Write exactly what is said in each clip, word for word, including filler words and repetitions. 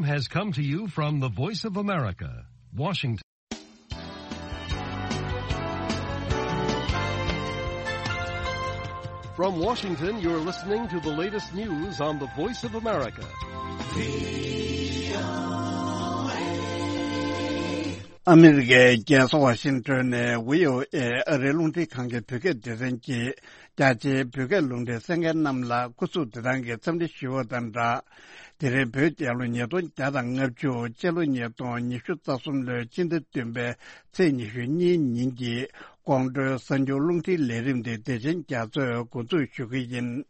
Has come to you from the Voice of America, Washington. From Washington, you're listening to the latest news on the Voice of America. ཨ་མི་རི་ཀའི་རྒྱལ་ས་ཝ་ཤིང་ཏོན་ནས་བྷི་ཨོ་ཨེ་ཨ་རིའི་རླུང་འཕྲིན་ཁང་གི་བོད་སྐད་སྡེ་ཚན་གྱིས། རྒྱ་ཆེའི་བོད་སྐད་རླུང་འཕྲིན་གསན་མཁན་རྣམས་ལ་སྐུ་གཟུགས་བདེ་ཐང་གི་འཚམས་འདྲི་ཞུ་བ་དང་སྦྲགས། དེ་རིང་བོད་རྒྱལ་ལོ་ཉིས་སྟོང་བརྒྱ་དང་ལྔ་བཅུ། སྤྱི་ལོ་ཉིས་སྟོང་ཉི་ཤུ་རྩ་གསུམ་ལོའི་སྤྱི་ཟླ་བདུན་པའི་ཚེས་ཉི་ཤུ་གཉིས་ཉིན་གྱི་ཀོང་སྤྲུལ་གསར་འགྱུར་རླུང་འཕྲིན་ལས་རིམ་འདི་བདེ་ཆེན་རྒྱ་མཚོས་འགོ་འཛུགས་ཞུ་གི་ཡིན།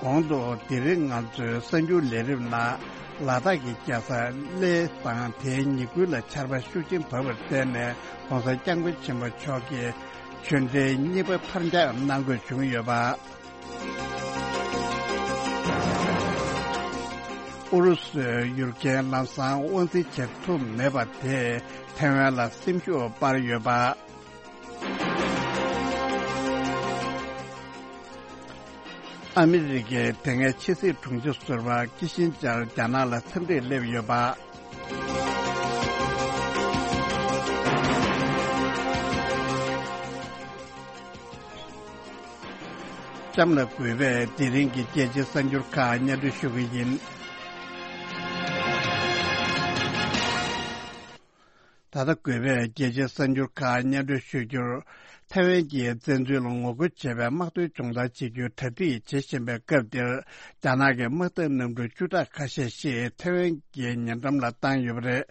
གོང་དུ་དེ་རིང་ང་ཚོའི་གསར་འགྱུར་ལས་རིམ་ནང་། ལ་དྭགས་ཀྱི་རྒྱལ་ས་གླེ་དང་དེའི་ཉེ་ཁུལ་ལ་ཆར་པ་ཤུགས་ཆེན་བབས་པར་བརྟེན་ནས། ྋགོང་ས་ྋསྐྱབས་མགོན་ཆེན་པོ་མཆོག་གི་ཆོས་འབྲེལ་གཉིས་པ་ཕར་འགྱངས་གནང་དགོས་བྱུང་ཡོད་པ། ཨུ་རུ་སུས་ཡུལ་གྱར་ལམ་སང་དབང་འཛིན་བྱེད་ཐུབ་མེད་པ་དེས་ཐེ་ཝན་ལ་སེམས་ཤུགས་སྤར་ཡོད་པ། ཨ་མི་རི་ཀའི་དེ་སྔའི་ཕྱི་སྲིད་དྲུང་ཆེ་ཟུར་པ་ཀི་ཤིན་ཇར་རྒྱ་ནག་ལ་འཚམས་འདྲིར་སླེབས་ཡོད་པ། གཤམ་ལ་གུས་པས་དེ་རིང་གི་རྒྱལ་སྤྱིའི་གསར་འགྱུར་ཁག་སྙན་སྒྲོན་ཞུ་གི་ཡིན། ད་ལྟ་གུས་པས་རྒྱལ་སྤྱིའི་གསར་འགྱུར་ཁག་སྙན་སྒྲོན་ཞུ་རྒྱུར། ཐེ་ཝན་གྱིས་བཙན་འཛུལ་ལ་ངོ་རྒོལ་བྱེད་པའི་དམག་དོན་སྦྱོང་བརྡར་བྱེད་རྒྱུའི་གྲ་སྒྲིག་བྱེད་བཞིན་པའི་སྐབས་འདིར། རྒྱ་ནག་གི་དམག་འཐབ་གནམ་གྲུ་བཅུ་ཕྲག་ཁ་ཤས་ཤིག་ཐེ་ཝན་གྱི་ཉེ་འགྲམ་ལ་བཏང་ཡོད་པ་རེད།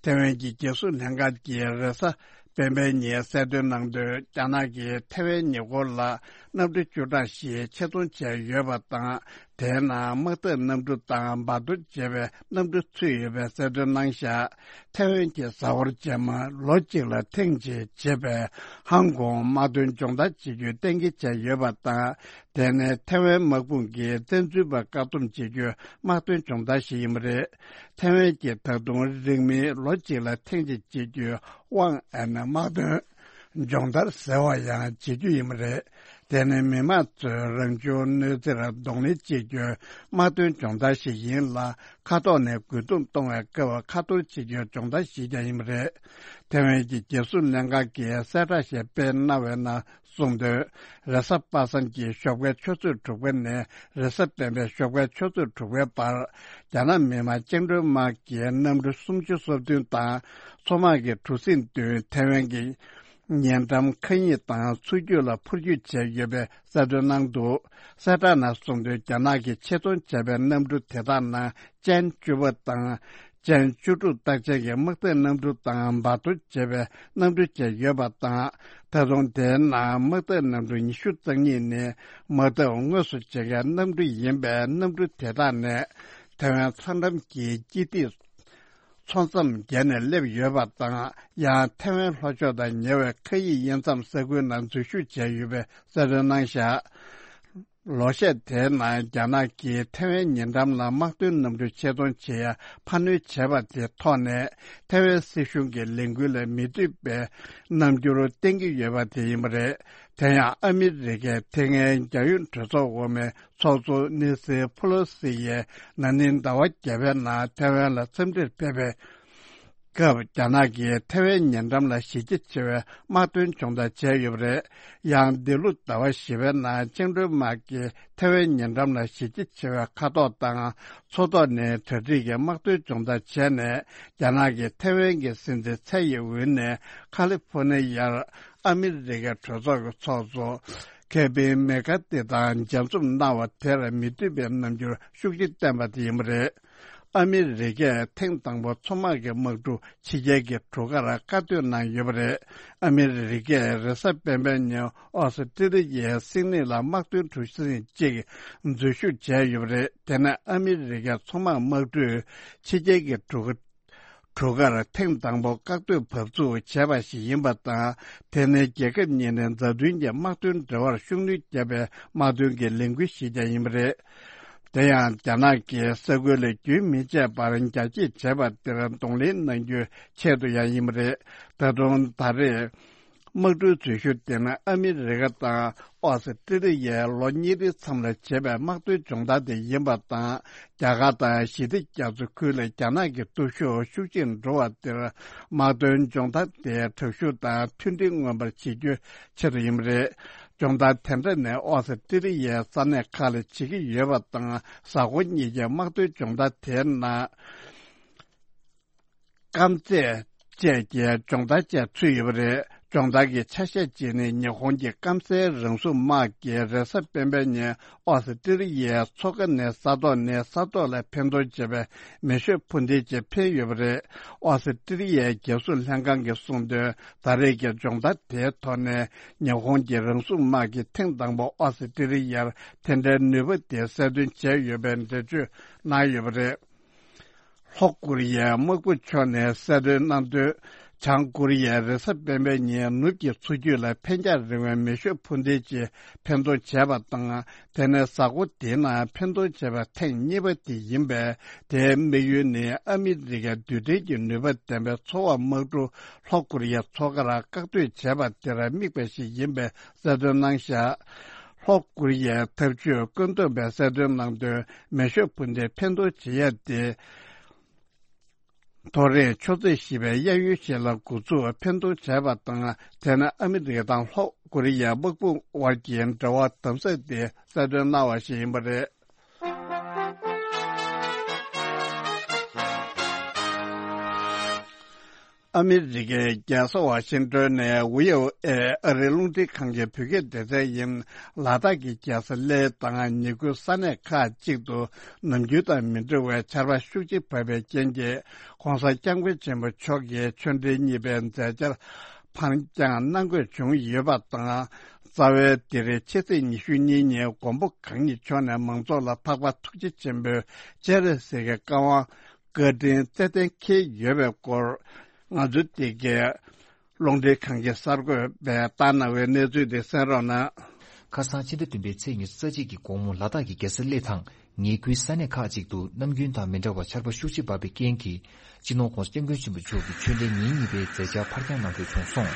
ཐེ་ཝན་གྱི་རྒྱལ་སྲུང་ལྷན་ཁང་གིས་རེས་གཟའ་སྤེན་པའི་ཉིན་གསལ་སྟོན་གནང་དོན། རྒྱ་ནག་གིས་ཐེ་ཝན་ཉེ་འཁོར་ལ་གནམ་གྲུ་བཅུ་ཕྲག་ཞིག་ཆེད་རྫོང་བྱས་ཡོད་པ་དང་། དེའི་ནང་དམག་འཐབ་གནམ་གྲུ་དང་འབར་གཏོར་བྱེད་པའི་གནམ་གྲུ་ཚུད་ཡོད་པའི་གསལ་སྟོན་གནང་བཞག་ཐེ་ཝན་གྱིས་གཟའ་འཁོར་རྗེས་མ་ལོ་གཅིག་ལ་ཐེངས་གཅིག་བྱེད་པའི་ཧང་ཀོང་དམག་དོན་སྦྱོང་བརྡར་བྱེད་རྒྱུའི་གཏན་འཁེལ་བྱས་ཡོད་པ་དང་། དེ་ནི་ཐེ་ཝན་དམག་དཔུང་གིས་བཙན་འཛུལ་པར་བཀག་སྡོམ་བྱེད་རྒྱུའི་དམག་དོན་སྦྱོང་བརྡར་ཞིག་ཡིན་པ་རེད། ཐེ་ཝན་གྱིས་ད་དུང་རིང་མིན་ལོ་གཅིག་ལ་ཐེངས་གཅིག་བྱེད་རྒྱུའི་དབང་ཨན་དམག་དོན་སྦྱོང་བརྡར་ཟེར་བ་ཡང་བྱེད་རྒྱུ་ཡིན་པ་རེད། དེ་ནི་མི་དམངས་ཚོའི་རང་བྱུང་གནོད་འཚེར་གདོང་ལེན་བྱེད་རྒྱུའི་དམག་དོན་སྦྱོང་བརྡར་ཞིག་ཡིན་ལ། མཁའ་ཐོག་ནས་རྒོལ་རྡུང་གཏོང་བའི་སྐབས་ཁ་ཐོར་བྱེད་རྒྱུའི་སྦྱོང་བརྡར་ཞིག་ཀྱང་ཡིན་པ་རེད། ཐེ་ཝན་གྱི་རྒྱལ་སྲུང་ལྷན་ཁང་གིས་གསལ་བསྒྲགས་ཤིག་སྤེལ་གནང་བའི་ནང་གསུངས་དོན། རེས་གཟའ་པ་སངས་ཀྱི་ཞོགས་ཀའི་ཆུ་ཚོད་དྲུག་པ་ནས་རེས་གཟའ་སྤེན་པའི་ཞོགས་པའི་ཆུ་ཚོད་དྲུག་པའི་བར། རྒྱ་ནག་མི་དམངས་བཅིངས་འགྲོལ་དམག་གིས་གནམ་གྲུ་སུམ་ཅུ་སོ་བདུན་དང་མཚོ་དམག་གི་གྲུ་གཟིངས་བདུན། ཐེ་ཝན་གྱི་ཉེ་འགྲམ་མཁའ་དབྱིངས་དང་མཚོ་རྒྱུད་ལ་འཕུར་སྐྱོད་བྱས་ཡོད་པའི་གསལ་སྟོན་གནང་འདུག་གསལ་བསྒྲགས་ནང་གསུངས་དོན། རྒྱ་ནག་གིས་ཆེད་རྫོང་བྱས་པའི་གནམ་གྲུ་དེ་དག་ནང་ཅན་བཅུ་པ་དང་། ཅན་བཅུ་དྲུག་རྟགས་ཅན་གྱི་དམག་འཐབ་གནམ་གྲུ་དང་འབར་གཏོར་བྱེད་པའི་གནམ་གྲུ་བཅས་ཡོད་པ་དང་། ད་དུང་དེའི་ནང་དམག་འཐབ་གནམ་གྲུ་ཉི་ཤུ་རྩ་གཉིས་ནི་དམག་འཐབ་དངོས་སུ་བྱེད་མཁན་གནམ་གྲུ་ཡིན་པས། གནམ་གྲུ་དེ་དག་ནི་ཐེ་ཝན་མཚོ་འགྲམ་གྱི་སྐྱིད་ཐིག་མཚོ་མཚམས་བརྒལ་ནས་སླེབས་ཡོད་པ་དང་། ཡང་ཐེ་ཝན་ལྷོ་ཕྱོགས་དང་ཉེ་བའི་མཁའ་དབྱིངས་དབྱེ་མཚམས་ས་ཁུལ་ནང་འཛུལ་ཞུགས་བྱས་ཡོད་པའི་གསལ་སྟོན་གནང་བཞག་ལོ་ཤས་དེའི་ནང་རྒྱ་ནག་གིས་ཐེ་ཝན་ཉེ་འགྲམ་ལ་དམག་དོན་གནམ་གྲུ་ཆེད་གཏོང་བྱེད་ཡ་འཕར་སྣོན་བྱས་པ་དེའི་ཐོག་ནས། ཐེ་ཝན་སྲིད་གཞུང་གི་ལས་འགུལ་ལ་མི་འདོད་པའི་རྣམ་འགྱུར་བསྟན་གྱི་ཡོད་པ་དེ་ཡིན་པ་རེད། དེ་ཡང་ཨ་མི་རི་ཀས་དེ་སྔའི་རྒྱལ་ཡོངས་གྲོས་ཚོགས་འོག་མའི་ཚོགས་གཙོ་ནེན་སི་ཕུ་ལོ་སི་ཡིས་ན་ནིང་ཟླ་བ་བརྒྱད་པའི་ནང་ཐེ་ཝན་ལ་འཚམས་འདྲིར་ཕེབས་པའི་སྐབས། རྒྱ་ནག་གིས་ཐེ་ཝན་ཉེ་འགྲམ་ལ་གཞི་རྒྱ་ཆེ་བའི་དམག་དོན་སྦྱོང་བརྡར་བྱས་ཡོད་པ་རེད། ཡང་འདི་ལོ་ཟླ་བ་བཞི་པའི་ནང་བཅིངས་འགྲོལ་དམག་གིས་ཐེ་ཝན་ཉེ་འགྲམ་ལ་གཞི་རྒྱ་ཆེ་བའི་མཁའ་ཐོག་དང་མཚོ་ཐོག་ནས་གྲ་སྒྲིག་གི་དམག་དོན་སྦྱོང་བརྡར་བྱས་ནས། རྒྱ་ནག་གིས་ཐེ་ཝན་གྱི་སྲིད་འཛིན་ཚད་ཡི་འོག་ནས་ཁ་ལི་ཧྥོ་ནི་ཡར་ཨ་མི་རི་ཀའི་གྲོས་ཚོགས་ཀྱི་ཚོགས་གཙོ་ཁེ་བིན་མེ་ཀ་ཏི་དང་མཇལ་འཛོམས་གནང་བ་དེར་མི་འདོད་པའི་རྣམ་འགྱུར་ཤུགས་ཆེ་བསྟན་པ་དེ་ཡིན་པ་རེད། ཨ་མི་རི་ཀས་ཐེངས་དང་པོ་མཚོ་དམག་གི་དམག་གྲུ་ཕྱི་རྒྱལ་གྱི་གྲུ་ཁར་བཀག་སྡོད་གནང་ཡོད་པ་རེད། ཨ་མི་རི་ཀས་རེས་གཟའ་སྤེན་པའི་ཉིན་ཨོ་སི་ཀྲི་ལི་ཡའི་སིད་ནི་ལ་དམག་དོན་གྲུ་གཟིངས་གཅིག་འཛུལ་ཞུགས་བྱས་ཡོད་པ་རེད། དེ་ནས་ཨ་མི་རི་ཀའི་མཚོ་དམག་དམག་གྲུས་ཕྱི་རྒྱལ་གྱི་གྲུ་གྲུ་ཁར་ཐེངས་དང་པོ་བཀག་སྡོད་བབས་ཚུགས་བྱས་པ་ཞིག་ཡིན་པ་དང་། དེ་ནི་རྒྱལ་ཁབ་གཉིས་ནས་མཛའ་མཐུན་གྱི་དམག་དོན་འབྲེལ་བར་ཤུགས་སྣོན་བརྒྱབ་པའི་དམག་དོན་གྱི་ལས་འགུལ་ཞིག་ཀྱང་ཡིན་པ་རེད། དེ་ཡང་རྒྱ་ནག་གིས་ས་ཁུལ་ལ་རྒྱུན་མི་ཆད་པར་རྒྱ་སྐྱེད་བྱས་པ་དེར་གདོང་ལེན་གནང་རྒྱུའི་ཆེད་དུ་ཡང་ཡིན་པ་རེད། ད་དུང་ད་རེས་ དམག་གྲུའི་འཛུལ་ཞུགས་དེ་ནི་ཨ་མི་རི་ཀ་དང་ཨོ་སི་ཀྲི་ལི་ཡའི་ལོ་གཉིས་རིང་མཚམས་ལ་བྱས་པའི་དམག་དོན་སྦྱོང་བརྡར་དེ་ཡིན་པ་དང་། རྒྱ་གར་དང་ཞི་བདེ་རྒྱ་མཚོ་ཁུལ་ལ་རྒྱ་ནག་གི་སྟོབས་ཤུགས་ཤུགས་ཆེར་འགྲོ་བ་དེར། དམག་དོན་སྦྱོང་བརྡར་དེ་དྲག་ཤུགས་དང་མཐུན་སྒྲིལ་མངོན་པར་བྱེད་རྒྱུའི་ཆེད་དུ་ཡིན་པ་རེད། སྦྱོང་བརྡར་དེ་འདྲ་ནི་ཨོ་སི་ཀྲི་ལི་ཡའི་ས་གནས་ཁག་ལ་བྱེད་ཀྱི་ཡོད་པ་དང་། གཟའ་འཁོར་གཉིས་ཀྱི་དམག་དོན་སྦྱོང་བརྡར་དེའི་ནང་། སྐམ་རྫས་བཅས་ཀྱི་སྦྱོང་བརྡར་བཅས་ཚུད་ཡོད་པ་རེད། སྦྱོང་བརྡར་གྱི་ཆ་ཤས་གཅིག་ནི་ཉི་ཧོང་གི་སྐམ་སའི་རང་སྲུང་དམག་གིས་རེས་གཟའ་སྤེན་པའི་ཉིན་ཨོ་སི་ཀྲི་ལི་ཡའི་མཚོ་ཁ་ནས་ས་ཐོག་ནས་ས་ཐོག་ལ་འཕེན་གཏོང་བྱས་པའི་མེ་ཤོད་འཕུར་མདེལ་ཅིག་འཕེན་ཡོད་པ་རེད། ཨོ་སི་ཀྲི་ལི་ཡའི་རྒྱལ་སྲུང་ལྷན་ཁང་གིས་གསུངས་དོན། ད་རེས་ཀྱི་སྦྱོང་བརྡར་དེའི་ཐོག་ནས་ཉི་ཧོང་གི་རང་སྲུང་དམག་གིས་ཐེངས་དང་པོ་ཨོ་སི་ཀྲི་ལི་ཡར་དེ་འདྲའི་ནུས་པ་དེ་གསལ་སྟོན་བྱས་ཡོད་པའི་འགྲེལ་བརྗོད་གནང་ཡོད་པ་རེད། ལྷོ་ཀོ་རི་ཡའི་དམག་དཔུང་ཕྱོགས་ནས་གསལ་སྟོན་གནང་དོན། བྱང་ཀོ་རི་ཡས་རེས་གཟའ་སྤེན་པའི་ཉིན་ནུབ་ཀྱི་མཚོ་རྒྱུད་ལ་འཕེན་རྒྱང་རིང་བའི་མེ་ཤོད་འཕུར་མདེལ་ཅིག་འཕེན་གཏོང་བྱས་པ་དང་། དེ་ནི་གཟའ་འཁོར་འདིའི་ནང་འཕེན་གཏོང་བྱས་པ་ཐེངས་གཉིས་པ་དེ་ཡིན་པས། དེའི་དམིགས་ཡུལ་ནི་ཨ་མི་རི་ཀའི་རྡུལ་ཕྲན་གྱི་ནུས་པ་ལྡན་པའི་འཚོ་བ་དམག་གྲུ་ལྷོ་ཀོ་རི་ཡའི་མཚོ་ཁར་བཀག་སྡོད་བྱས་པ་དེར་དམིགས་པ་ཞིག་ཡིན་པའི་གསལ་སྟོན་གནང་བཞག་ལྷོ་ཀོ་རི་ཡའི་འཐབ་ཇུས་བཀོད་འདོམས་པས་གསལ་སྟོན་གནང་དོན། མེ་ཤོད་འཕུར་མདེལ་འཕེན་གཏོང་བྱེད་ཡ་དེ། ཐོ་རེངས་མཆོད་རྫས་ཞེས་པའི་གཡས་གཡོན་ཞིག་ལ་འགོ་ཚུགས་འཕེན་གཏོང་བྱས་པ་དང་། དེ་ནི་ཨ་མི་རི་ཀ་དང་ལྷོ་ཀོ་རི་ཡའི་དམག་དཔུང་དབར་གྱི་འབྲེལ་བ་དམ་ཟབ་དེ་གསལ་སྟོན་གནང་བ་ཞིག་ཡིན་པ་རེད། ཨ་མི་རི་ཀའི་རྒྱལ་ས་ཝ་ཤིང་ཏོན་ནས་ཝི་ཨོ་ཨེ་ཨ་རིའི་རླུང་འཕྲིན་ཁང་གི་བོད་སྐད་སྡེ་ཚན་ཡིན། ལ་དྭགས་ཀྱི་རྒྱལ་ས་གླེ་དང་ཉེ་ཁུལ་ས་གནས་ཁག་ཅིག་ཏུ་ནམ་རྒྱུན་དང་མི་འདྲ་བའི་ཆར་པ་ཤུགས་ཆེ་བབས་པའི་རྐྱེན་གྱིས། ྋགོང་ས་ྋསྐྱབས་མགོན་ཆེན་པོ་མཆོག་གིས་ཆོས་འབྲེལ་གཉིས་པའི་མཛད་འཆར་ཕར་འགྱངས་གནང་དགོས་བྱུང་ཡོད་པ་དང་། རྩ་བའི་འདིར་ཕྱི་ཚེས་ཉི་ཤུ་གཉིས་ཉིན་མགོན་པོ་གང་ཉིད་མཆོག་ནས་མང་ཚོགས་ལ་འཕགས་པ་ཐུགས་རྗེ་ཆེན་པོའི་སྤྱན་རས་གཟིགས་ཀྱི་བཀའ་དབང་བཀའ་དྲིན་ཚད་ལྡན་འཁེལ་ཡོད་པའི་སྐོར། ང་ཚོ་འདི་གའི་རླུང་འཕྲིན་ཁང་གི་གསར་འགོད་པས་བཏང་གནང་བའི་གནས་ཚུལ་དེ་གསན་རོགས་གནང་། ཁ་སང་ཕྱི་ཟླ་བདུན་པའི་ཚེས་ཉི་ཤུ་རྩ་གཅིག་གི་དགོང་མོ་ལ་དྭགས་ཀྱི་རྒྱལ་ས་གླེ་དང་ཉེ་ཁུལ་ས་གནས་ཁག་ཅིག་ཏུ་ནམ་རྒྱུན་དང་མི་འདྲ་བར་ཆར་པ་ཤུགས་ཆེ་བབས་པའི་རྐྱེན་གྱིས། སྤྱི་ནོར་ྋགོང་ས་ྋསྐྱབས་མགོན་ཆེན་པོ་མཆོག་གི་ཆོས་འབྲེལ་ཉིན་གཉིས་པའི་མཛད་འཆར་ཕར་འགྱངས་གནང་དགོས་བྱུང་སོང་།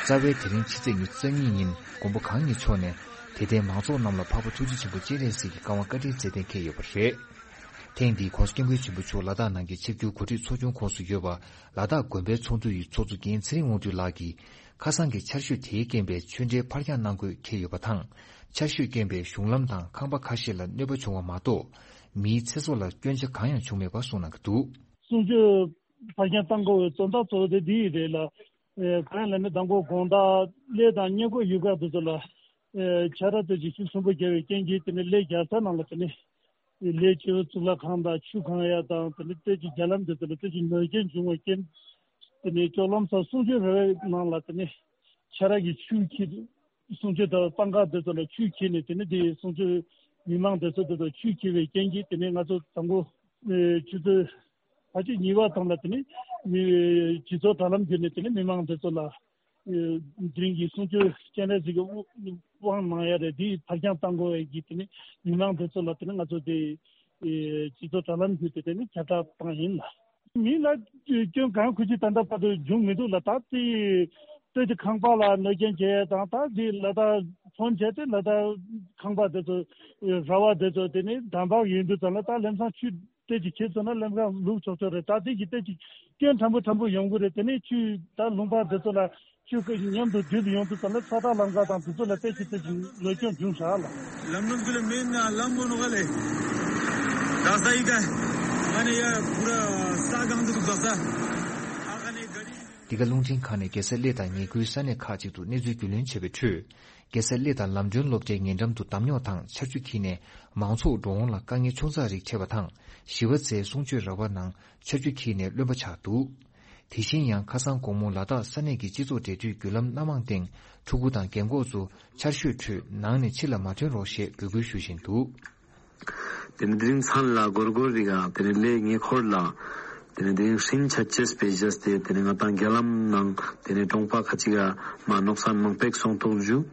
རྩ་བའི་དེ་རིང་ཕྱི་ཚེས་ཉི་ཤུ་རྩ་གཉིས་ཉིན་མགོན་པོ་གང་ཉིད་མཆོག་ནས་དད་ལྡན་མང་ཚོགས་རྣམས་ལ་འཕགས་པ་ཐུགས་རྗེ་ཆེན་པོ་སྤྱན་རས་གཟིགས་ཀྱི་བཀའ་དབང་བཀའ་དྲིན་ཚད་ལྡན་འཁེལ་ཡོད་པ་རེད། ཐེངས་འདིའི་ྋགོང་ས་ྋསྐྱབས་མགོན་ཆེན་པོ་མཆོག་ལ་དྭགས་ནང་གི་ཆིབས་བསྒྱུར་གོ་སྒྲིག་ཚོགས་ཆུང་ཁོངས་སུ་ཡོད་པ། ལ་དྭགས་དགོན་པའི་ཚོགས་འདུ་ཡི་ཚོགས་གཙོ་རྒན་ཚེ་རིང་དབང་འདུས་ལགས་ཀྱིས། ཁ་སང་གི་ཆར་ཞོད་དེའི་རྐྱེན་པས་ཆོས་འབྲེལ་ཕར་འགྱངས་གནང་དགོས་འཁེལ་ཡོད་པ་དང་། ཆར་ཞོད་རྐྱེན་པས་གཞུང་ལམ་དང་ཁང་པ་ཁ་ཤས་ལ་གནོད་པ་བྱུང་བ་མ་གཏོགས། མིའི་ཚེ་སྲོག་ལ་སྐྱོན་ཆ་གང་ཡང་བྱུང་མེད་པ་གསུངས་གནང་གི་འདུག། གསུང་ཆོས་ཕར་འགྱངས་གཏང་དགོས་པའི་དོན་དག་གཙོ་བོ་དེ་འདི་རེད་ལ། ཨེ་གང་ཡིན་ལབ་ན་དང་པོ་དགོང་དག་གླེ་དང་བསྙེན་སྐོར་ཡུལ་ཁག་དེ་ཚོ་ལ། ཨེ་ཆར་པ་དེ་ཅིག་ཤུགས་ཆེན་པོ་བརྒྱབ་པའི་རྐྱེན་གྱིས་དེ་ནས་གླེ་རྒྱལ་ས་ནང་ལ་དེ་ནས། གླེ་སྤྱི་བོ་གཙུག་ལག་ཁང་དང་ཆུ་གང་ཡ་དང་དེ་ནས་ཏོག་ཙམ་རྒྱ་ལམ་དེ་ཚོ་ལ་ཏོག་ཙམ་ནོར་སྐྱོན་བྱུང་བའི་རྐྱེན། དེ་ནས་ལྕོག་ལམ་སོགས་གསུང་ཆོས་ར་བའི་ནང་ལ་དེ་ནས་ཆར་པ་གིས་ཆུ་འཁྱེར། གསུང་ཆོས་དང་སྤང་ཁ་དེ་ཚོ་ལ་ཆུ་འཁྱེར་ནས་དེ་ནས་དེ་གསུང་ཆོས་མི་མང་དེ་ཚོ་དེ་ཚོ་ཆུ་འཁྱེར་བའི་རྐྱེན་གྱིས་དེ་ནས་ང་ཚོ་དང་པོ་ཆུ་ཚོད་ཕལ་ཆེར་གཉིས་པ་ཙམ་ལ་དེ་ནས་མི་སྤྱི་ཚོགས་དྲ་ལམ་བརྒྱུད་ནས་དེ་ནས་མི་མང་དེ་ཚོ་ལ། དེ་རིང་གི་གསུང་ཆོས་སྤྱན་རས་གཟིགས་ཀྱི་དབང་གནང་ཡ་རེད། དེ་ཕར་འགྱངས་གཏང་དགོས་ཡ་གི་དེ་ནི་མི་མང་དེ་ཚོ་ལ་དེ་ནི་ང་ཚོ་དེ་སྤྱི་ཚོགས་དྲ་ལམ་བརྒྱུད་དེ་དེ་ནི་ཁྱབ་བསྒྲགས་བཏང་ཡིན་ལ། མི་ལ་སྐྱོན་གང་ཁུལ་གྱིས་ད་ལྟ་བར་དུ་བྱུང་མི་འདུག་ལ། ད་དེ་སྟོད་ཀྱི་ཁང་པ་ལ་གནོད་སྐྱོན་བྱས་དང་ད་དེ་ལ་ད་ཕོན་བྱས་ཏེ་ལ་ད་ཁང་པ་དེ་ཚོ་ར་བ་དེ་ཚོ་དེ་ནི་འདམ་བག་ཡིན་དུས་ཙམ་ལ་ད་ལམ་སང་ཆུ། དེ་ཅིག་ཁྱེད་ཚོ་ན་ལམ་ཁ་ལུག་ཆོག་ཆོག་རེད། ད་དེ་གི་དེ་ཅིག་སྐྱོན་ཕྲན་བུ་ཕྲན་བུ་ཡོང་གི་རེད། དེ་ནས་ཆུ་ད་ལུང་པ་འདི་ཚོ་ལ་ཆུ་ཁོལ་མཉམ་དུ་འདུས་ཡོང་དུས་ཙམ་ལ་ཚ་ཐག་ལམ་ཁ་དང་དེ་ཚོ་ལ་དེ་ཅིག་དེ་ཅིག་ལོ་སྐྱོན་བྱུང་ཤག་ལ། ལམ་ནང་ཚུ་ལ་མེད་ན་ལམ་མོ་ནོ་ག་ལེ། ད་ས་ཡི་ག་ང་ནི་ཡ་པུ་ར་ས་གང་དུ་འདུག་ད་ས་ཨ་ཁ་ནི་ག་རི། འདི་ག་རླུང་འཕྲིན་ཁང་ནས་རྒྱལ་ས་གླེ་དང་ཉེ་ཁུལ་ས་གནས་ཁག་ཅིག་ཏུ་གནས་ཚུལ་རྒྱུས་ལོན་བྱས་པའི་ཁྲོད། རྒྱལ་ས་གླེ་དང་ལམ་སྒྲོན་སློབ་གྲྭའི་ཉེ་འགྲམ་དུ་འདམ་རྙོག་དང་ཆར་ཆུ་འཁྱིལ་ནས་མང་ཚོགས་འགྲོ་འོང་ལ་དཀའ་ངལ་ཆུང་ཙག་རིགས་འཕྲད་པ་དང་། བཞི་པ་ཚེས་གསུང་ཆོས་ར་བ་ནང་ཆར་ཆུ་འཁྱིལ་ནས་རློན་པ་ཆགས་འདུག། དེ་བཞིན་ཡང་ཁ་སང་དགོང་མོ་ལ་དྭགས་ས་གནས་ཀྱི་སྤྱི་ཚོགས་འབྲེལ་མཐུད་བརྒྱུད་ལམ་སྣ་མང་སྟེང་ཕྲུ་གུ་དང་རྒན་འཁོགས་ཚོ་ཆར་ཞོད་ཁྲོད་ནང་ནས་ཕྱི་ལ་མ་ཐོན་རོགས་ཞེས་འབོད་སྐུལ་ཞུ་བཞིན་འདུག། དེ་ནས་དེ་རིང་མཚན་ལ་སྒོར་སྒོར་རི་ག་དེ་ནས་གླེ་ཉེ་འཁོར་ལ། དེ་ནས་དེ་རིང་ཧྲིན་ཆ་ཅེས་པེ་ཇས་ཏེ་དེ་ནས་ང་དང་རྒྱ་ལམ་ནང་དེ་ནས་གྲོང་པ་ཁ་ཅིག་ག་མ་ནོག་སན་མང་པེག་སོང་ཐོག་ཇུ།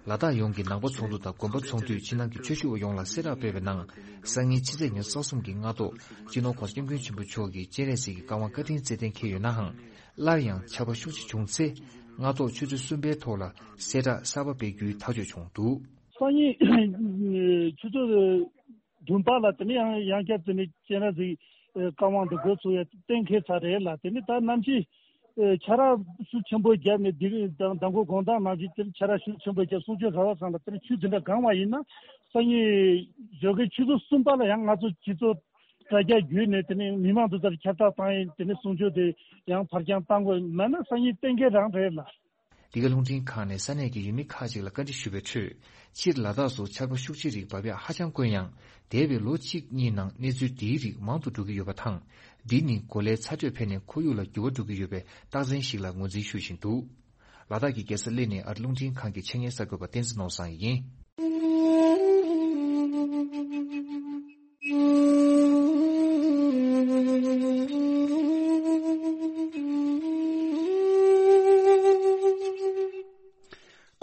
ལ་དྭགས་ཡོངས་ཀྱི་ནང་པ་ཚོགས་འདུ་དང་དགོན་པ་ཚོགས་འདུས་ཕྱི་ནང་གི་ཆོས་ཞུ་བ་ཡོངས་ལ་གསལ་བསྒྲགས་སྤེལ་བའི་ནང་། སང་ཉིན་ཕྱི་ཚེས་ཉེར་གསུམ་གྱི་སྔ་དྲོ་སྤྱི་ནོར་༸གོང་ས་༸སྐྱབས་མགོན་ཆེན་པོ་མཆོག་གིས་སྤྱན་རས་གཟིགས་ཀྱི་བཀའ་དབང་བཀའ་དྲིན་སྩལ་གཏན་འཁེལ་ཡོད་ནའང་། སླར་ཡང་ཆར་པ་ཤུགས་ཆེ་བྱུང་ཚེ། སྔ་དྲོ་ཆུ་ཚོད་གསུམ་པའི་ཐོག་ལ་གསལ་བསྒྲགས་གསར་པ་སྤེལ་རྒྱུའི་ཐག་གཅོད་བྱུང་འདུག་སང་ཉིན་ཆུ་ཚོད་བདུན་པ་ལ་དེ་ནས་ཡང་ཡང་བསྐྱར་དེ་ནས་སྤྱན་རས་གཟིགས་བཀའ་དབང་དུ་འགོ་ཚུགས་ཡ་གཏན་འཁེལ་ཚར་རེད་ལ། དེ་ནས་ད་ནམ་ཞིག་ཆར་པ་ཤུགས་ཆེན་པོ་བརྒྱབ་ནས་འདི་མདང་དགོང་དགོང་དག་ནང་བཞིན་དེར་ཆར་པ་ཤུགས་ཆེན་པོ་བརྒྱབ་གསུང་ཆོས་ར་བ་ཚང་ལ་དེར་ཆུ་འཛིན་གྲྭ་གང་བ་ཡིན་ན། སང་ཉིན་ཞོགས་ཀའི་ཆུ་ཚོད་གསུམ་པ་ལ་ཡང་ང་ཚོ་སྤྱི་ཚོགས་དྲ་རྒྱ་བརྒྱུད་ནས་དེ་ནས་མི་མང་དུ་ཚར་ཁྱབ་བསྒྲགས་བཏང་ཡིན། དེ་ནས་གསུང་ཆོས་དེ་ཡང་ཕར་འགྱངས་བཏང་དགོས་མེད་ན་སང་ཉིན་གཏན་འཁེལ་རང་རེད་ལ། འདི་ག་རླུང་འཕྲིན་ཁང་ནས་ས་གནས་ཀྱི་ཡུལ་མི་ཁག་ཅིག་ལ་བཀའ་འདྲི་ཞུས་པའི་ཁྲོད། སྤྱིར་ལ་དྭགས་སུ་ཆར་པ་ཤུགས་ཆེ་རིགས་འབབ་ཡག་ཧ་ཅང་དཀོན་ཡང་། འདས་པའི་ལོ་གཅིག་གཉིས་ནང་གནས་ཚུལ་འདིའི་རིགས་མང་དུ་འགྲོ་གི་ཡོད་པ་དང་། འདི་ནི་གོ་ལའི་ཚ་དྲོད་འཕེལ་ནས་ཁོར་ཡུག་ལ་འགྱུར་བ་འགྲོ་གི་ཡོད་པའི་རྟགས་མཚན་ཞིག་ལ་ངོས་འཛིན་ཞུ་བཞིན་འདུག་ལ་དྭགས་ཀྱི་རྒྱལ་ས་གླེ་ནས་ཨ་རི་རླུང་འཕྲིན་ཁང་གི་ཆེད་གཉེར་གསར་འགོད་པ་བསྟན་འཛིན་ནོར་བཟང་ཡིན།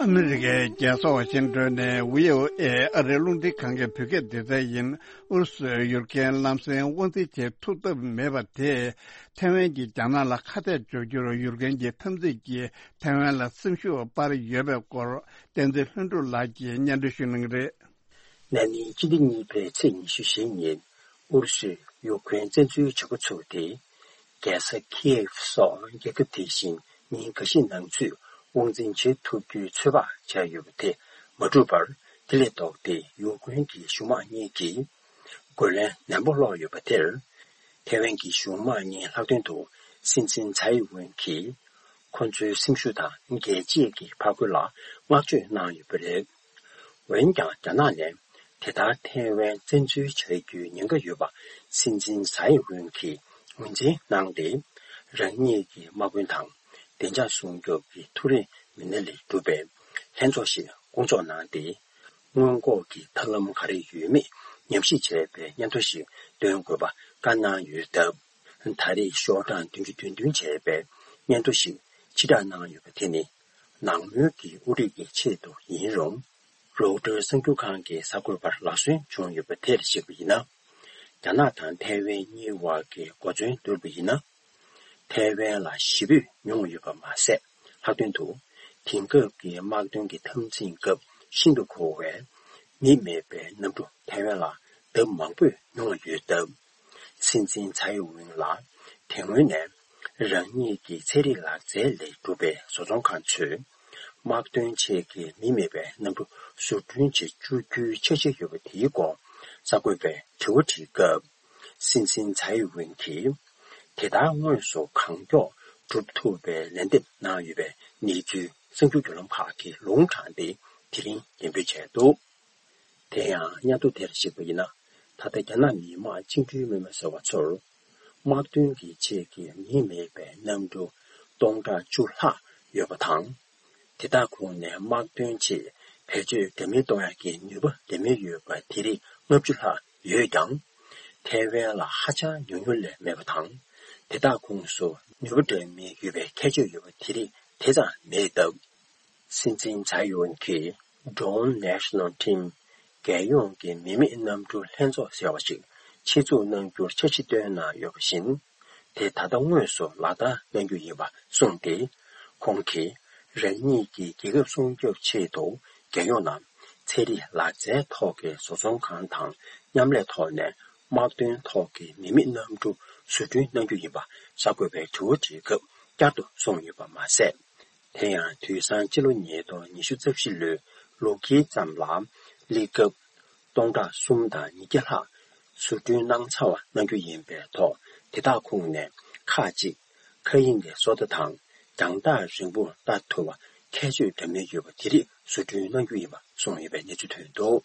ཨ་མི་རི་ཀའི་རྒྱལ་ས་ཝ་ཤིང་ཏོན་ནས་བྷི་ཨོ་ཨེ་ཨ་རིའི་རླུང་འཕྲིན་ཁང་གི་བོད་སྐད་སྡེ་ཚན་ཡིན། ཨུ་རུ་སུས་ཡུཀ་རེན་ལམ་སེང་དབང་འཛིན་བྱེད་ཐུབ་ཐབས་མེད་པ་དེས་ཐེ་ཝན་གྱིས་རྒྱ་ནག་ལ་ཁ་གཏད་གཅོག་རྒྱུར་ཡུཀ་རེན་གྱི་འཐབ་འཛིང་གིས་ཐེ་ཝན་ལ་སེམས་ཤུགས་སྤར་ཡོད་པའི་སྐོར་བསྟན་འཛིན་ལྷུན་གྲུབ་ལགས་ཀྱིས་སྙན་སྒྲོན་ཞུ་གནང་གི་རེད། ན་ནིང་སྤྱི་ཟླ་གཉིས་པའི་ཚེས་ཉི་ཤུ་བཞི་ཉིན་ཨུ་རུ་སུས་ཡུཀ་རེན་བཙན་འཛུལ་བྱེད་འགོ་ཚུགས་ཏེ། རྒྱལ་ས་ཁིའེབ་སོགས་རྒྱལ་ཁབ་དེ་བཞིན་ཉིན་འགའ་ཤས་ནང་ཚུད་དབང་འཛིན་བྱེད་ཐུབ་རྒྱུའི་ཚོད་དཔག་བྱས་ཡོད་པ་དེ་མ་འགྲུབ་པར། དེ་ལས་ལྡོག་སྟེ་ཡུཀ་རེན་གྱི་གཞུང་དམངས་གཉིས་ཀྱིས་རྒོལ་ལན་ནན་པོ་སློག་ཡོད་པ་དེར། ཐེ་ཝན་གྱི་གཞུང་དམངས་གཉིས་ལྷག་དོན་དུ་སྲིད་འཛིན་ཚའེ་ཝེན་གྱིས་ཁོ་ཚོའི་སེམས་ཤུགས་དང་རྒྱལ་གཅེས་ཀྱི་ཕར་རྒོལ་ལ་བསྔགས་བརྗོད་གནང་ཡོད་པ་རེད། འོན་ཀྱང་རྒྱ་ནག་ནས་དེ་ལྟར་ཐེ་ཝན་བཙན་འཛུལ་བྱ་རྒྱུའི་ཉེན་ཁ་ཡོད་པ་སྲིད་འཛིན་ཚའེ་ཝེན་གྱིས་ངོས་འཛིན་གནང་སྟེ། རང་ཉིད་ཀྱི་དམག་དཔོན་དང་བདེ་འཇགས་སྲུང་སྐྱོབ་ཀྱི་ཐུགས་རེ་མི་སྣ་ལས་གྲུབ་པའི་ལྷན་ཚོགས་ཤིག་སྐོང་ཚོགས་གནང་སྟེ། སྔོན་འགོག་གི་ཐབས་ལམ་ག་རེ་ཡོད་མེད་ཉམས་ཞིབ་བྱས་པའི་སྙན་ཐོ་ཞིག་འདོན་དགོས་པ་བཀའ་གནང་ཡོད་སྟབས། ད་རེས་ཤོག་གྲངས་བདུན་ཅུ་དོན་བདུན་བྱས་པའི་སྙན་ཐོ་ཞིག་ཕྱིར་བསྒྲགས་གནང་ཡོད་པ་དེ་ནི། ནང་མོལ་གྱི་དབུ་ཁྲིད་ཀྱི་ཆེད་དུ་ཡིན་རུང་། རོའུ་ཊར་གསར་འགྱུར་ཁང་གི་གསར་འགོད་པར་ལག་སོན་བྱུང་ཡོད་པ་དེར་གཞིགས་པ་ཡིན་ན། རྒྱ་ནག་དང་ཐའེ་ཝན་གཉིས་བར་གྱི་གོ་མཚོན་བསྡུར་བ་ཡིན་ན། ཐའེ་ཝན་ལ་ཞེ་པོས་མྱོང་ཡོད་པ་མ་ཟད། ལྷག་དོན་དུ། དེང་སྐབས་ཀྱི་དམག་དོན་གྱི་འཐབ་འཛིང་སྐབས་ཤིན་ཏུ་འཁོལ་བའི་མི་མེད་པའི་གནམ་གྲུ་ཐའེ་ཝན་ལ་ལྡབ་མང་པོས་མྱོང་ཡོད་སྟབས། སྲིད་འཛིན་ཚའེ་ཝེན་ལ་དེ་སྔོན་ནས་རང་ཉིད་ཀྱི་ཚན་རིག་ལག་རྩལ་ལས་གྲུབ་པའི་བཟོ་ཚོང་ཁང་ཚོས་དམག་དོན་ཆེད་ཀྱི་མི་མེད་པའི་གནམ་གྲུ་བཟོ་སྐྲུན་བྱེད་བཅུག་རྒྱུའི་འཆར་གཞི་ཡོད་པ་དེའི་སྐོར་གསར་འགོད་པས་དྲི་བ་དྲིས་སྐབས། སྲིད་འཛིན་ཚའེ་ཝེན་གྱིས་དེ་ལྟར་དངོས་སུ་གང་མགྱོགས་སྒྲུབ་ཐུབ་པའི་ལན་འདེབས་གནང་ཡོད་པའི་གནས་ཚུལ་གསར་འགྱུར་བརྒྱུད་ལམ་ཁག་གིས་ལུང་དྲངས་ཏེ་དེ་རིང་འགྲེམས་སྤེལ་བྱས་འདུག་དེ་ཡང་སྙན་ཐོ་དེར་གཞིགས་པ་ཡིན་ན། ད་ལྟ་རྒྱ་ནག་མི་དམངས་བཅིངས་འགྲོལ་དམག་མི་ཟེར་བ་ཚོར་དམག་དོན་གྱི་ཆེད་ཀྱི་མི་མེད་པའི་གནམ་གྲུ་སྟོང་ཕྲག་བཅུ་ལྷག་ཡོད་པ་དང་། དེ་དག་ཁོངས་ནས་དམག་དོན་ཆེད་བེད་སྤྱོད་འདྲ་མིན་གཏོང་ཡག་གི་ནུས་པ་འདྲ་མིན་ཡོད་པ་དེ་རིགས་ལྔ་བཅུ་ལྷག་ཡོད་ཀྱང་། ཐའེ་ཝན་ལ་ཧ་ཅང་ཉུང་ཉུང་ལས་མེད་པ་དང་། དེ་དག་ཁོངས་སུ་ནུས་པ་འདྲ་མིན་ཡོད་པའི་ཁྱད་ཆོས་ཡོད་པ་དེ་རིགས་དེ་ཙམ་མེད་སྟབས། སྲིད་འཛིན་ཚའེ་ཝེན་གྱིས་Drone National Team རྒྱལ་ཡོངས་ཀྱི་མི་མེད་གནམ་གྲུ་ལྷན་ཚོགས་ཟེར་བ་ཞིག་ཆེད་འཛུགས་གནང་རྒྱུར་འཆར་གཞི་བཏོན་གནང་ཡོད་པ་བཞིན། དེ་ད་ལྟ་དངོས་སུ་ལག་བསྟར་གནང་རྒྱུ་ཡིན་པ་གསུངས་ཏེ། ཁོང་གིས་རང་ཉིད་ཀྱི་རྒྱལ་ཁབ་སྲུང་སྐྱོབ་ཆེད་དུ་རྒྱལ་ཡོངས་ནང་ཚན་རིག་ལག་རྩལ་ཐོག་གི་བཟོ་ཚོང་ཁང་དང་མཉམ་ལས་ཐོག་ནས་དམག་དོན་ཐོག་གི་མི་མེད་གནམ་གྲུ་བཟོ་སྐྲུན་གནང་རྒྱུ་ཡིན་པ་གསར་འགོད་པའི་དྲི་བ་དྲིས་སྐབས་བསྐྱར་དུ་གསུངས་ཡོད་པ་མ་ཟད། དེ་ཡང་དུས་སང་སྤྱི་ལོ་ཉིས་སྟོང་ཉི་ཤུ་རྩ་བཞི་ལོའི་ལོ་དཀྱིལ་ཙམ་ལ་ལི་ཀབ་སྟོང་ཕྲག་གསུམ་དང་ཉིས་བརྒྱ་ལྷག་བཟོ་སྐྲུན་གནང་ཚར་བ་གནང་རྒྱུ་ཡིན་པའི་ཐོག་དེ་དག་ཁོངས་ནས་ཁག་ཅིག་མཁའ་དབྱིངས་ཀྱི་སོ་ལྟ་དང་རྒྱང་ཐག་རིང་པོར་ལྟ་ཐུབ་པ་ཁྱད་ཆོས་འདྲ་མིན་ཡོད་པ་དེ་རིགས་བཟོ་སྐྲུན་གནང་རྒྱུ་ཡིན་པ་གསུངས་ཡོད་པའི་གནས་ཚུལ་ཐོན་འདུག་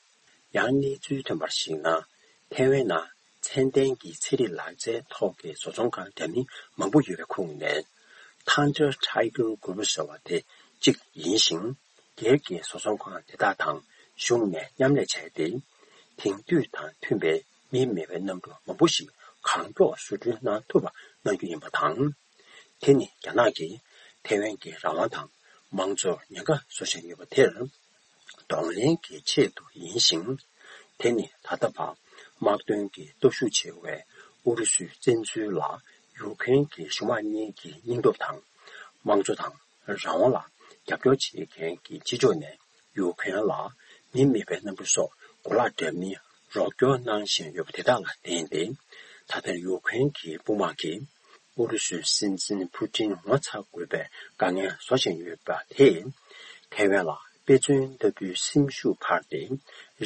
ཡང་གནས་ཚུལ་ཐོན་པར་གཞིགས་ན། ཐའེ་ཝན་ནང་ཚད་ལྡན་གྱི་ཚན་རིག་ལག་རྩལ་ཐོག་གི་བཟོ་ཚོང་ཁང་འདྲ་མིན་མང་པོ་ཡོད་པའི་ཁོངས་ནས་Thunder Tiger Group ཟེར་བ་དེ་གཅིག་ཡིན་ཞིང་། སྒེར་གྱི་བཟོ་ཚོང་ཁང་དེ་དག་དང་གཞུང་ནས་མཉམ་ལས་བྱས་ཏེ། དེང་དུས་དང་མཐུན་པའི་མི་མེད་པའི་གནམ་གྲུ་མང་པོ་ཞིག་གང་མགྱོགས་བཟོ་སྐྲུན་གནང་ཐུབ་པ་གནང་རྒྱུ་ཡིན་པ་དང་། དེ་ནི་རྒྱ་ནག་གིས་ཐའེ་ཝན་གྱི་རང་དབང་དང་མང་གཙོར་ཉེན་ཁ་བཟོ་བཞིན་ཡོད་པ་དེར། གདོང་ལེན་གྱི་ཆེད་དུ་ཡིན་ཞིང་། དེ་ནི་ད་ལྟ་བར་དམག་དོན་གྱི་སྟོབས་ཤུགས་ཆེ་བའི་ཨུ་རུ་སུའི་བཙན་འཛུལ་ལ་ཡུ་ཁུ་རེན་གྱི་གཞུང་དམངས་གཉིས་ཀྱི་སྙིང་སྟོབས་དང་། དམངས་གཙོ་དང་རང་དབང་ལ་རྒྱབ་སྐྱོར་བྱེད་མཁན་གྱི་ཕྱི་ཕྱོགས་ནས་ཡུ་ཁུ་རེན་ལ་མི་མེད་པའི་གནམ་གྲུ་སོགས་གོ་ལག་འདྲ་མིན་རོགས་སྐྱོར་གནང་བཞིན་ཡོད་པ་དེ་དག་ལ་བརྟེན་ཏེ། ད་ལྟ་ཡུ་ཁུ་རེན་གྱི་དཔུང་དམག་གིས་ཨུ་རུ་སུའི་སྲིད་འཛིན་ཕུ་ཏིན་ངོ་ཚ་དགོས་པའི་དཀའ་ངལ་བཟོ་བཞིན་ཡོད་པ་དེས། ཐའེ་ཝན་ལ་དཔེ་མཚོན་ལྟ་བུའི་སེམས་ཤུགས་འཕར་ཏེ།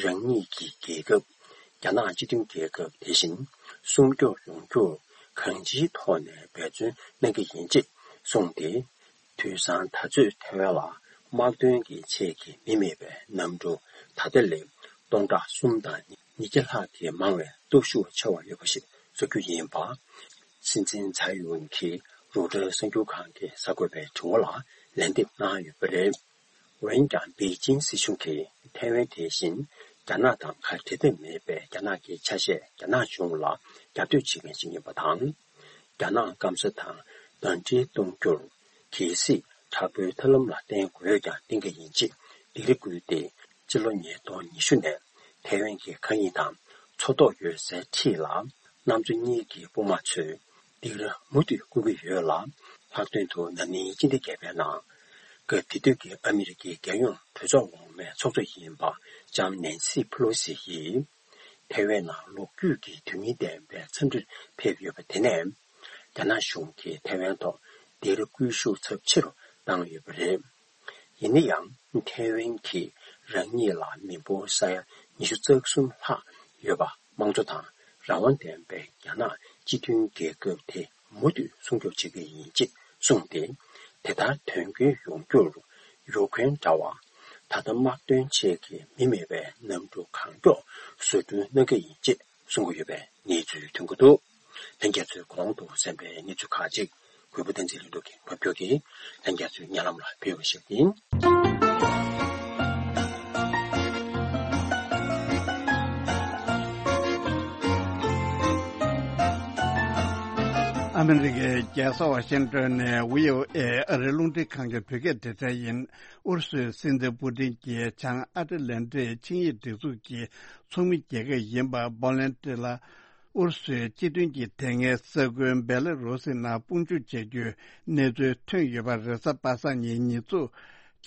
རང་ཉིད་ཀྱི་རྒྱལ་ཁབ་རྒྱ་ནག་སྤྱི་མཐུན་རྒྱལ་ཁབ་དེ་བཞིན་སྲུང་སྐྱོབ་ཡོང་རྒྱུར་གང་ཅིའི་ཐོག་ནས་འབད་བརྩོན་གནང་གི་ཡིན་ཅེས་གསུངས་ཏེ། དུས་སང་ད་ཚོད་ཐའེ་ཝན་ལ་དམག་དོན་གྱི་ཆེད་ཀྱི་མི་མེད་པའི་གནམ་གྲུ་ད་ལྟ་ལས་སྟོང་ཕྲག་གསུམ་དང་ཉིས་བརྒྱ་ལྷག་གིས་མང་བའི་སྟོབས་ཤུགས་ཆེ་བ་ཡོད་པ་ཞིག་བཟོ་རྒྱུ་ཡིན་པ། སྲིད་འཛིན་ཚའེ་ཡིན་གྱིས་རོའི་ཊར་གསར་འགྱུར་ཁང་གིས་གསར་འགོད་པའི་དྲི་བ་ལ་ལན་འདེབས་གནང་ཡོད་པ་རེད། འོན་ཀྱང་པེ་ཅིན་སྲིད་གཞུང་གིས་ཐའེ་ཝན་དེ་བཞིན་རྒྱ་ནག་དང་ཁ་བྲལ་འདོད་མེད་པའི་རྒྱ་ནག་གི་ཆ་ཤས་རྒྱ་ནག་གཞུང་ལ་རྒྱབ་གཏོད་བྱེད་མཁན་ཞིག་ཡིན་པ་དང་། རྒྱ་ནག་སྐམ་ས་དང་ཟླ་སྒྲིལ་གཏོང་རྒྱུར་གལ་སྲིད་དྲག་པོའི་ཐབས་ལམ་ལ་བརྟེན་དགོས་ཀྱང་བརྟེན་གྱི་ཡིན་ཅེས་སྡིགས་ར་བསྐུལ་ཏེ། ཕྱི་ལོ་ཉིས་སྟོང་ཉི་ཤུ་ནས་ཐའེ་ཝན་གྱི་མཁའ་དབྱིངས་དང་མཚོ་ཐོག་ཡོད་སའི་འཁྲིས་ལ་གནམ་མཚོ་གཉིས་ཀྱི་དཔུང་དམག་ཚོས་སྡིགས་ར་མུ་མཐུད་བསྐུལ་གྱི་ཡོད་ལ། ལྷག་དོན་དུ་ན་ནིང་སྤྱི་ཟླ་བརྒྱད་པའི་ནང་སྐབས་དེ་དུས་ཀྱི་ཨ་མི་རི་ཀའི་རྒྱལ་ཡོངས་གྲོས་ཚོགས་འོག་མའི་ཚོགས་གཙོ་ཡིན་པ་ལྕམ་ནན་སི་ཕུ་ལོ་སི་ཡིས། ཐའེ་ཝན་ནང་ལོ་རྒྱུས་ཀྱི་དོན་སྙིང་ལྡན་པའི་འཚམས་འདྲིར་ཕེབས་ཡོད་པ་དེ་ནས། རྒྱ་ནག་གཞུང་གིས་ཐའེ་ཝན་ཐོག་སྡིགས་ར་སྐུལ་ཤུགས་ཚབས་ཆེ་རུ་བཏང་ཡོད་པ་རེད། ཡིན་ན་ཡང་། ཐའེ་ཝན་གྱིས་རང་ཉིད་ལ་མི་འབོར་ས་ཡ་ཉི་ཤུ་རྩ་གསུམ་ལྷག་ཡོད་པ། དམངས་གཙོ་དང་རང་དབང་ལྡན་པའི་རྒྱ་ནག་སྤྱི་མཐུན་རྒྱལ་ཁབ་དེ་མུ་མཐུད་སྲུང་སྐྱོབ་བྱེད་ཀྱི་ཡིན་ཅེས་གསུངས་ཏེ། དེ་ལྟར་དོན་འཁྱོལ་ཡོང་རྒྱུར་ཡུ་ཁུ་རེན་འདྲ་བར་ད་ལྟ་དམག་དོན་ཆེད་ཀྱི་མི་མེད་པའི་གནམ་གྲུ་གང་མགྱོགས་བཟོ་སྐྲུན་གནང་གི་ཡིན་ཅེས་གསུང་གི་ཡོད་པའི་གནས་ཚུལ་ཐོན་གྱི་འདུག་ལྷན་རྒྱས་ཚོས་གོང་དུ་གསན་པའི་གནས་ཚུལ་ཁག་ཅིག་གུས་པ་བསྟན་འཛིན་ལྷུན་གྲུབ་ཀྱིས་ཕབ་སྒྱུར་གྱིས་ལྷན་རྒྱས་ཚོའི་སྙན་ལམ་ལ་ཕུལ་བ་ཞིག་ཡིན། ཨ་མི་རི་ཀའི་རྒྱལ་ས་ཝ་ཤིང་ཏོན་ནས་བྷི་ཨོ་ཨེ་ཨ་རིའི་རླུང་འཕྲིན་ཁང་གི་བོད་སྐད་སྡེ་ཚན་ཡིན། ཨུ་རུ་སུའི་སྲིད་འཛིན་པུ་ཏིན་གྱིས་བྱང་ཨ་ཏི་ལན་ཏི་ཆིངས་ཡིག་སྒྲིག་འཛུགས་ཀྱི་ཚོགས་མི་རྒྱལ་ཁབ་ཡིན་པ་པོ་ལན་ཏི་ལ། ཨུ་རུ་སུའི་སྤྱི་མཐུན་གྱི་དེ་སྔའི་ས་ཁུལ་སྦེ་ལ་རུ་སི་ནང་དཔུང་འཇུག་བྱ་རྒྱུའི་གནས་ཚུལ་ཐོན་ཡོད་པ་རེས་གཟའ་པ་སངས་ཉིན་ཉེས་འཛུགས་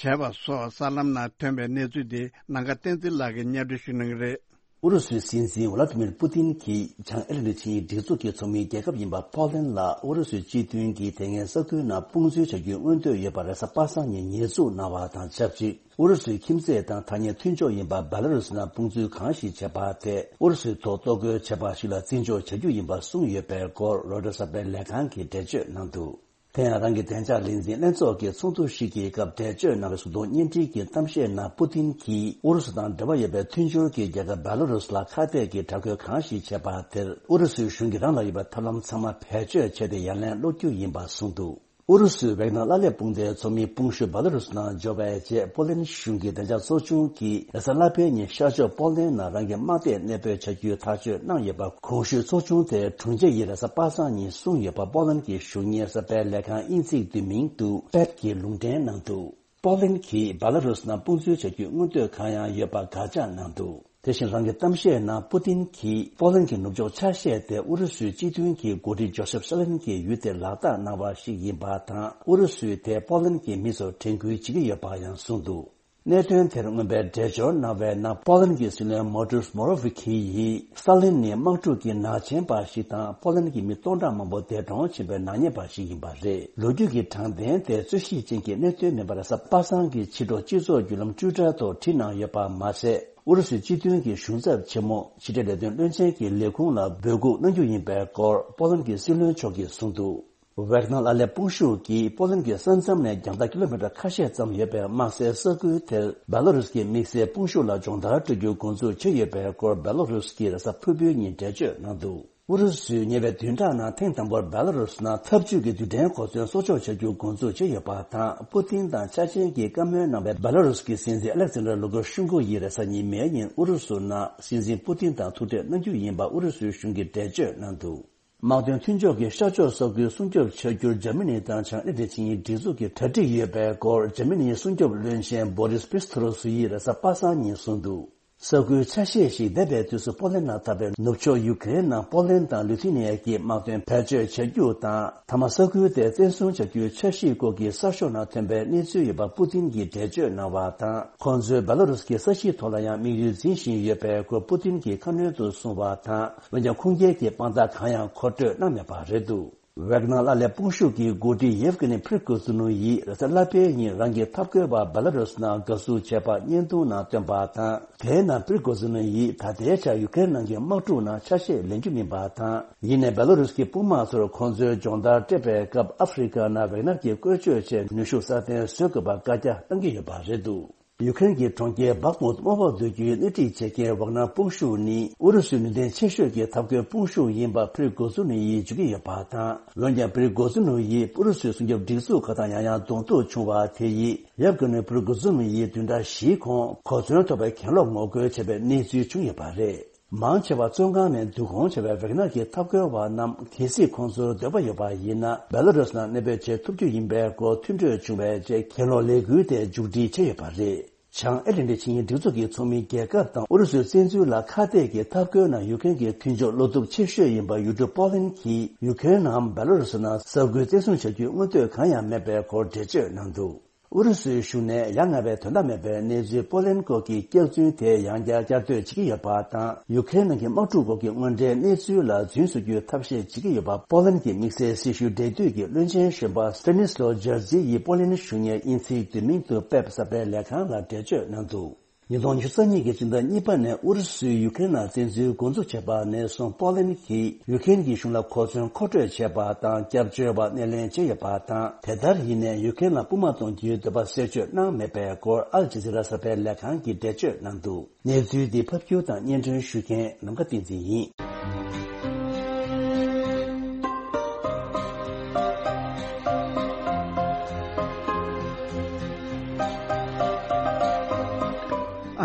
བྱས་པ་སོགས་གསར་ལམ་ནང་ཐོན་པའི་གནས་ཚུལ་དེ་ནམ་མཁའ་བསྟན་འཛིན་ལགས་ཀྱིས་སྙན་སྒྲོན་ཞུ་གནང་གི་རེད། ཨུ་རུ་སུའི་སྲིད་འཛིན་ཝ་ལ་ཏི་མིར་པུ་ཏིན་གྱིས་བྱང་ཨེ་ལན་ཏི་ཆིངས་ཡིག་སྒྲིག་འཛུགས་ཀྱི་ཚོགས་མི་རྒྱལ་ཁབ་ཡིན་པ་པོ་ལན་ལ་ཨུ་རུ་སུའི་སྤྱི་མཐུན་གྱི་དེ་སྔའི་ས་ཁུལ་ནང་དཔུང་འཛུལ་བྱ་རྒྱུའི་མངོན་འདོད་ཡོད་པ་རེས་གཟའ་པ་སངས་ཉིན་ཉེས་འཛུགས་གནང་བ་དང་ཆབས་ཅིག་ཨུ་རུ་སུའི་ཁྱིམ་མཚེས་དང་ཐ་སྙད་མཐུན་ཕྱོགས་ཡིན་པ་སྦེ་ལ་རུ་སི་ནང་དཔུང་འཛུལ་གང་ཞིག་བྱས་པ་དེ་ཨུ་རུ་སུའི་ཐོག་གཏོར་རྒོལ་བྱས་པ་ཞིག་ལ་བརྩི་འཇོག་བྱ་རྒྱུ་ཡིན་པ་གསུངས་ཡོད་པའི་སྐོར་རོའི་ཊར་གསར་པའི་ལས་ཁང་གིས་འགྲེལ་བརྗོད་གནང་འདུག་དེ་ཡང་རང་གི་བདེ་འཇགས་ལས་འཛིན་ལྷན་ཚོགས་ཀྱི་ཚོགས་འདུ་ཞིག་གི་སྐབས་འགྲེལ་བརྗོད་གནང་བའི་གཟུགས་མཐོང་བརྙན་འཕྲིན་གྱི་གཏམ་བཤད་ནང་པུ་ཏིན་གྱིས་ཨུ་རུ་སུ་དང་འབྲེལ་བ་ཡོད་པའི་མཐུན་སྦྱོར་གྱི་རྒྱལ་ཁབ་སྦེ་ལ་རུ་སུ་ལ་ཁ་གཏད་ཀྱི་དྲག་རྒོལ་གང་ཞིག་བྱས་པ་དེར་ཨུ་རུ་སུའི་གཞུང་གིས་རང་ལ་ཡོད་པའི་ཐབས་ལམ་ཚང་མ་བེད་སྤྱོད་བྱས་ཏེ་ཡ་ལན་སློག་རྒྱུ་ཡིན་པ་གསུངས་འདུག་ཨུ་རུ་སུའི་ཝེག་ནར་ལ་ལས་དཔུང་སྡེའི་ཚོགས་མི་དཔུང་ཤུགས་སྦེ་ལ་རུ་སུ་ནང་འབྱོར་བའི་རྗེས་པོ་ལན་གཞུང་གི་བདེ་འཇགས་ཚོགས་ཆུང་གིས་རེས་གཟའ་ལྷག་པའི་ཉིན་ཤར་ཕྱོགས་པོ་ལན་ནང་རང་གི་དམག་སྡེ་གནས་སྤོས་བྱ་རྒྱུའི་ཐག་གཅོད་གནང་ཡོད་པ། གོང་ཞུས་ཚོགས་ཆུང་དེའི་དྲུང་ཆེ་ཡིས་རེས་གཟའ་པ་སངས་ཉིན་གསུངས་ཡོད་པ། པོ་ལན་གྱི་གཞུང་གཉེར་གསར་པའི་ལས་ཁང་དབྱིན་ཚིག་བསྡུས་མིང་དུ་པེབ་ཀྱིས་ལུང་འདྲེན་གནང་འདུག་པོ་ལན་གྱིས་སྦེ་ལ་རུ་སུ་ནང་དཔུང་འཛུལ་བྱ་རྒྱུའི་མངོན་འདོད་གང་ཡང་ཡོད་པ་དགག་བྱ་གནང་འདུག་དེ་བཞིན་རང་གི་གཏམ་བཤད་ནང་པུ་ཏིན་གྱིས་པོ་ལན་གྱི་ནུབ་ཕྱོགས་ཆ་ཤས་དེ་ཨུ་རུ་སུའི་སྤྱི་མཐུན་གྱི་འགོ་ཁྲིད་ཇོ་སེབ་སི་ལན་གྱི་ཡུལ་དེར་ལག་བསྟར་གནང་བ་ཞིག་ཡིན་པ་དང་། ཨུ་རུ་སུས་དེ་པོ་ལན་གྱི་མི་ཚོར་དྲན་སྐུལ་བྱེད་ཀྱི་ཡོད་པ་ཡང་གསུངས་འདུག་གནད་དོན་དེར་མངོན་པའི་འགྲེལ་བརྗོད་གནང་བའི་ནང་པོ་ལན་གྱི་སྲིད་བློན་མོ་ཏུར་མོ་རོ་ཝི་ཁི་ཡིས་སི་ཏཱ་ལིན་ནི་དམག་འཁྲུག་གི་ནག་ཅན་པ་ཞིག་དང་པོ་ལན་གྱི་མི་སྟོང་ཕྲག་མང་པོ་འདས་གྲོངས་ཕྱིན་པའི་ནག་ཉེས་པ་ཞིག་ཡིན་པ་རེད། ལོ་རྒྱུས་ཀྱི་དྲང་བདེན་དེ་རྩོད་གཞི་ཅན་གྱི་གནད་དོན་མིན་པར་གཟའ་པ་སངས་ཀྱི་ཕྱི་དྲོ་སྤྱི་ཚོགས་བརྒྱུད་ལམ་ཊུའི་ཊར་ཐོག་བྲིས་གནང་ཡོད་པ་མ་ཟད། ཨུ་རུ་སུའི་སྤྱི་མཐུན་གྱི་གཞུང་ཚབ་ཆེན་མོ་ཕྱི་འབྲེལ་ལས་དོན་བློན་ཆེན་གྱི་ལས་ཁུངས་ལ་འབོད་འགུག་གནང་རྒྱུ་ཡིན་པའི་སྐོར་པོ་ལན་གྱི་སྲིད་བློན་མཆོག་གིས་གསུངས་འདུག་ཝེག་ནར་ལ་ལས་དཔུང་ཤུགས་ཀྱིས་པོ་ལན་གྱི་ས་མཚམས་ནས་རྒྱང་ཐག་ཀི་ལོ་མི་ཊར་ཁ་ཤས་ཙམ་ཡོད་པའི་དམག་སའི་ས་ཁུལ་དེར་སྦེ་ལ་རུས་ཀྱི་དམིགས་བསལ་དཔུང་ཤུགས་ལ་སྦྱོང་བརྡར་སྤྲོད་རྒྱུའི་འགོ་འཛུགས་བྱས་ཡོད་པའི་སྐོར་སྦེ་ལ་རུས་ཀྱིས་རེས་གཟའ་ཕུར་བུའི་ཉིན་འགྲེལ་བརྗོད་གནང་འདུག་ཨུ་རུ་སུས་ཉེ་བའི་བདུན་ཕྲག་ནང་ཐེངས་དང་པོར་སྦེ་ལ་རུས་ནང་འཐབ་ཇུས་ཀྱི་རྡུལ་ཕྲན་གོ་མཚོན་གསོག་འཇོག་བྱ་རྒྱུའི་འགོ་འཛུགས་བྱས་ཡོད་པ་དང་། པུ་ཏིན་དང་ཆ་ཆེན་གྱིས་བཀའ་མོལ་གནང་བའི་སྦེ་ལ་རུས་ཀྱི་སྲིད་འཛིན་ཨ་ལེག་ཛན་ཌར་ལུ་ཀ་ཤུན་ཀོ་ཡིས་རེས་གཟའ་ཉི་མའི་ཉིན་ཨུ་རུ་སུ་ནང་སྲིད་འཛིན་པུ་ཏིན་དང་ཐུག་འཕྲད་གནང་རྒྱུ་ཡིན་པ་ཨུ་རུ་སུའི་གཞུང་གིས་འགྲེལ་བརྗོད་གནང་འདུག་དམག་དོན་མཐུན་ཕྱོགས་ཀྱི་ཤར་ཕྱོགས་ས་ཁུལ་སྲུང་སྐྱོབ་བྱ་རྒྱུར་འཇར་མ་ནི་དང་བྱང་ཨ་ཊ་ལན་ཊིག་ཆིངས་ཡིག་སྒྲིག་འཛུགས་ཀྱི་གྲ་སྒྲིག་ཡོད་པའི་སྐོར་འཇར་མ་ནིའི་སྲུང་སྐྱོབ་བློན་ཆེན་བྷོ་རིས་པིས་ཐོ་རོ་སུ་ཡིས་རེས་གཟའ་པ་སངས་ཉིན་གསུངས་འདུག། ས་ཁུལ་ཆ་ཤས་ཤིག་འདས་པའི་དུས་སུ་པོ་ལན་ནང་འཐབ་པའི་ནུབ་ཕྱོགས་ཡུ་ཀེ་རེན་ནང་པོ་ལན་དང་ལི་ཐུ་ནི་ཡ་གྱིས་དམག་དོན་བེད་སྤྱོད་བྱ་རྒྱུ་དང་། མཐའ་མ་ས་ཁུལ་དེ་བཙན་བཟུང་བྱ་རྒྱུའི་འཆར་གཞིའི་སྐོར་གྱི་གསར་ཤོག་ནང་ཐོན་པའི་གནས་ཚུལ་ཡོད་པ་པུ་ཏིན་གྱིས་འགྲེལ་བརྗོད་གནང་བ་དང་། ཁོང་ཚོས་བེ་ལ་རུས་ཀྱི་ས་གཞིའི་ཐོག་ལ་ཡང་དམིགས་ཡུལ་འཛིན་བཞིན་ཡོད་པའི་སྐོར་པུ་ཏིན་གྱིས་ཁ་སྣོན་དུ་གསུངས་པ་དང་། འོན་ཀྱང་ཁུངས་སྐྱེལ་གྱི་དཔང་རྟགས་གང་ཡང་མཁོ་སྤྲོད་གནང་མེད་པ་རེད་འདུག། ཝེག་ནར་ཨར་ལས་དཔུང་ཤུགས་ཀྱི་འགོ་ཁྲིད་ཡེབ་ཀི་ནི་ཕྲི་གོ་ཛུ་ནུ་ཡིས་རེས་གཟའ་ལྷག་པའི་ཉིན་རང་གི་འཐབ་རྒོལ་བ་བེ་ལ་རུས་ནང་དགའ་བསུ་བྱས་པ་བརྙན་ཐུང་ནང་བཏོན་པ་དང་། དེའི་ནང་ཕྲི་གོ་ཛུ་ནུ་ཡིས་ད་ལྟའི་ཆར་ཡུ་ཀེ་རེན་ནང་གི་དམག་འཁྲུག་ནང་ཆ་ཤས་ལེན་རྒྱུ་མིན་པ་དང་། ཡིན་ནའི་བེ་ལ་རུས་ཀྱི་དཔུང་དམག་ཚོར་ཁོང་ཚོའི་སྦྱོང་བརྡར་སྤྲད་པའི་སྐབས་ཨ་ཧྥེ་རི་ཁ་ནང་ཝེག་ནར་གྱིས་བཀོལ་སྤྱོད་བྱས་ནུས་ཤུགས་སྲ་བརྟན་བཟོ་དགོས་པ་བཀའ་རྒྱ་གནང་གི་ཡོད་པ་རེད་འདུག། ཡུ་ཀེ་རེན་གྱི་གྲོང་ཁྱེར་སྦག་མུད་དམག་འོག་བསྡུ་རྒྱུའི་སྣེ་ཁྲིད་བྱེད་མཁན་ཝག་ནར་དཔུང་ཤུགས་ནི་ཨུ་རུ་སུའི་ནུས་ལྡན་ཆེ་ཤོས་ཀྱི་འཐབ་རྒོལ་དཔུང་ཤུགས་ཡིན་པ་ཕྲི་གོ་ཛུ་ནུ་ཡིས་བརྗོད་ཀྱི་ཡོད་པ་དང་། འོན་ཀྱང་ཕྲི་གོ་ཛུ་ནུ་ཡིས་ཨུ་རུ་སུའི་སྲུང་སྐྱོབ་སྒྲིག་འཛུགས་ཁག་དང་ཡང་ཡང་གདོང་ཐུག་བྱུང་བ་དེ་ཡིས་ཡབ་ཀྱི་ནུ་ཕྲི་གོ་ཛུ་ནུ་ཡིས་བདུན་ཕྲག་བཞིའི་གོང་གོ་མཚོན་ཐོབ་པའི་གྱེན་ལོག་ངོ་རྒོལ་བྱས་པའི་གནས་ཚུལ་བྱུང་ཡོད་པ་རེད། མང་ཆེ་བ་བཙོན་ཁང་ནས་བསྡུ་སྐོང་བྱས་པའི་ཝེག་ནར་གྱི་འཐབ་རྒོལ་བ་རྣམས་གལ་སྲིད་ཁོང་ཚོར་འདོད་པ་ཡོད་པ་ཡིན་ན། བེ་ལ་རུས་ནང་གནས་སྤོས་བྱེད་ཐུབ་རྒྱུ་ཡིན་པའི་སྐོར་མཐུན་གྲོས་བྱུང་བའི་རྗེས་གྱེན་ལོག་ལས་འགུལ་དེ་མཇུག་སྒྲིལ་བྱས་ཡོད་པ་རེད། བྱང་ཨེ་ལན་ཏི་ཆིངས་ཡིག་སྒྲིག་འཛུགས་ཀྱི་ཚོགས་མི་རྒྱལ་ཁབ་དང་ཨུ་རུ་སུའི་བཙན་འཛུལ་ལ་ཁ་གཏད་ཀྱི་འཐབ་རྒོལ་ནང་ཡུ་ཀེ་རེན་གྱི་མཐུན་ཕྱོགས་བློ་སྟོབས་ཆེ་ཤོས་ཡིན་པ་ཡུལ་གྲུ་པོ་ལན་གྱིས་ཡུ་ཀེ་རེན་ནམ་བེ་ལ་རུས་ནང་ས་ཁུལ་བཙན་བཟུང་བྱ་རྒྱུའི་མངོན་འདོད་གང་ཡང་མེད་པའི་སྐོར་འགྲེལ་བརྗོད་གནང་འདུག། ཨུ་རུ་སུའི་གཞུང་ནས་ཡ་ང་བའི་དོན་དག་མེད་པའི་གནས་ཚུལ་པོ་ལན་སྐོར་གྱི་སྐྱག་རྫུན་དེ་ཡང་བསྐྱར་བསྐྱར་ཟློས་བྱེད་ཀྱི་ཡོད་པ་དང་། ཡུ་ཀེ་རེན་ནང་གི་དམག་འཁྲུག་སྐོར་གྱི་དངོས་འབྲེལ་གནས་ཚུལ་ལ་རྫུན་བཟོ་རྒྱུའི་ཐབས་ཤེས་བྱེད་ཀྱི་ཡོད་པ་པོ་ལན་གྱི་དམིགས་བསལ་སྲི་ཞུ་འབྲེལ་མཐུད་ཀྱི་བློན་ཆེན་གཞོན་པ་སི་ཏ་ནིས་ལོ་ཇར་ཛི་ཡིས་པོ་ལན་གཞུང་གཉེར་དབྱིན་ཚིག་བསྡུས་མིང་དུ་པེབ་གསར་སྤེལ་ལས་ཁང་ལ་འགྲེལ་བརྗོད་གནང་འདུག། ཉིས་སྟོང་ཉི་ཤུ་རྩ་གཉིས་ཀྱི་སྤྱི་ཟླ་གཉིས་པ་ནས་ཨུ་རུ་སུས་ཡུ་ཀེ་རེན་ལ་བཙན་འཛུལ་འགོ་འཛུགས་བྱས་པ་ནས་བཟུང་པོ་ལན་གྱིས་ཡུ་ཀེ་རེན་གྱི་གཞུང་ལ་གོ་མཚོན་མཁོ་སྤྲོད་བྱས་པ་དང་། སྐྱབས་བཅོལ་བ་སྣེ་ལེན་བྱས་ཡོད་པ་དང་། དེ་ལྟར་ཡིན་ནའི་ཡུ་ཀེ་རེན་ལ་དཔུང་དམག་གཏོང་རྒྱུའི་འདོད་པ་གསལ་བརྗོད་གནང་མེད་པའི་སྐོར་ཨལ་ཇི་ཛི་ར་གསར་སྤེལ་ལས་ཁང་གིས་འགྲེལ་བརྗོད་གནང་འདུག། གནས་ཚུལ་འདི་ཕབ་སྒྱུར་དང་སྙན་སྒྲོན་ཞུ་མཁན་ནམ་མཁའ་བསྟན་འཛིན་ཡིན།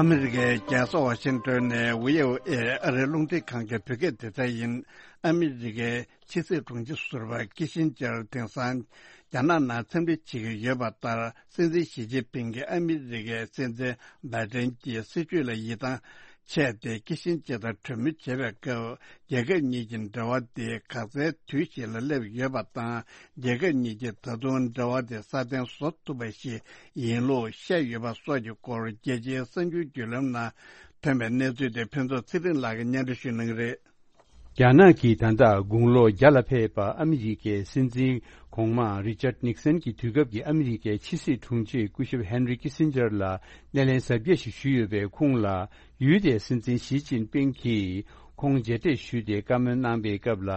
ཨ་མི་རི་ཀའི་རྒྱལ་ས་ཝ་ཤིང་ཏོན་ནས་བྷི་ཨོ་ཨེ་ཨ་རིའི་རླུང་འཕྲིན་ཁང་གི་བོད་སྐད་སྡེ་ཚན་ཡིན། ཨ་མི་རི་ཀའི་ཕྱི་སྲིད་དྲུང་ཆེ་ཟུར་པ་ཀི་ཤིན་ཇར་དེང་སང་རྒྱ་ནག་ནང་འཚམས་འདྲི་བྱེད་ཀྱི་ཡོད་པ་ལྟར། སྲིད་འཛིན་ཞི་ཅིན་ཕིང་གིས་ཨ་མི་རི་ཀའི་སྲིད་འཛིན་བྷའི་ཏན་གྱི་སྲིད་བྱུས་ལ་ཡིད་ཐང་ཆད་དེ། ཀི་ཤིན་ཇར་དང་གྲོས་མོལ་བྱེད་པའི་སྐབས། རྒྱལ་ཁབ་གཉིས་ཀྱི་འབྲེལ་བ་དེ་ག་ཚད་དུས་ཤིག་ལ་སླེབས་ཡོད་པ་དང་། རྒྱལ་ཁབ་གཉིས་ཀྱིས་ད་དུང་འབྲེལ་བ་དེ་སྲ་བརྟན་བཟོ་ཐུབ་པ་ཞིག་ཡིན་ལུགས་བཤད་ཡོད་པ་སོགས་ཀྱི་སྐོར། རྒྱལ་སྤྱིའི་གསར་འགྱུར་བརྒྱུད་ལམ་ནང་ཐོན་པའི་གནས་ཚུལ་དེ་ཕུན་ཚོགས་ཚེ་རིང་ལགས་ཀྱིས་སྙན་སྒྲོན་ཞུ་གནང་གི་རེད། རྒྱ་ནག་གིས་ད་ལྟ་དགུང་ལོ་བརྒྱ་ལ་ཕེབས་པ་ཨ་མི་རི་ཀའི་སྲིད་འཛིན་གོང་མ་རི་ཅར་ནིག་སན་གྱི་དུས་སྐབས་ཀྱི་ཨ་མི་རི་ཀའི་ཕྱི་སྲིད་དྲུང་ཆེ་སྐུ་ཞབས་ཧན་རི་ཀི་སིན་ཇར་ལ་སྣེ་ལེན་གཟབ་རྒྱས་ཤིག་ཞུས་ཡོད་པས། ཁོང་ལ་ཡུལ་དེའི་སྲིད་འཛིན་ཞི་ཅིན་ཕིང་གིས་ཁོང་མཇལ་འཕྲད་ཞུས་ཏེ་བཀའ་མོལ་གནང་པའི་སྐབས་ལ།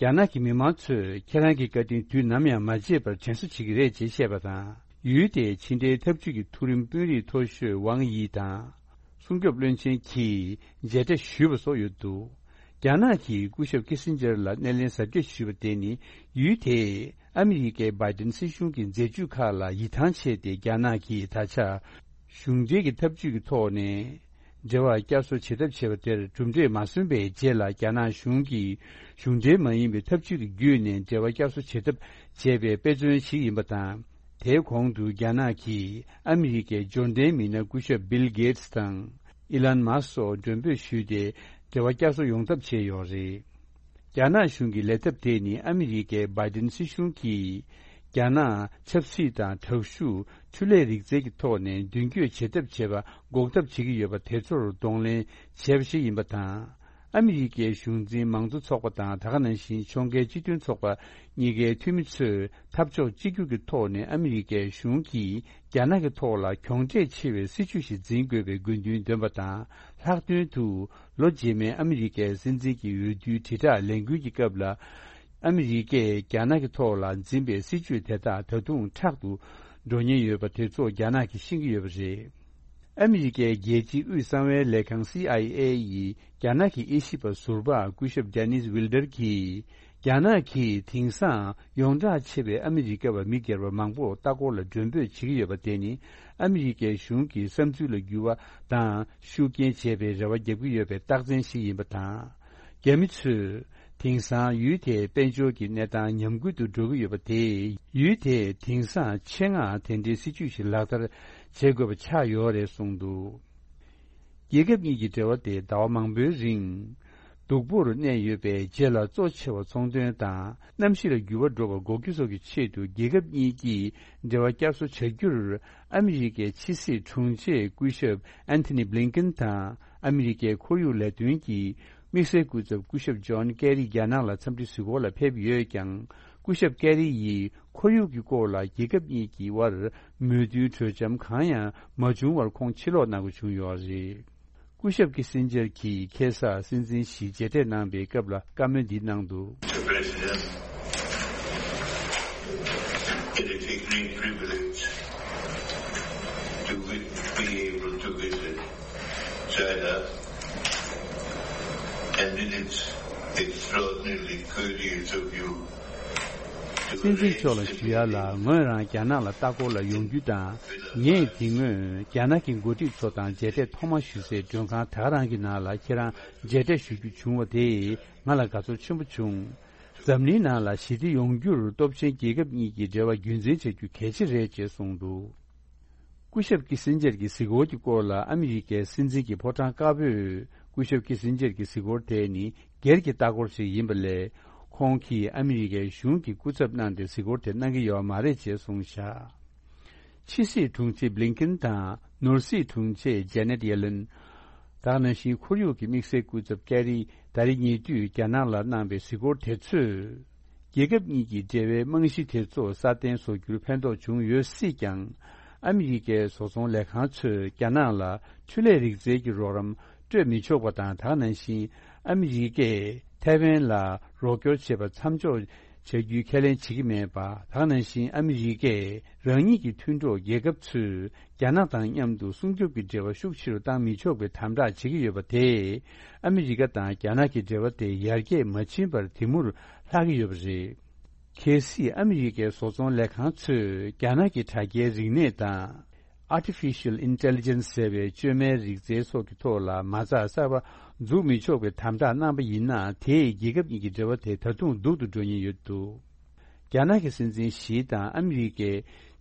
རྒྱ་ནག་གི་མི་མང་ཚོས་ཁྱེད་རང་གི་བཀའ་དྲིན་དུས་ནམ་ཡང་མ་བརྗེད་པར་དྲན་གསོ་བྱེད་ཀྱི་རེད་ཅེས་བཤད་པ་དང་། ཡུལ་དེའི་ཕྱི་འབྲེལ་འཐབ་ཇུས་ཀྱི་མཐོ་རིམ་དཔོན་རིགས་མཐོ་ཤོས་ཝང་དབྱི་དང་། སྲུང་སྐྱོབ་བློན་ཆེན་གྱིས་མཇལ་འཕྲད་ཞུས་པ་སོགས་ཡོད་འདུག། རྒྱ་ནག་གིས་སྐུ་ཞབས་ཀི་སིན་ཇར་ལ་སྣེ་ལེན་གཟབ་རྒྱས་ཞུས་པ་དེ་ནི། ཡུལ་དེས་ཨ་མི་རི་ཀའི་བྷའི་ཏིན་སྲིད་གཞུང་གི་མཛད་ཇུས་ཁག་ལ་ཡིད་ཐང་ཆད་དེ། རྒྱ་ནག་གིས་ད་ཆ་གཞུང་འབྲེལ་གྱི་འཐབ་ཇུས་ཀྱི་ཐོག་ནས་འབྲེལ་བ་བསྐྱར་གསོ་བྱེད་ཐབས་བྱས་པ་དེར་གྲུབ་འབྲས་མ་སོན་པའི་རྗེས་ལ། རྒྱ་ནག་གཞུང་གིས་གཞུང་འབྲེལ་མ་ཡིན་པའི་འཐབ་ཇུས་ཀྱི་བརྒྱུད་ནས་འབྲེལ་བ་བསྐྱར་གསོ་བྱེད་ཐབས་བྱས་པའི་དཔེ་མཚོན་ཞིག་ཡིན་པ་དང་། དེའི་གོང་དུ་རྒྱ་ནག་གིས་ཨ་མི་རི་ཀའི་འབྱོར་ལྡན་མི་སྣ་སྐུ་ཞབས་བིལ་གེ་ཏི་སི་དང་ཨི་ལན་མཱ་སི་སོགས་མགྲོན་འབོད་ཞུས་ཏེ། འབྲེལ་བ་བསྐྱར་གསོ་ཡོང་ཐབས་བྱས་ཡོད་རེད། རྒྱ་ནག་གཞུང་གི་ལས་ཐབས་དེ་ནི་ཨ་མི་རི་ཀའི་བྷའི་ཏིན་སྲིད་གཞུང་གིས་རྒྱ་ནག་ཆབ་སྲིད་དང་དྲག་ཤུགས་འཕྲུལ་ལས་རིག་རྩལ་གྱི་ཐོག་ནས་མདུན་སྐྱོད་བྱེད་ཐབས་བྱེད་པ་འགོག་ཐབས་བྱེད་ཀྱི་ཡོད་པ་དེ་ཚོར་གདོང་ལེན་བྱས་པ་ཞིག་ཡིན་པ་དང་། ཨ་མི་རི་ཀའི་གཞུང་འཛིན་མང་གཙོ་ཚོགས་པ་དང་། ད་ག་ནང་བཞིན་ཕྱོགས་འགལ་སྤྱི་མཐུན་ཚོགས་པ་གཉིས་ཀའི་འཐུས་མི་ཚོས་འཐབ་ཕྱོགས་གཅིག་གྱུར་གྱི་ཐོག་ནས་ཨ་མི་རི་ཀའི་གཞུང་གིས་རྒྱ་ནག་གི་ཐོག་ལ་གྱོང་འབྲས་ཆེ་བའི་སྲིད་བྱུས་ཤིག་འཛིན་དགོས་པའི་དགོས་འདུན་འདོན་པ་དང་། ལྷག་དོན་དུ། ལོ་རྗེས་མའི་ཨ་མི་རི་ཀའི་སྲིད་འཛིན་གྱི་འོས་བསྡུའི་དྲིལ་བསྒྲགས་ལས་འགུལ་གྱི་སྐབས་ལ། ཨ་མི་རི་ཀས་རྒྱ་ནག་གི་ཐོག་ལ་འཛིན་པའི་སྲིད་བྱུས་དེ་དག་ད་དུང་མཁྲེགས་སུ་འགྲོ་ཉེན་ཡོད་པ་དེ་ཚོ་རྒྱ་ནག་གིས་ཤེས་ཀྱི་ཡོད་པ་རེད། ཨ་མི་རི་ཀའི་རྒྱལ་སྤྱིའི་དབུས་གསང་བའི་ལས་ཁང་སི་ཨའི་ཨེ་ཡིས་རྒྱ་ནག་གི་དབྱེ་ཞིབ་པ་ཟུར་པ་སྐུ་ཞབས་ཌེ་ནིས་ཝིལ་ཌར་གྱིས། རྒྱ་ནག་གིས་དེང་སང་ཡོངས་གྲགས་ཆེ་བའི་ཨ་མི་རི་ཀ་བ་མི་སྒེར་པ་མང་པོ་ལྟ་སྐོར་ལ་མགྲོན་འབོད་བྱེད་ཀྱི་ཡོད་པ་དེ་ནི། ཨ་མི་རི་ཀའི་གཞུང་གི་བསམ་ཚུལ་ལ་འགྱུར་བ་དང་ཤུགས་རྐྱེན་བྱེད་པའི་རེ་བ་རྒྱག་གི་ཡོད་པའི་རྟགས་མཚན་ཞིག་ཡིན་པ་དང་། རྒྱ་མི་ཚོས་ དེང་སང་ཡུལ་དེའི་དཔལ་འབྱོར་གྱི་གནས་སྟངས་ཉམས་རྒུད་དུ་འགྲོ་གི་ཡོད་པ་དེས་ཡུལ་དེས་དེང་སང་ཆེད་མངགས་དེ་འདྲའི་སྲིད་ཇུས་ཤིག་ལག་བསྟར་བྱེད་དགོས་པ་ཆགས་ཡོད་རེད་གསུངས་འདུག་རྒྱལ་ཁབ་གཉིས་ཀྱི་འབྲེལ་བ་དེ་ཟླ་བ་མང་པོའི་རིང་སྡུག་པོར་གནས་ཡོད་པའི་རྗེས་ལ་གཙོ་ཆེ་བ་ཚོང་དོན་དང་གནམ་གཤིས་ལ་འགྱུར་བ་འགྲོ་བ་འགོག་རྒྱུ་སོགས་ཀྱི་ཆེད་དུ་རྒྱལ་ཁབ་གཉིས་ཀྱིས་འབྲེལ་བ་བསྐྱར་གསོ་བྱ་རྒྱུར་ཨ་མི་རི་ཀའི་ཕྱི་སྲིད་དྲུང་ཆེ་སྐུ་ཞབས་ཨན་ཐོ་ནི་བྷི་ལིན་ཀེན་དང་ཨ་མི་རི་ཀའི་ཁོར་ཡུག་ལས་དོན་གྱི་དམིགས་བསལ་སྐུ་ཚབ་སྐུ་ཞབས་ཇོན་ཀེ་རི་རྒྱ་ནག་ལ་འཚམས་འདྲི་གཟིགས་སྐོར་ལ་ཕེབས་ཡོད་ཀྱང་། སྐུ་ཞབས་ཀེ་རི་ཡིས་ཁོར་ཡུག་གི་སྐོར་ལ་རྒྱལ་ཁབ་གཉིས་ཀྱི་དབར་མོས་མཐུན་གྲོས་འཆམ་གང་ཡང་མ་བྱུང་བར་ཁོང་ཕྱིར་ལོག་གནང་དགོས་བྱུང་ཡོད་རེད། སྐུ་ཞབས་ཀི་སིན་ཇར་གྱིས་ཁ་སང་སྲིད་འཛིན་ཞིས་མཇལ་འཕྲད་གནང་པའི་སྐབས་ལ་བཀའ་མོལ་འདི་གནང་འདུག Mister President, it is a great privilege to vi- be able to visit China, and it is extraordinarily courteous of you to སྲིད་འཛིན་མཆོག་ལ་arrange the ཞུ་ཡ་ལ་meeting. ངོས་རང་རྒྱ་ནག་ལ་ལྟ་སྐོར་ལ་ཡོང་རྒྱུ་དང་ངས་དེ་སྔོན་རྒྱ་ནག་གི་འགོ་ཁྲིད་ཚོ་དང་མཇལ་འཕྲད་ཐོག་མ་ཞུ་སའི་མགྲོན་ཁང་ད་ག་རང་གི་ནང་ལ་ཁྱེད་རང་མཇལ་འཕྲད་ཞུ་རྒྱུ་བྱུང་བ་དེས་ང་ལ་དགའ་ཚོར་ཆེན་པོ་བྱུང་། འཛམ་གླིང་ནང་ལ་ཞི་བདེ་ཡོང་རྒྱུར་སྟོབས་ཆེན་རྒྱལ་ཁབ་གཉིས་ཀྱི་འབྲེལ་བ་རྒྱུན་འཛིན་བྱ་རྒྱུ་གལ་ཆེ་རེད་ཅེས་གསུངས་འདུག་སྐུ་ཞབས་ཀི་སིན་ཇར་གྱི་གཟིགས་སྐོར་གྱི་སྐོར་ལ་ཨ་མི་རི་ཀའི་སྲིད་འཛིན་གྱི་ཕོ་བྲང་དཀར་པོས་སྐུ་ཞབས་ཀི་སིན་ཇར་གྱི་གཟིགས་སྐོར་དེ་ནི་སྒེར་གྱི་ལྟ་སྐོར་ཞིག་ཡིན་པ་ལས། ཁོང་གིས་ཨ་མི་རི་ཀའི་གཞུང་གི་སྐུ་ཚབ་གནང་སྟེ་གཟིགས་སྐོར་དེ་གནང་གི་ཡོད་མ་རེད་ཅེས་གསུངས་བཞག་ཕྱི་སྲིད་དྲུང་ཆེ་བྷི་ལིན་ཀིན་དང་ནོར་སྲིད་དྲུང་ཆེ་ཇེ་ནེད་ཡེ་ལེན། ད་ག་ནང་བཞིན་ཁོར་ཡུག་གི་དམིགས་བསལ་སྐུ་ཚབ་ཀེ་རི་ད་རེས་ཉེ་དུས་རྒྱ་ནག་ལ་གནང་པའི་གཟིགས་སྐོར་དེ་ཚོས། རྒྱལ་ཁབ་གཉིས་ཀྱི་འབྲེལ་བའི་རྨང་གཞི་དེ་ཚོ་སྲ་བརྟན་བཟོ་རྒྱུར་ཕན་ཐོགས་བྱུང་ཡོད་སྲིད་ཀྱང་། ཨ་མི་རི་ཀའི་བཟོ་ཚོང་ལས་ཁང་ཚོས་རྒྱ་ནག་ལ་འཕྲུལ་ལས་རིག་རྩལ་གྱི་རོགས་རམ་སྤྲོད་མི་ཆོག་པ་དང་། ད་ག་ནང་བཞིན་ཨ་མི་རི་ཀས་ཐའེ་ཝན་ལ་རོགས་སྐྱོར་བྱེད་པ་མཚམས་འཇོག་བྱ་རྒྱུའི་ཁས་ལེན་བྱེད་ཀྱི་མེད་པ། ད་ག་ནང་བཞིན་ཨ་མི་རི་ཀས་རང་ཉིད་ཀྱི་མཐུན་གྲོགས་རྒྱལ་ཁབ་ཚོས་རྒྱ་ནག་དང་མཉམ་དུ་སྲུང་སྐྱོབ་ཀྱི་འབྲེལ་བ་ཤུགས་ཆེ་རུ་བཏང་མི་ཆོག་པའི་དམ་དྲག་བྱེད་ཀྱི་ཡོད་པ་དེས། ཨ་མི་རི་ཀ་དང་རྒྱ་ནག་གི་འབྲེལ་བ་དེ་ཡར་རྒྱས་མ་ཕྱིན་པར་དེ་མུར་ལྷག་གི་ཡོད་པ་རེད། གལ་སྲིད་ཨ་མི་རི་ཀའི་བཟོ་ཚོང་ལས་ཁང་ཚོས་རྒྱ་ནག་གི་དྲ་རྒྱའི་རིག་གནས་དང་། Artificial Intelligence ཟེར་བའི་བཅོས་མའི་རིག་རྩལ་སོགས་ཀྱི་ཐོག་ལ་མ་རྩ་གསར་པ་འཛུགས་མི་ཆོག་པའི་དམ་དྲག་གནང་པ་ཡིན་ན། དེས་རྒྱལ་ཁབ་གཉིས་ཀྱི་འབྲེལ་བ་དེ་ད་དུང་སྡུག་ཏུ་འགྲོ་ཉེན་ཡོད་འདུག་རྒྱ་ནག་གི་སྲིད་འཛིན་ཞི་དང་ཨ་མི་རི་ཀའི་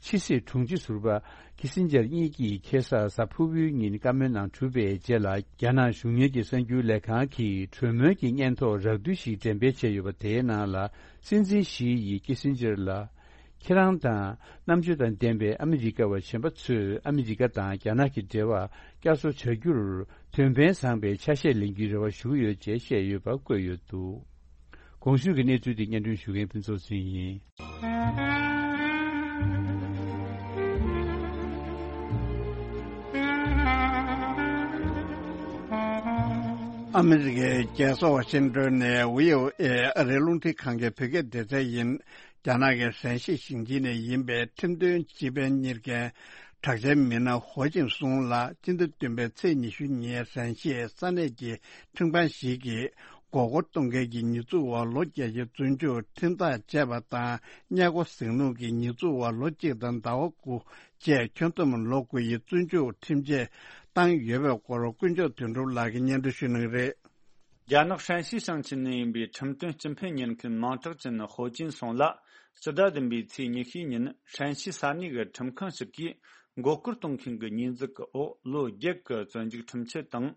ཕྱི་སྲིད་དྲུང་ཆེ་ཟུར་པ་ཁི་སིན་ཇར་གཉིས་ཀྱིས་ཁ་སང་གཟའ་ཕུར་བུའི་ཉིན་བཀའ་མོལ་གནང་གྲུབ་པའི་རྗེས་ལ། རྒྱ་ནག་གཞུང་གཉེར་གྱི་གསར་འགྱུར་ལས་ཁང་གིས་གྲོས་མོལ་གྱི་སྙན་ཐོ་རགས་བསྡུས་ཤིག་འགྲེམས་སྤེལ་བྱས་ཡོད་པ། དེའི་ནང་ལ་སྲིད་འཛིན་ཞི་ཡིས་ཁི་སིན་ཇར་ལ། ཁྱེད་རང་དང་རྣམ་དཔྱོད་དང་ལྡན་པའི་ཨ་མི་རི་ཀ་བ་གཞན་པ་ཚོས་ཨ་མི་རི་ཀ་དང་རྒྱ་ནག་གི་འབྲེལ་བ་བསྐྱར་གསོ་བྱ་རྒྱུར་དོན་ཕན་བཟང་པའི་ཆ་ཤས་ལེན་རྒྱུའི་རེ་བ་ཞུ་གི་ཡོད་ཅེས་བཤད་ཡོད་པ་བཀོད་ཡོད་འདུག་གོང་ཞུས་ཀྱི་གནས་ཚུལ་དེ་སྙན་སྒྲོན་ཞུ་མཁན་ཕུན་ཚོགས་ཚེ་རིང་ཡིན། ཨ་མི་རི་ཀའི་རྒྱལ་ས་ཝ་ཤིང་ཏོན་ནས་བྷི་ཨོ་ཨེ་ཨ་རིའི་རླུང་འཕྲིན་ཁང་གི་བོད་སྐད་སྡེ་ཚན་ཡིན། རྒྱ་ནག་གི་ཧྲན་ཞི་ཞིང་ཆེན་ནས་ཡིན་པའི་ཁྲིམས་དོན་སྤྱི་ཕན་གཉེར་མཁན་གྲགས་ཅན་མི་སྣ་ཧོ་ཅིན་སུང་ལགས་སྤྱི་ཟླ་བདུན་པའི་ཚེས་ཉི་ཤུ་ཉིན་ཧྲན་ཞིའི་ས་གནས་ཀྱི་ཁྲིམས་ཁང་ཞིག་གིས་མགོ་སྐོར་གཏོང་མཁན་གྱི་ཉེས་འཛུགས་འོག་ལོ་བརྒྱད་ཀྱི་བཙོན་འཇུག་ཁྲིམས་ཐག་བཅད་པ་དང་། གཉའ་སྒོ་ཟིང་ལུགས་ཀྱི་ཉེས་འཛུགས་འོག་ལོ་གཅིག་དང་ཟླ་བ་དགུ་བཅས་ཁྱོན་བསྡོམས་ལོ་དགུ་ཡི་བཙོན་འཇུག་ཁྲིམས་ཆད་བཏང་ཡོད་པའི་སྐོར་དཀོན་མཆོག་དོན་གྲུབ་ལགས་ཀྱིས་སྙན་སྒྲོན་ཞུ་གནང་གི་རེད། རྒྱ་ནག་ཧྲན་ཞི་ཞིང་ཆེན་ནས་ཡིན་པའི་ཁྲིམས་དོན་སྤྱི་ཕན་གཉེར་མཁན་མིང་གྲགས་ཅན་ཧོ་ཅིན་སུང་ལགས་སྤྱི་ཟླ་བདུན་པའི་ཚེས་ཉི་ཤུའི་ཉིན་ཧྲན་ཞི་ས་གནས་ཀྱི་ཁྲིམས་ཁང་ཞིག་གིས་མགོ་སྐོར་གཏོང་མཁན་གྱི་ཉེས་འཛུགས་ཀྱི་འོག་ལོ་བརྒྱད་ཀྱི་བཙོན་འཇུག་ཁྲིམས་ཆད་དང་།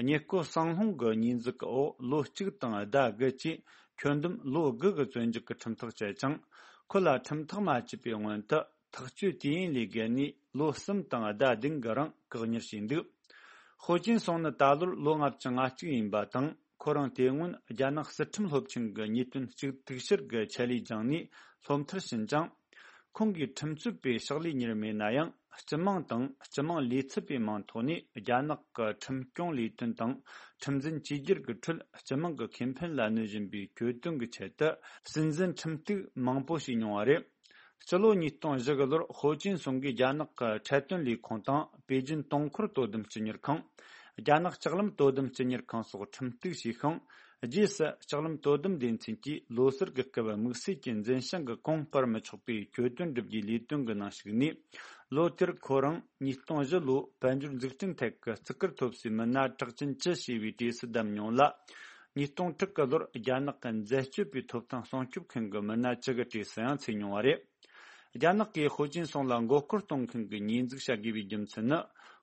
གཉའ་སྒོ་ཟིང་སློང་གི་ཉེས་འཛུགས་ཀྱི་འོག་ལོ་གཅིག་དང་ཟླ་དགུ་བཅས་ཁྱོན་བསྡོམས་ལོ་དགུ་གི་བཙོན་འཇུག་གི་ཁྲིམས་ཐག་བཅད་ཅིང་། ཁོ་ལ་ཁྲིམས་ཐག་མ་བཅད་པའི་སྔོན་དུ། ཐག་གཅོད་དུས་ཡུན་ལས་བརྒལ་ནས་ལོ་གསུམ་དང་ཟླ་བདུན་གྱི་རིང་བཀག་ཉར་བྱས་འདུག་ཧོ་ཅིན་སུང་ནི་ད་ལོར་ལོ་ལྔ་བཅུ་ང་གཅིག་ཡིན་པ་དང་། ཁོ་རང་དེ་སྔོན་རྒྱ་ནག་སྲིད་ཁྲིམས་སློབ་ཆེན་གྱི་ཉེས་དོན་གཅིག་སྡུག་ཕྱིར་གྱི་ཆེད་ལས་སྦྱངས་ནས་སློབ་མཐར་ཕྱིན་ཅིང་། ཁོང་གིས་ཁྲིམས་རྩོད་པའི་ཕྱག་ལས་གཉེར་མེད་ན་ཡང་། སྤྱི་དམངས་དང་སྤྱི་དམངས་ལས་ཚབ་པའི་མིང་ཐོག་ནས་རྒྱ་ནག་གི་ཁྲིམས་སྐྱོང་ལས་དོན་དང་ཁྲིམས་འཛིན་བཅོས་བསྒྱུར་གྱི་ཁྲོད་སྤྱི་དམངས་ཀྱི་ཁེ་ཕན་ལ་གནོད་བཞིན་པའི་གྱོད་དོན་གྱི་ཆེད་དུ་སྲིད་འཛིན་ཁྲིམས་གཏུག་མང་པོ་བྱས་མྱོང་བ་རེད། སྤྱི་ལོ་ཉིས་སྟོང་བཞི་གི་ལོར་ཧོ་ཅིན་སུང་གིས་རྒྱ་ནག་གི་འཕྲལ་བསྟུན་ལས་ཁུངས་དང་པེ་ཅིན་དུང་འཁོར་དོ་དམ་སྤྱི་གཉེར་ཁང་། རྒྱ་ནག་ལྕགས་ལམ་དོ་དམ་སྤྱི་གཉེར་ཁང་སོགས་ཁྲིམས་གཏུག་བྱས་ཤིང་། རྗེས་སུ་ལྕགས་ལམ་དོ་དམ་སྡེ་ཚན་གྱིས་ལོ་སར་གྱི་སྐབས་དམིགས་བསལ་གྱི་འཛིན་བྱང་གི་གོང་སྤར་མི་ཆོག་པའི་གྱོད་དོན་སྒྲུབ་རྒྱུའི་ལས་དོན་གྱི་ནང་ཞུགས་ནས། ལོ་དེར་ཁོ་རང་ཉིས་སྟོང་བཞི་ལོའི་དཔལ་འབྱོར་འཛུགས་སྐྲུན་ཐད་ཀྱི་བརྩི་བཀུར་ཐོབ་སའི་མི་སྣ་གྲགས་ཅན་བཅུ་ཞེས་པའི་གྲས་སུ་བདམས་མྱོང་ལ། ཉིས་སྟོང་དྲུག་གི་ལོར་རྒྱ་ནག་གི་འཛད་སྤྱོད་པའི་ཐོབ་ཐང་སྲུང་སྐྱོབ་མཁན་གྱི་མི་སྣ་བཅུ་གི་གྲས་སུ་ཡང་ཚུད་མྱོང་བ་རེད། རྒྱ་ནག་གིས་ཧོ་ཅིན་སུང་ལ་མགོ་སྐོར་གཏོང་མཁན་གྱི་ཉེས་འཛུགས་བྱ་དགོས་པའི་རྒྱུ་མཚན་ནི།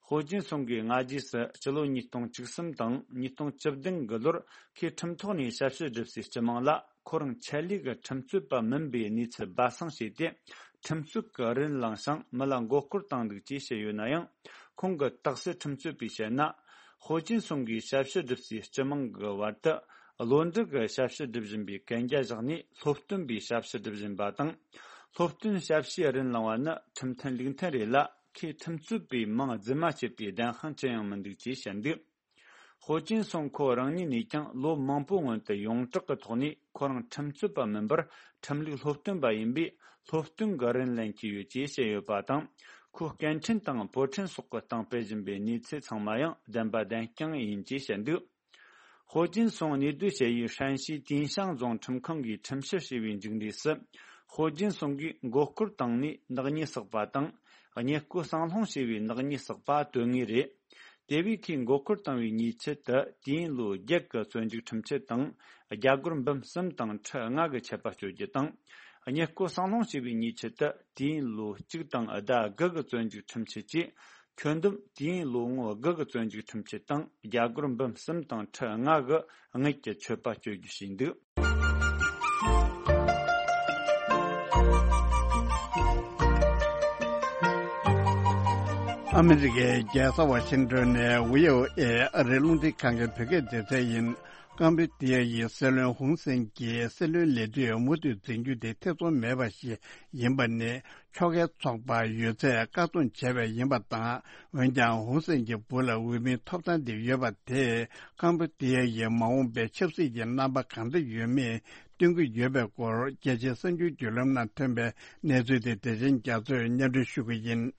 ཧོ་ཅིན་སུང་གིས་སྔ་རྗེས་སུ་སྤྱི་ལོ་ཉིས་སྟོང་བཅུ་གསུམ་དང་ཉིས་སྟོང་བཅུ་བདུན་གྱི་ལོར་ཁོས་ཁྲིམས་ཐོག་ནས་ཞབས་ཕྱི་བསྒྲུབས་སའི་སྤྱི་དམངས་ལ། ཁོ་རང་ཆད་ལུས་ཀྱི་ཁྲིམས་རྩོད་པ་མིན་པའི་གནས་ཚུལ་སྦ་གསང་བྱས་ཏེ། ཁྲིམས་རྩོད་ཀྱི་རིན་བླངས་ཤིང་མི་ལ་མགོ་སྐོར་བཏང་འདུག་ཅེས་བཤད་ཡོད་ན་ཡང་། ཁོང་གི་རྟགས་གསལ་ཁྲིམས་རྩོད་པས་བཤད་ན། ཧོ་ཅིན་སུང་གིས་ཞབས་ཕྱི་བསྒྲུབས་སའི་སྤྱི་དམངས་ཀྱི་བར་དུ། བློ་འདྲི་གི་ཞབས་ཕྱི་སྒྲུབ་བཞིན་པའི་གན་རྒྱ་བཞག་ནས་སློབ་སྟོན་པའི་ཞབས་ཕྱི་སྒྲུབ་བཞིན་པ་དང་། སློབ་སྟོན་ཞབས་ཕྱིའི་རིན་བླངས་པ་ནི་ཁྲིམས་མཐུན་ལུགས་མཐུན་རེད་ལ། ཁོས་ཁྲིམས་རྩོད་པའི་མིང་རྫུན་མ་བྱས་པའི་བདེན་དཔང་ཅི་ཡང་མི་འདུག་ཅེས་བཤད་འདུག་ཧོ་ཅིན་སུང་ཁོ་རང་ཉིད་ནས་ཀྱང་ལོ་མང་པོའི་སྔོན་དུ་ཡོངས་གྲགས་ཀྱི་ཐོག་ནས་ཁོ་རང་ཁྲིམས་རྩོད་པ་མིན་པར་ཁྲིམས་ལུགས་སློབ་སྟོན་པ་ཡིན་པས། སློབ་སྟོན་གྱི་རིན་ལེན་གྱི་ཡོད་ཅེས་བཤད་ཡོད་པ་དང་། ཁོས་སྐད་འཕྲིན་དང་པོ་ཁྲིན་སོགས་ཀྱི་སྟེང་སྤེལ་བཞིན་པའི་གནས་ཚུལ་ཚང་མ་ཡང་བདེན་པ་བདེན་རྐྱང་ཡིན་ཅེས་བཤད་འདུག་ཧོ་ཅིན་སུང་གནས་སྡོད་བྱེད་ཡུལ་ཧྲན་ཞིའི་ཏིན་ཤང་རྫོང་ཁྲིམས་ཁང་གིས་ཁྲིམས་ཞིབ་བྱས་པའི་མཇུག་འབྲས་སུ། ཧོ་ཅིན་སུང་གིས་མགོ་སྐོར་བཏང་ནས་ནག་ཉེས་བསགས་པ་དང་། གཉེན་སྐུ་གསང་སློང་བྱས་པའི་ནག་ཉེས་བསགས་པ་དོན་དངོས་རེད། དེ་བས་ཁོས་མགོ་སྐོར་བཏང་བའི་ཉེས་ཆད་དུ་དུས་ཡུན་ལོ་བརྒྱད་ཀྱི་བཙོན་འཇུག་ཁྲིམས་ཆད་དང་། རྒྱ་སྒོར་འབུམ་གསུམ་དང་ཁྲི་ལྔ་གི་ཆད་པ་གཅོད་རྒྱུ་དང་། གཉེན་སྐུ་གསང་སློང་བྱས་པའི་ཉེས་ཆད་དུ་དུས་ཡུན་ལོ་གཅིག་དང་ཟླ་དགུ་གི་བཙོན་འཇུག་ཁྲིམས་ཆད་བཅས། ཁྱོན་བསྡོམས་དུས་ཡུན་ལོ་ངོ་དགུ་གི་བཙོན་འཇུག་ཁྲིམས་ཆད་དང་རྒྱ་སྒོར་འབུམ་གསུམ་དང་ཁྲི་ལྔ་གི་དངུལ་གྱི་ཆད་པ་གཅོད་རྒྱུ་བྱས་འདུག་ཨ་མི་རི་ཀའི་རྒྱལ་ས་ཝ་ཤིང་ཏོན་ནས་བྷི་ཨོ་ཨེ་ཨ་རིའི་རླུང་འཕྲིན་ཁང་གི་བོད་སྐད་སྡེ་ཚན་ཡིན། ཀམ་པུ་ཏི་ཡ་ཡི་སྲིད་བློན་ཧུན་སེན་གྱིས་སྲིད་བློན་ལས་དུས་མུ་མཐུད་འཛིན་རྒྱུ་དེ་ཐེ་ཚོམ་མེད་པ་ཞིག་ཡིན་པ་ནི། ཕྱོགས་འགལ་ཚོགས་པ་ཡོད་ཚད་བཀག་སྡོམ་བྱས་པ་ཡིན་པ་དང་། འོན་ཀྱང་ཧུན་སེན་གྱི་བུ་ལ་འོས་མིའི་ཐོབ་ཐང་དེ་ཡོད་པ་དེས་ཀམ་པུ་ཏི་ཡ་ཡི་མ་འོངས་པའི་ཆབ་སྲིད་ཀྱི་རྣམ་པ་གང་འདྲ་ཡོད་མེད་སྟོན་གྱི་ཡོད་པའི་སྐོར། རྒྱལ་སྤྱིའི་གསར་འགྱུར་བརྒྱུད་ལམ་ནང་ཐོན་པའི་གནས་ཚུལ་དེ་བདེ་ཆེན་རྒྱ་མཚོས་སྙན་སྒྲོན་ཞུ་གི་ཡིན།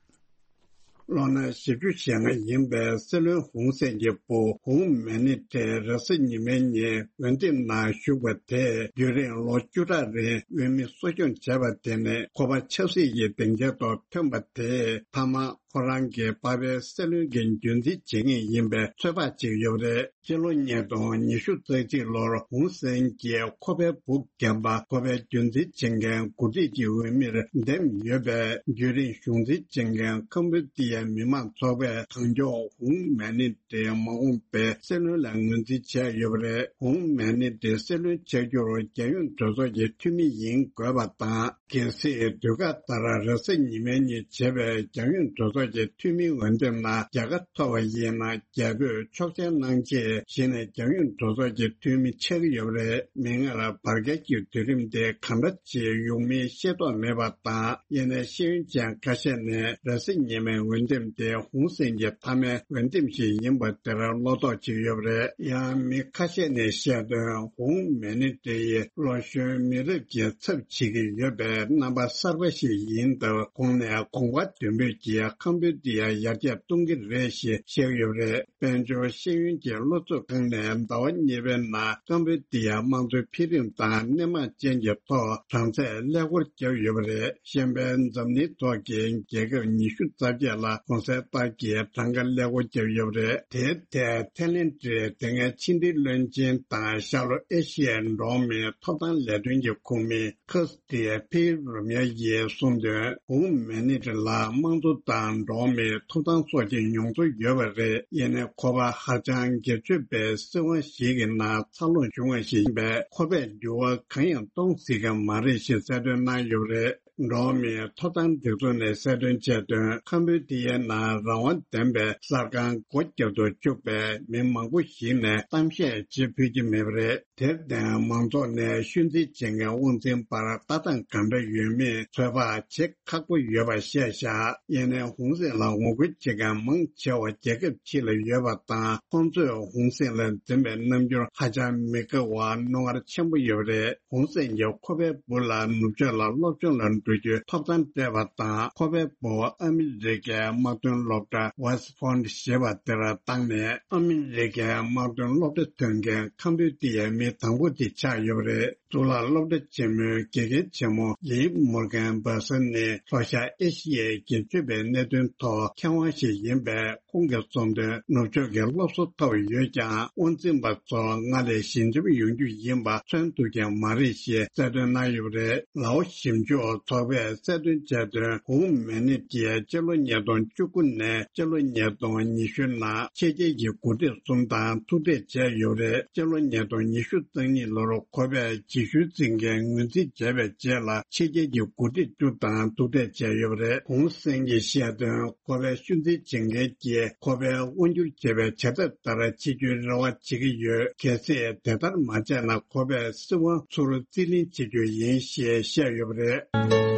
ལོ་ན་བཞི་བཅུ་ཞེ་ལྔ་ཡིན་པའི་སྲིད་བློན་ཧུང་སེན་གྱི་བུ་ཧུང་མེ་ནི་ཏྲེ་རེས་གཟའ་ཉི་མའི་ཉིན་འོས་འདེམས་ནང་ཞུགས་པ་དེས་རྒྱུན་རིང་ལོ་བཅུ་ཕྲག་རིང་འོས་མི་གསོ་སྐྱོང་བྱས་པ་དེ་ནི་ཁོ་པ་ཆབ་སྲིད་ཀྱི་སྡིངས་ཆའི་ཐོག་ཐོན་པ་དེས་མཐའ་མ་ཁོ་རང་གི་པ་ཕའི་སྲིད་བློན་གྱི་རྒྱུན་འཛིན་བྱེད་ངེས་ཡིན་པའི་ཚོད་དཔག་བྱེད་ཀྱི་ཡོད་པ་རེད། སྤྱི་ལོ་ཉིས་སྟོང་ཉི་ཤུ་རྩ་གཅིག་ལོར་ཧུང་སེན་གྱིས་ཁོ་པའི་བུ་རྒན་པ་ཁོ་པའི་རྒྱུན་འཛིན་བྱེད་མཁན་འགོ་ཁྲིད་ཀྱི་འོས་མིར་འདེམས་ཡོད་པས། རྒྱུན་རིང་གཞུང་འཛིན་བྱེད་མཁན་ཁམ་བུ་ཏི་ཡའི་མི་མང་ཚོགས་པས་གང་མགྱོགས་ཧུང་མེ་ནི་ཏྲེ་མ་འོངས་པའི་སྲིད་བློན་ལ་ངོས་འཛིན་བྱས་ཡོད་པ་རེད། ཧུང་མེ་ནི་ཏྲེ་སྲིད་བློན་ཆགས་རྒྱུར་རྒྱལ་ཡོངས་གྲོས་ཚོགས་ཀྱི་འཐུས་མི་ཡིན་དགོས་པ་དང་། གལ་སྲིད་དུས་བཀག་ལྟར་རེས་གཟའ་ཉི་མའི་ཉིན་བྱས་པའི་རྒྱལ་ཡོངས་གྲོས་ཚོགས་ཀྱི་འཐུས་མིའི་འོས་འདེམས་ནང་རྒྱལ་ཁ་ཐོབ་པ་ཡིན་ན། རྒྱལ་པོས་ཆོག་མཆན་གནང་རྗེས་གཞི་ནས་རྒྱལ་ཡོངས་གྲོས་ཚོགས་ཀྱི་འཐུས་མི་ཆགས་ཀྱི་ཡོད་པ་རེད། མིག་སྔར་བར་བརྒལ་གྱི་དུས་རིམ་དེ་གང་འདྲ་ཅིག་ཡོང་མིན་ཤེས་རྟོགས་མེད་པ་དང་། ཡིན་ནའི་ཤེས་ཡོན་ཅན་ཁ་ཤས་ནས་རེས་གཟའ་ཉི་མའི་འོས་འདེམས་དེ་ཧུང་སེན་གྱི་མཐའ་མའི་འོས་འདེམས་ཤིག་ཡིན་པ་དེར་བློ་དོགས་བྱེད་ཀྱི་ཡོད་པ་རེད། ཡང་མི་ཁ་ཤས་ནས་བཤད་དོན། ཧུང་མེ་ནི་ཏྲེ་ཡིས་ལོ་གཞོན་མི་རབས་ཀྱི་ཚབ་བྱེད་ཀྱི་ཡོད་པའི་རྣམ་པ་གསར་པ་ཞིག་ཡིན་སྟབས། གོང་ནས་གོམ་ཁ་མདུན་སྤོས་ཀྱིས་ཁམ་བུ་ཏི་ཡར་ཡར་རྒྱས་གཏོང་གི་རེད་ཞེས་བཤད་ཀྱི་ཡོད་པ་རེད། དཔལ་འབྱོར་ཤེས་ཡོན་གྱི་སློབ་གཙོ་ཁང་ནས་ཟླ་བ་གཉིས་པའི་ནང་ཀམ་བུ་ཏི་ཡ་དམངས་གཙོའི་འཕེལ་རིམ་དང་སྣེ་མང་ཅན་གྱི་ཐོག་གྲངས་ཚད་ཀླད་ཀོར་བརྒྱབ་ཡོད་པ་རེད། གཞན་པའི་འཛམ་གླིང་ཐོག་གི་རྒྱལ་ཁབ་ཉི་ཤུ་རྩ་བརྒྱད་ལ་གོང་གསལ་ལྟར་གྱི་གྲངས་ཀ་ཀླད་ཀོར་བརྒྱབ་ཡོད་པ་རེད། དེའི་ཐད་ཐའི་ལེན་ཌའི་དེ་སྔའི་ཕྱི་འབྲེལ་བློན་ཆེན་དང་ཤར་ལྷོ་ཨེ་ཤི་ཡའི་འགྲོ་བ་མིའི་ཐོབ་ཐང་ལས་དོན་གྱི་ཁོངས་མི་ཁ་སི་ཏི་ཕེ་རུ་མྱ་ཡིས་གསུངས་དོན། ཧུང་མེ་ནི་ཏྲེ་ལ་དམངས་གཙོ་དང་འགྲོ་བ་མིའི་ཐོབ་ཐང་སོགས་ཀྱི་མྱོང་ཚོར་ཡོད་པ་རེད། ཡིན་ནའི་ཁོ་པ་ཧ་ཅང་སྒེར་གཅོད་པའི་སྲིད་དབང་ཞིག་གི་ནང་འཚར་ལོངས་བྱུང་བ་ཞིག་ཡིན་པས། ཁོ་པས་འགྱུར་བ་གང་ཡང་གཏོང་སྲིད་ཀྱི་མ་རེད་ཞེས་གསལ་སྟོན་གནང་ཡོད་པ་རེད། འགྲོ་བ་མིའི་ཐོབ་ཐང་སྒྲིག་འཛུགས་ནས་གསལ་སྟོན་བྱས་དོན། ཁམ་བུ་ཏི་ཡའི་ནང་རང་དབང་ལྡན་པའི་གསར་ཁང་སྒོ་བརྒྱབ་ཏུ་བཅུག་པས། མི་མང་པོ་ཞིག་ནས་གཏམ་བཤད་བྱེད་ཕོད་ཀྱི་མེད་པ་རེད། དེར་བརྟེན། མང་ཚོགས་ནས་ཤོད་འཛིན་བྱེད་མཁན་དབང་འཛིན་བར་ལྟ་སྟངས་གང་འདྲ་ཡོད་མེད་ཚོད་དཔག་བྱེད་ཁག་པོ་ཡོད་པ་བཤད་བཞག་ཡིན་ནའི་ཧུང་སེན་ལ་ངོ་རྒོལ་བྱེད་མཁན་མང་ཆེ་བ་རྒྱལ་ཁབ་ཕྱི་ལ་ཡོད་པ་དང་། ཁོང་ཚོས་ཧུང་སེན་ལ་འཛིན་པའི་རྣམ་འགྱུར་ཧ་ཅང་མི་དགའ་བར་རྣོ་ངར་ཆེན་པོ་ཡོད་པ་རེད། ཧུང་སེན་གྱིས་ཁོ་པའི་བུ་ལ་ནུབ་ཕྱོགས་ལ་སློབ་སྦྱོང་ལ་ འགྲོ་རྒྱུའི་ཐོབ་ཐང་སྤྲད་པ་དང་། ཁོ་པའི་སྤོ་བོ་ཨ་མི་རི་ཀའི་དམག་དོན་སློབ་གྲྭ་West Point ཞེས་པ་དེར་བཏང་ནས། ཨ་མི་རི་ཀའི་དམག་དོན་སློབ་གྲྭ་ཐོན་མཁན་ཁ་འདོན་དེ་ཡང་མི་དང་པོ་དེ་ཆགས་ཡོད་པ་རེད། གཙུག་ལག་སློབ་གྲྭ་ཆེན་མོའི་དགེ་རྒན་ཆེན་མོ་ལི་མོར་གན་བྷ་སན་ནི་ལྷོ་ཤར་ཨེ་ཤི་ཡའི་སྒེར་གཅོད་པའི་གནད་དོན་ཐོག་མཁས་དབང་ཞིག་ཡིན་པས། ཁོང་གི་གསུང་དོན་ནུབ་ཕྱོགས་ཀྱི་སློབ་གསོ་ཐོབ་ཡོད་ཀྱང་། དབང་འཛིན་པ་ཚོ་སྔར་ལས་ཞི་འཇམ་ཡོང་རྒྱུ་ཡིན་པ་མཚོན་ཐུབ་ཀྱི་མ་རེད་ཞེས་གསལ་སྟོན་གནང་ཡོད་པ་རེད། ལའོ་ཞིབ་འཇུག་ཚོགས་པས་གསལ་སྟོན་བྱས་དོན། ཧུང་མེ་ནིབ་ཀྱིས་སྤྱི་ལོ་ཉིས་སྟོང་བཅུ་དགུ་ནས་སྤྱི་ལོ་ཉིས་སྟོང་ཉི་ཤུ་ནང་ཕྱི་རྒྱལ་གྱི་འགོ་ཁྲིད་གསུམ་དང་ཐུག་འཕྲད་བྱས་ཡོད་པ་རེད། སྤྱི་ལོ་ཉིས་སྟོང་ཉི་ཤུ་རྩ་གཉིས་ལོར་ཁོ་པས་རྗེས་ཤུལ་འཛིན་མཁན་ངོས་འཛིན་བྱས་པའི་རྗེས་ལ། ཕྱི་རྒྱལ་གྱི་འགོ་ཁྲིད་བཅུ་དང་ཐུག་འཕྲད་བྱས་ཡོད་པ་རེད། ཧུང་སན་གྱིས་བཤད་དོན། ཁོ་པའི་ཤུལ་འཛིན་བྱེད་མཁན་གྱིས་ཁོ་པས་དབང་སྒྱུར་བྱེད་པའི་བྱ་ཐབས་ལྟར་བྱེད་རྒྱུའི་རེ་བ་བྱེད་ཀྱི་ཡོད། གལ་སྲིད་དེ་ལྟར་མ་བྱས་ན། ཁོ་པས་སྲིད་དབང་ཚུར་རྩིས་ལེན་བྱེད་རྒྱུ་ཡིན་ཞེས་བཤད་ཡོད་པ་རེད།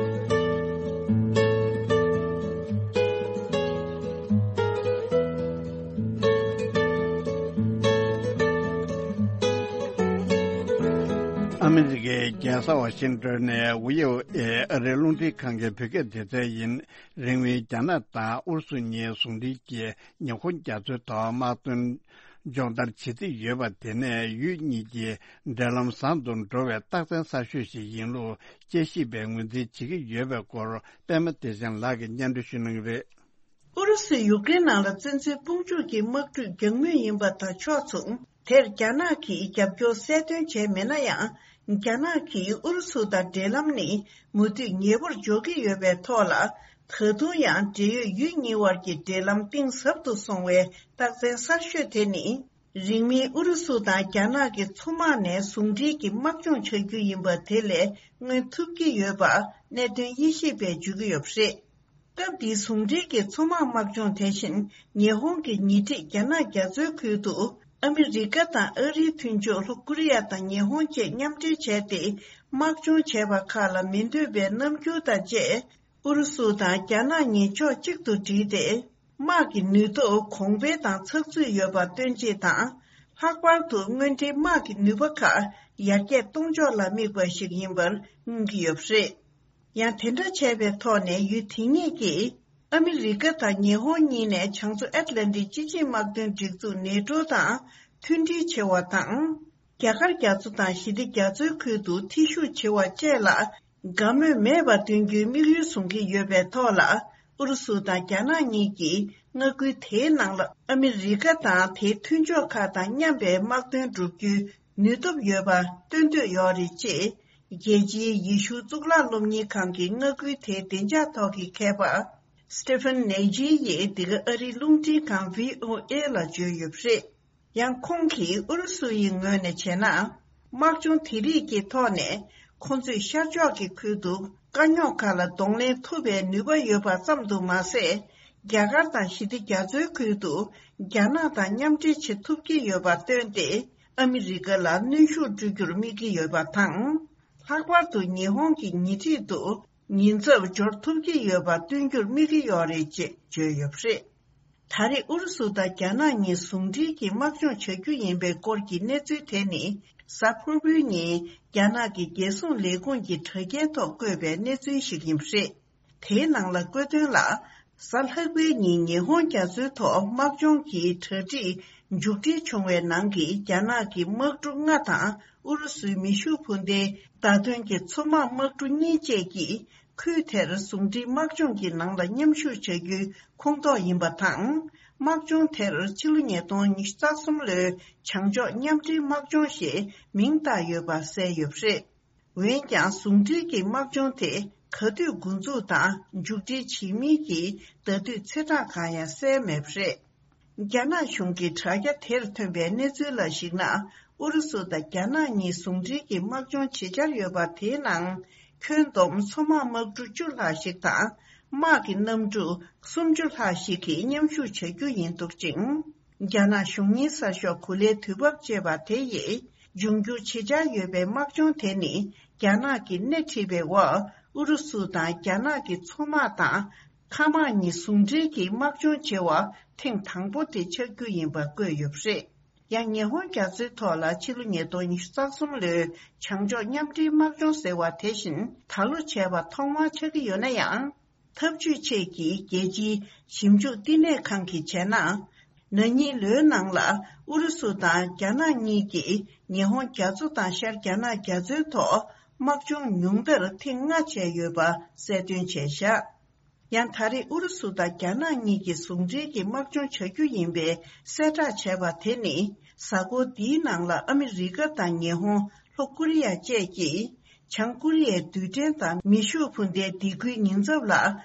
ཨ་མི་རི་ཀའི་རྒྱལ་ས་ཝ་ཤིང་ཏོན་ནས་ཝི་ཨོ་ཨེ་ཨ་རིའི་རླུང་འཕྲིན་ཁང་གི་བོད་སྐད་སྡེ་ཚན་ཡིན། རིང་མིན་རྒྱ་ནག་དང་ཨུ་རུ་སུ་གཉིས་ཟུང་འབྲེལ་གྱིས་ཉི་ཧོང་རྒྱ་མཚོའི་ཐོག་དམག་དོན་སྦྱོང་བརྡར་བྱེད་རྩིས་ཡོད་པ་དེ་ནས་ཡུལ་གཉིས་ཀྱི་འབྲེལ་ལམ་བཟང་དུ་འགྲོ་བའི་རྟགས་མཚན་གསར་ཤོས་ཤིག་ཡིན་ལུགས་དཔྱད་ཞིབ་པས་ངོས་འཛིན་བྱེད་ཀྱི་ཡོད་པའི་སྐོར། པད་མ་བདེ་ཆེན་ལགས་ཀྱིས་སྙན་སྒྲོན་ཞུ་གནང་གི་རེད། ཨུ་རུ་སུས་ཡུཀ་རེན་ནང་ལ་བཙན་འཛུལ་དཔུང་འཇུག་གི་དམག་འཁྲུག་རྒྱག་མུས་ཡིན་པ་དང་ཕྱོགས་མཚུངས། དེར་རྒྱ་ནག་གིས་རྒྱབ་སྐྱོར་གསལ་སྟོན་བྱས་མེད་ན་ཡང་། རྒྱ་ནག་གིས་ཨུ་རུ་སུ་དང་འབྲེལ་ལམ་ནི་མུ་མཐུད་ཉེ་པོར་འཇོག་གི་ཡོད་པའི་ཐོག་ལ། ད་དུང་ཡང་འབྲེལ་ཡོད་ཡུལ་གཉིས་དབར་གྱི་འབྲེལ་ལམ་གཏིང་ཟབ་ཏུ་སོང་བའི་རྟགས་མཚན་གསར་ཤོས་དེ་ནི། རིང་མིན་ཨུ་རུ་སུ་དང་རྒྱ་ནག་གི་མཚོ་དམག་ནས་ཟུང་འབྲེལ་གྱི་དམག་སྦྱོང་བྱ་རྒྱུ་ཡིན་པ་དེ་ལས་མངོན་ཐུབ་ཀྱི་ཡོད་པ་གནད་དོན་དབྱེ་ཞིབ་པས་བརྗོད་ཀྱི་ཡོད་པ་རེད། སྐབས་འདིའི་ཟུང་འབྲེལ་གྱི་མཚོ་དམག་དམག་སྦྱོང་དེ་བཞིན། ཉི་ཧོང་གི་ཉེ་འཁྲིས་རྒྱ་ནག་རྒྱ་མཚོའི་ཁུལ་དུ་ཨ་མི་རི་ཀ་དང་ཨ་རིའི་མཐུན་ཕྱོགས་ལྷོ་ཀོ་རི་ཡ་དང་ཉི་ཧོང་བཅས་མཉམ་འབྲེལ་བྱས་ཏེ། དམག་སྦྱོང་བྱས་པ་ཁག་ལ་མི་འདོད་པའི་རྣམ་འགྱུར་དང་བཅས། ཨུ་རུ་སུ་དང་རྒྱ་ནག་གཉིས་ཕྱོགས་གཅིག་ཏུ་བསྒྲིལ་ཏེ། དམག་གི་ནུས་སྟོབས་གོང་འཕེལ་དང་ཚགས་ཚུད་ཡོད་པ་སྟོན་ཆེད་དང་། ལྷག་པར་དུ་དངོས་འབྲེལ་དམག་གི་ནུས་པ་ཁག་ཡར་རྒྱས་གཏོང་ཕྱོགས་ལ་དམིགས་པ་ཞིག་ཡིན་པར་མངོན་གྱི་ཡོད་པ་རེད། ཡང་དེ་འདྲ་བྱས་པའི་ཐོག་ནས་ཡུལ་དེ་གཉིས་ཀྱིས་ཨ་མི་རི་ཀ་དང་ཉི་ཧོང་གཉིས་ནས་བྱང་མཚོ་ཨེཊ་ལན་ཊིག་སྤྱི་ཆིངས་དམག་དོན་སྒྲིག་འཛུགས་ནེ་ཊོ་དང་མཐུན་སྒྲིལ་བྱེད་པ་དང་། རྒྱ་གར་རྒྱ་མཚོ་དང་ཞི་བདེ་རྒྱ་མཚོའི་ཁུལ་དུ་ཐེ་ཞུགས་བྱེད་པ་བཅས་ལ་དགའ་མོས་མེད་པ་སྟོན་རྒྱུའི་དམིགས་ཡུལ་བཟུང་གི་ཡོད་པའི་ཐོག་ལ་ཨུ་རུ་སུ་དང་རྒྱ་ནག་གཉིས་ཀྱིས་མངའ་ཁུལ་དེའི་ནང་ལ་ཨ་མི་རི་ཀ་དང་དེའི་མཐུན་ཕྱོགས་ཁག་དང་མཉམ་པའི་དམག་དོན་བསྒྲུབ་རྒྱུའི་ནུས་སྟོབས་ཡོད་པ་སྟོན་འདོད་ཡོད་རེད་ཅེས། རྒྱལ་སྤྱིའི་ཡེ་ཤུ་གཙུག་ལག་སློབ་གཉེར་ཁང་གི་མངའ་ཁུལ་དེའི་བདེ་འཇགས་ཐོག་གི་མཁས་པ་Stephen Naji ཡིས་འདི་ག་ཨ་རིའི་རླུང་འཕྲིན་ཁང་V O A ལ་བརྗོད་ཡོད་པ་རེད། ཡང་ཁོང་གིས་ཨུ་རུ་སུ་ཡི་ངོས་ནས་བྱས་ན། དམག་སྦྱོང་དེ་རིགས་ཀྱི་ཐོག་ནས་ཁོང་ཚོས་ཤར་ཕྱོགས་ཀྱི་ཁུལ་དུ་དཀའ་རྙོག་ཁག་ལ་གདོང་ལེན་ཐུབ་པའི་ནུས་པ་ཡོད་པ་ཙམ་དུ་མ་ཟད། རྒྱ་གར་དང་ཞི་བདེ་རྒྱ་མཚོའི་ཁུལ་དུ་རྒྱ་ནག་དང་མཉམ་འབྲེལ་བྱེད་ཐུབ་ཀྱི་ཡོད་པ་བཏོན་ཏེ། ཨ་མི་རི་ཀ་ལ་གནོན་ཤུགས་སྤྲོད་རྒྱུར་དམིགས་ཀྱི་ཡོད་པ་དང་། ལྷག་པར་དུ་ཉི་ཧོང་གི་ཉེ་འཁྲིས་དུ་ཉེན་ཚབས་སྦྱོར་ཐུབ་ཀྱི་ཡོད་པ་སྟོན་རྒྱུར་དམིགས་ཀྱི་ཡོད་རེད་ཅེས་བརྗོད་ཡོད་པ་རེད། ད་རེས་ཨུ་རུ་སུ་དང་རྒྱ་ནག་གཉིས་ཟུང་འབྲེལ་གྱིས་དམག་སྦྱོང་བྱ་རྒྱུ་ཡིན་པའི་སྐོར་གྱི་གནས་ཚུལ་དེ་ནི། གཟའ་ཕུར་བུའི་ཉིན་རྒྱ་ནག་གི་རྒྱལ་སྲུང་ལས་ཁུངས་ཀྱི་དྲ་རྒྱའི་ཐོག་བཀོད་པའི་གནས་ཚུལ་ཞིག་ཡིན་པ་རེད། དེའི་ནང་ལ་བཀོད་དོན་ལ། གཟའ་ལྷག་པའི་ཉིན་ཉི་ཧོང་རྒྱ་མཚོའི་ཐོག་དམག་སྦྱོང་གི་གྲ་སྒྲིག་མཇུག་སྒྲིལ་བྱུང་བའི་ནང་གི་རྒྱ་ནག་གི་དམག་གྲུ་ལྔ་དང་ཨུ་རུ་སུའི་མེ་ཤུགས་འཕུར་མདེལ་བརྡ་ཐོན་གྱི་མཚོ་དམག་དམག་གྲུ་གཉིས་བཅས་ཀྱིས། ཁུལ་དེར་ཟུང་འབྲེལ་དམག་སྦྱོང་གི་ནང་ལ་མཉམ་ཞུགས་བྱ་རྒྱུའི་ཁོངས་གཏོགས་ཡིན་པ་དང་། དམག་སྦྱོང་དེར་ཕྱི་ལོ་ཉིས་སྟོང་ཉི་ཤུ་རྩ་གསུམ་ལོའི་བྱང་ཕྱོགས་མཉམ་འབྲེལ་དམག་སྦྱོང་ཞེས་མིང་བཏགས་ཡོད་པ་གསལ་ཡོད་པ་རེད། འོན་ཀྱང་ཟུང་འབྲེལ་གྱི་དམག་སྦྱོང་དེ་ག་དུས་འགོ་འཛུགས་དང་མཇུག་སྒྲིལ་བྱེད་མིན་གྱི་ཟླ་དུས་ཚེས་གྲངས་གང་ཡང་གསལ་མེད་པ་རེད། རྒྱ་ནག་གཞུང་གི་དྲ་རྒྱ་དེར་ཐོན་པའི་གནས་ཚུལ་ལ་གཞིགས་ན། ཨུ་རུ་སུ་དང་རྒྱ་ནག་གཉིས་ཟུང་འབྲེལ་གྱི་དམག་སྦྱོང་བྱེད་འཆར་ཡོད་པ་དེའི་ནང་། ཁྱོན་བསྡོམས་མཚོ་དམག་དམག་གྲུ་བཅུ་ལྷག་ཞིག་དང་། དམག་གི་གནམ་གྲུ་སུམ་ཅུ་ལྷག་ཞིག་གིས་མཉམ་ཞུགས་བྱ་རྒྱུ་ཡིན་འདུག་ཅིང་། རྒྱ་ནག་གཞུང་གཉེར་གསར་ཤོག་གུ་ལའི་དུས་བབ་ཅེས་པ་དེ་ཡིས། འབྱུང་འགྱུར་བྱེད་འཆར་ཡོད་པའི་དམག་སྦྱོང་དེ་ནི། རྒྱ་ནག་གིས་སྣེ་ཁྲིད་པའི་འོག་ཨུ་རུ་སུ་དང་རྒྱ་ནག་གི་མཚོ་དམག་དང་། མཁའ་དམག་གཉིས་ཟུང་འབྲེལ་གྱིས་དམག་སྦྱོང་བྱེད་པ་ཐེངས་དང་པོ་དེ་ཆགས་རྒྱུ་ཡིན་པ་བཀོད་ཡོད་པ་རེད། ཡང་ཉི་ཧོང་རྒྱ་མཚོའི་ཐོག་ལ་ཕྱི་ལོ་ཉིས་སྟོང་ཉི་ཤུ་རྩ་གསུམ་ལོའི་བྱང་ཕྱོགས་མཉམ་འབྲེལ་དམག་སྦྱོང་ཟེར་བ་དེ་བཞིན་ད་ལོ་བྱས་པ་ཐོག་མར་ཆགས་ཀྱི་ཡོད་ན་ཡང་། འཐབ་ཇུས་ཆེད་ཀྱི་རྒྱལ་སྤྱིའི་ཞིབ་འཇུག་བསྟི་གནས་ཁང་གིས་བྱས་ན། ན་ནིང་ལོའི་ནང་ལ་ཨུ་རུ་སུ་དང་རྒྱ་ནག་གཉིས་ཀྱིས་ཉི་ཧོང་རྒྱ་མཚོ་དང་ཤར་རྒྱ་ནག་རྒྱ་མཚོའི་ཐོག་དམག་སྦྱོང་ཉུང་མཐར་ཐེངས་ལྔ་བྱས་ཡོད་པ་གསལ་སྟོན་བྱས་བཞག་ཡང་ད་རེས་ཨུ་རུ་སུ་དང་རྒྱ་ནག་གཉིས་ཀྱིས་ཟུང་འབྲེལ་གྱིས་དམག་སྦྱོང་བྱ་རྒྱུ་ཡིན་པའི་གསལ་བསྒྲགས་བྱས་པ་དེ་ནི། གཟའ་འཁོར་འདིའི་ནང་ལ་ཨ་མི་རི་ཀ་དང་ཉི་ཧོང་། ལྷོ་ཀོ་རི་ཡ་བཅས་ཀྱིས་བྱང་ཀོ་རི་ཡའི་རྡུལ་ཕྲན་དང་མེ་ཤུགས་འཕུར་མདའི་སྡིགས་སྐུལ་ཉེན་ཚབས་ལ་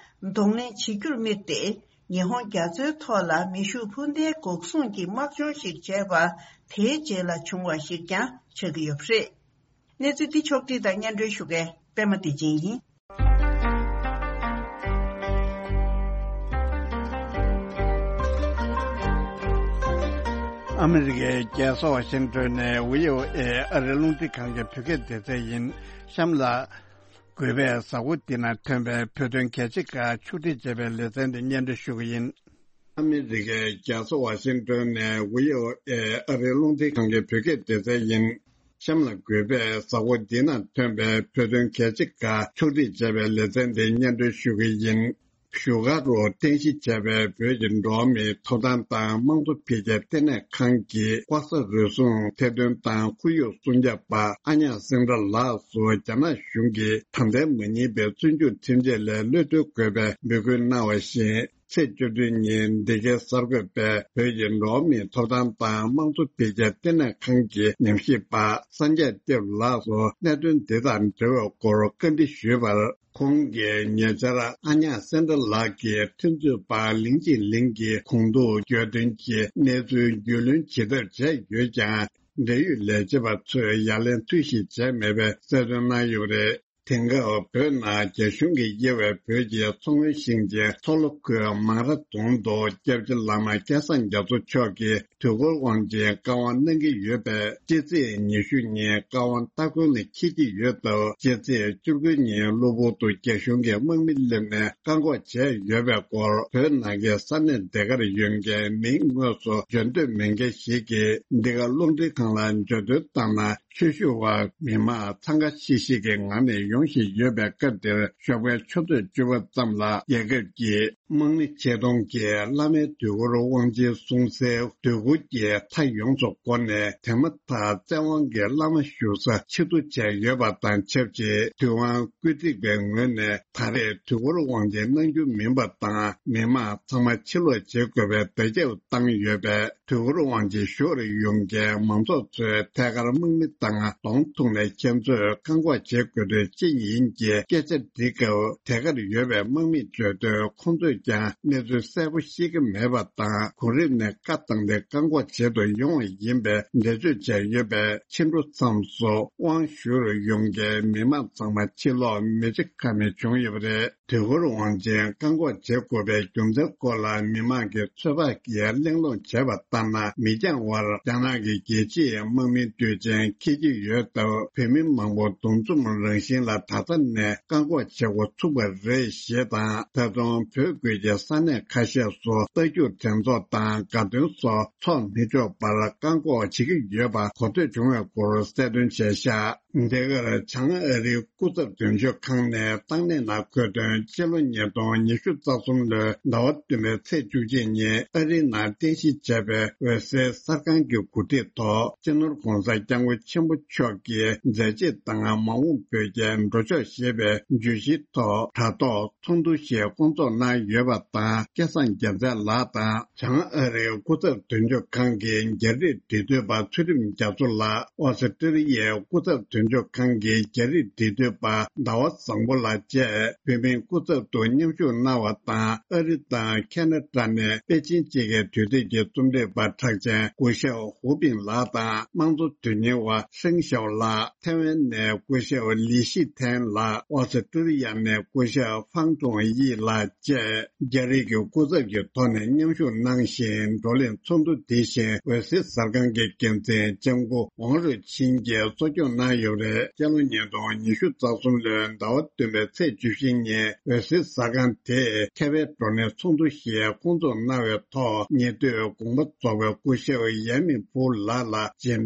གདོང་ལེན་བྱེད་རྒྱུར་དམིགས་ཏེ། ཉི་ཧོང་རྒྱ་མཚོའི་ཐོག་ལ་མེ་ཤུགས་འཕུར་མདའི་འགོག་སྲུང་གི་དམག་སྦྱོང་ཞིག་བྱས་པ་དེའི་རྗེས་ལ་བྱུང་བ་ཞིག་ཀྱང་ཆགས་ཀྱི་ཡོད་པ་རེད། གནས་ཚུལ་འདི་ཕྱོགས་བསྒྲིགས་དང་སྙན་སྒྲོན་ཞུ་མཁན་པད་མ་བདེ་ཆེན་ཡིན། ཨ་མི་རི་ཀའི་རྒྱལ་ས་ཝ་ཤིང་ཏོན་ནས་བྷི་ཨོ་ཨེ་ཨ་རིའི་རླུང་འཕྲིན་ཁང་གི་བོད་སྐད་སྡེ་ཚན་ཡིན། གཤམ་ལ། གུས་པས་གཟའ་འཁོར་འདི་ན་ཐོན་པའི་བོད་དོན་གལ་ཆེ་ཁག་ཕྱོགས་སྒྲིག་བྱས་པའི་ལེ་ཚན་འདི་སྙན་སྒྲོན་ཞུ་གི་ཡིན། ཨ་མི་རི་ཀའི་རྒྱལ་ས་ཝ་ཤིང་ཏོན་ནས་བྷི་ཨོ་ཨེ་ཨ་རིའི་རླུང་འཕྲིན་ཁང་གི་བོད་སྐད་སྡེ་ཚན་ཡིན། གཤམ་ལ་གུས་པས་གཟའ་འཁོར་འདི་ན་ཐོན་པའི་བོད་དོན་གལ་ཆེ་ཁག་ཕྱོགས་སྒྲིག་བྱས་པའི་ལེ་ཚན་འདི་སྙན་སྒྲོན་ཞུ་གི་ཡིན། བཞུགས་སྒར་དུ་རྟེན་གཞི་བྱས་པའི་བོད་ཀྱི་འགྲོ་བ་མིའི་ཐོབ་ཐང་དང་དམངས་གཙོ་འཕེལ་རྒྱས་ལྟེ་གནས་ཁང་གི་དབུ་ས་རུལ་སུངས་ཐེར་འདོན་དང་ཁོར་ཡུག་སྲུང་སྐྱོབ་པ་ཨ་ཉག་སེང་ཏྲ་ལགས་སུ་རྒྱ་ནག་གཞུང་གིས་ད་ལྟའི་མ་ཉེས་པའི་བཙོན་འཇུག་ཁྲིམས་ཆད་ལས་གློད་གྲོལ་དགོས་པའི་འབོད་སྐུལ་གནང་བ་བཞིན། ཚེས་བཅུ་བདུན་ཉིན་འདི་གའི་གསར་འགོད་པས་བོད་ཀྱི་འགྲོ་བ་མིའི་ཐོབ་ཐང་དང་དམངས་གཙོ་འཕེལ་རྒྱས་ལྟེ་གནས་ཁང་གི་ཉམས་ཞིབ་པ་སངས་རྒྱས་བསྟན་ལགས་སུ་གནད་དོན་འདི་དང་འབྲེལ་བའི་སྐོར་བཀའ་འདྲི་ཞུས་པར། ཁོང་གིས་ཉེ་ཆར་ཨ་ཉག་སེང་ཏྲ་ལགས་ཀྱིས་ཐོན་རྫས་པ་ལིང་ཅི་ལིང་གི་གོང་ཐུག་གྱོད་དོན་གྱི་གནས་ཚུལ་རྒྱུས་ལོན་བྱེད་ཐབས་བྱས་ཡོད་ཀྱང་། འབྲེལ་ཡོད་ལས་བྱེད་པ་ཚོས་ཡ་ལན་ཐོས་གཞི་བྱས་མེད་པའི་གསལ་སྟོན་གནང་ཡོད་པ་རེད། དེང་སྐབས་བོད་ནང་རྒྱ་གཞུང་གིས་དབྱེ་བའི་བོད་ཀྱི་མཚོ་སྔོན་ཞིང་ཆེན་མཚོ་ལྷོ་ཁུལ་མང་ར་རྫོང་དུ་སྐྱབས་རྗེ་བླ་མ་སྐལ་བཟང་རྒྱ་མཚོ་མཆོག་གིས་དུས་འཁོར་དབང་ཆེན་བཀའ་དབང་གནང་གི་ཡོད་པས། སྤྱི་ཚེས་ཉི་ཤུ་ཉིན་བཀའ་དབང་སྟ་གོན་ལ་འཁེལ་གྱི་ཡོད་སྟབས། སྤྱི་ཚེས་བཅུ་དགུ་ཉིན་གློ་བུར་དུ་རྒྱ་གཞུང་གི་དམག་མི་སླེབས་ནས་བཀག་འགོག་བྱས་ཡོད་པའི་སྐོར། བོད་ནང་གི་ས་གནས་དེ་གར་ཡོད་མཁན་མིང་དངོས་སུ་བརྗོད་འདོད་མེད་མཁན་ཞིག་གིས་འདི་ག་རླུང་འཕྲིན་ཁང་ལ་བརྗོད་དོན་བཏང་ན། ཆོས་ཞུ་བ་མི་མང་འཚང་ཁ་ཤིག་ཤིག་གི་ངང་ནས་ཡོང་བཞིན་ཡོད་པའི་སྐབས་འདིར། ཞོགས་པའི་ཆུ་ཚོད་བཅུ་པ་ཙམ་ལ་རྒྱལ་ཁབ་ཀྱི་དམངས་མི་ཆེད་གཏོང་གིས་བླ་མའི་དུས་འཁོར་དབང་ཆེན་སྲུང་སའི་སྡོད་གུར་གྱི་མཐའ་ཡོངས་སུ་བསྐོར་ནས། དེ་མ་ཐག་བཙན་དབང་གིས་བླ་མ་བཞུགས་ས་ཕྱིར་བསྡུ་བྱས་ཡོད་པ་དང་ཆབས་ཅིག་དུས་དབང་བཀོད་སྒྲིག་པའི་ངོས་ནས། ད་རེས་དུས་འཁོར་དབང་ཆེན་གནང་རྒྱུ་མིན་པ་དང་། མི་མང་ཚང་མ་ཕྱིར་ལོག་བྱེད་དགོས་པའི་བརྡ་ཁྱབ་བཏང་ཡོད་པས། དུས་འཁོར་དབང་ཆེན་ཞུ་བར་ཡོང་མཁན་མང་ཚོགས་ཚོས་ཐད་ཀར་དམག་མི་དང་གདོང་ཐུག་ནས་ཁྱེད་ཚོས་བཀག་འགོག་བྱེད་དགོས་དོན་ཅི་ཡིན་གྱི་སྐད་ཆ་འདྲི་སྐབས། དེ་གར་ཡོད་པའི་དམག་མིས་བརྗོད་དོན། ཁོང་ཚོས་ཀྱང་གནས་ཚུལ་གསལ་པོ་ཤེས་ཀྱི་མེད་པ་དང་། གོང་རིམ་ནས་བཀའ་བཏང་སྟེ་བཀག་འགོག་བྱེད་དུ་ཡོང་བ་ཡིན་པའི་འགྲེལ་བརྗོད་བྱས་ཡོད་པས། ཕྱི་དྲོ་མཚམས་སུ་དབང་ཞུ་རུ་ཡོང་མཁན་མི་མང་ཚང་མ་ཕྱིར་ལོག་མི་བྱེད་ཀ་མེད་བྱུང་ཡོད་པ་རེད། དུས་འཁོར་དབང་ཆེན་བཀག་འགོག་བྱེད་དགོས་པའི་རྒྱུ་མཚན་སྐོར་ལ་མི་མང་གིས་ཚོད་དཔག་གིས་གླེང་སློང་བྱས་པ་ལྟར་ན། མི་འགྱངས་བར་རྒྱ་ནག་གི་རྒྱལ་སྤྱིའི་དམག་མི་དུས་ཆེན་འཁེལ་གྱི་ཡོད་སྟབས། བོད་མི་མང་པོ་འདུ་འཛོམས་རང་བཞིན་ལ་ད་ལྟ་ནས་བཀག་འགོག་བྱེད་འགོ་ཚུགས་པ་རེད་ཞེས་དང་། ད་དུང་བོད་ཁུལ་གྱི་ས་གནས་ཁ་ཤས་སུ་རྟ་རྒྱུག་འགྲན་ཚོགས་དང་དགའ་སྟོན་སོགས་འཚོགས་མི་ཆོག་པར་བཀག་འགོག་བྱེད་ཀྱི་ཡོད་པ་གོ་ཐོས་བྱུང་བའི་སྐོར་གསལ་སྟོན་བྱས་བཞག་འདི་གར་བྱང་ཨ་རིའི་སྐུ་ཚབ་དོན་གཅོད་ཁང་ནས་བཏང་གནས་ནང་འཁོད་དོན། སྤྱི་ལོ་ཉིས་སྟོང་ཉི་ཤུ་རྩ་གསུམ་ལོའི་ཟླ་བ་བདུན་པའི་ཚེས་བཅུ་གཅིག་ཉིན་ཨ་རིའི་ནང་རྟེན་གཞི་བྱས་པའི་འོད་ཟེར་གསར་ཁང་གི་གོ་སྒྲིག་ཐོག་སྤྱི་ནོར་༧གོང་ས་༧སྐྱབས་མགོན་ཆེན་པོ་མཆོག་གི་མཛད་རྗེས་དང་མ་འོངས་བོད་རྒྱའི་འགྲོ་ཕྱོགས་ཞེས་པའི་བརྗོད་གཞིའི་ཐོག་དྲ་ཐོག་ཚོགས་འདུ་ཞིག་བསྐོང་ཚོགས་གནང་ཡོད་པ་དང་། སྐལ་བཟང་རྒྱལ་མཚན་ལགས་དང་། བྱང་ཨ་རིའི་སྐུ་ཚབ་དོན་གཅོད་ཁང་གི་རྒྱ་རིགས་འབྲེལ་མཐུད་པ་ཚུལ་ཁྲིམས་རྒྱ་མཚོ་ལགས། ཨོ་སི་ཀྲི་ལི་ཡའི་སྐུ་ཚབ་དོན་གཅོད་ཁང་གི་རྒྱ་རིགས་འབྲེལ་མཐུད་པ་ཟླ་བ་བཟང་པོ་ལགས་བཅས་བོད་མིའི་སྐུ་ཚབ་ཏུ་མཉམ་ཞུགས་གནང་བ་དང་། ཨ་རི་དང་ཁ་ན་ཌ་ནས་པེ་ཅིན་དཔྱིད་ཀའི་དུས་དེབ་ཀྱི་རྩོམ་སྒྲིག་པ་གྲགས་ཅན་སྐུ་ཞབས་ཧུའུ་པིང་ལགས་དང་། དམངས་གཙོ་དོན་གཉེར་བ་ཧྲེང་ཞའོ་ལགས། ཐའེ་ཝན་ནས་སྐུ་ཞབས་ལི་ཤི་ཐན་ལགས། ཨོ་སི་ཀྲི་ལི་ཡ་ནས་སྐུ་ཞབས་ཧྥང་ཀྲུང་དབྱི་ལགས་བཅས། རྒྱ་རིགས་ཀྱི་སྐུ་ཚབ་ཀྱི་ཐོག་ནས་མཉམ་ཞུགས་གནང་ཞིང་། བགྲོ་གླེང་ཚོགས་འདུ་འདི་བཞིན་འོད་ཟེར་གསར་ཁང་གི་འགན་འཛིན་ལྕམ་སྐུ་ཝང་རུས་ཆིན་གྱིས་གཙོ་སྐྱོང་གནང་ཡོད། རེད། སྤྱི་ལོ་ཉིས་སྟོང་ཉི་ཤུ་རྩ་གསུམ་ལོའི་ཟླ་བ་བདུན་པའི་ཚེས་བཅུ་བཞི་ཉིན་འོད་ཟེར་ཟ་ཁང་དེས་ཁེ་ཕན་བགྲོ་གླེང་ཚོགས་འདུ་ཞིག་བསྐོང་ཚོགས་གནང་བའི་ཐོག་ཉེ་དུས་དགོངས་པ་རྫོགས་པའི་སྐུ་ཞབས་ཡ་མིན་ཕུའུ་ལགས་ལ་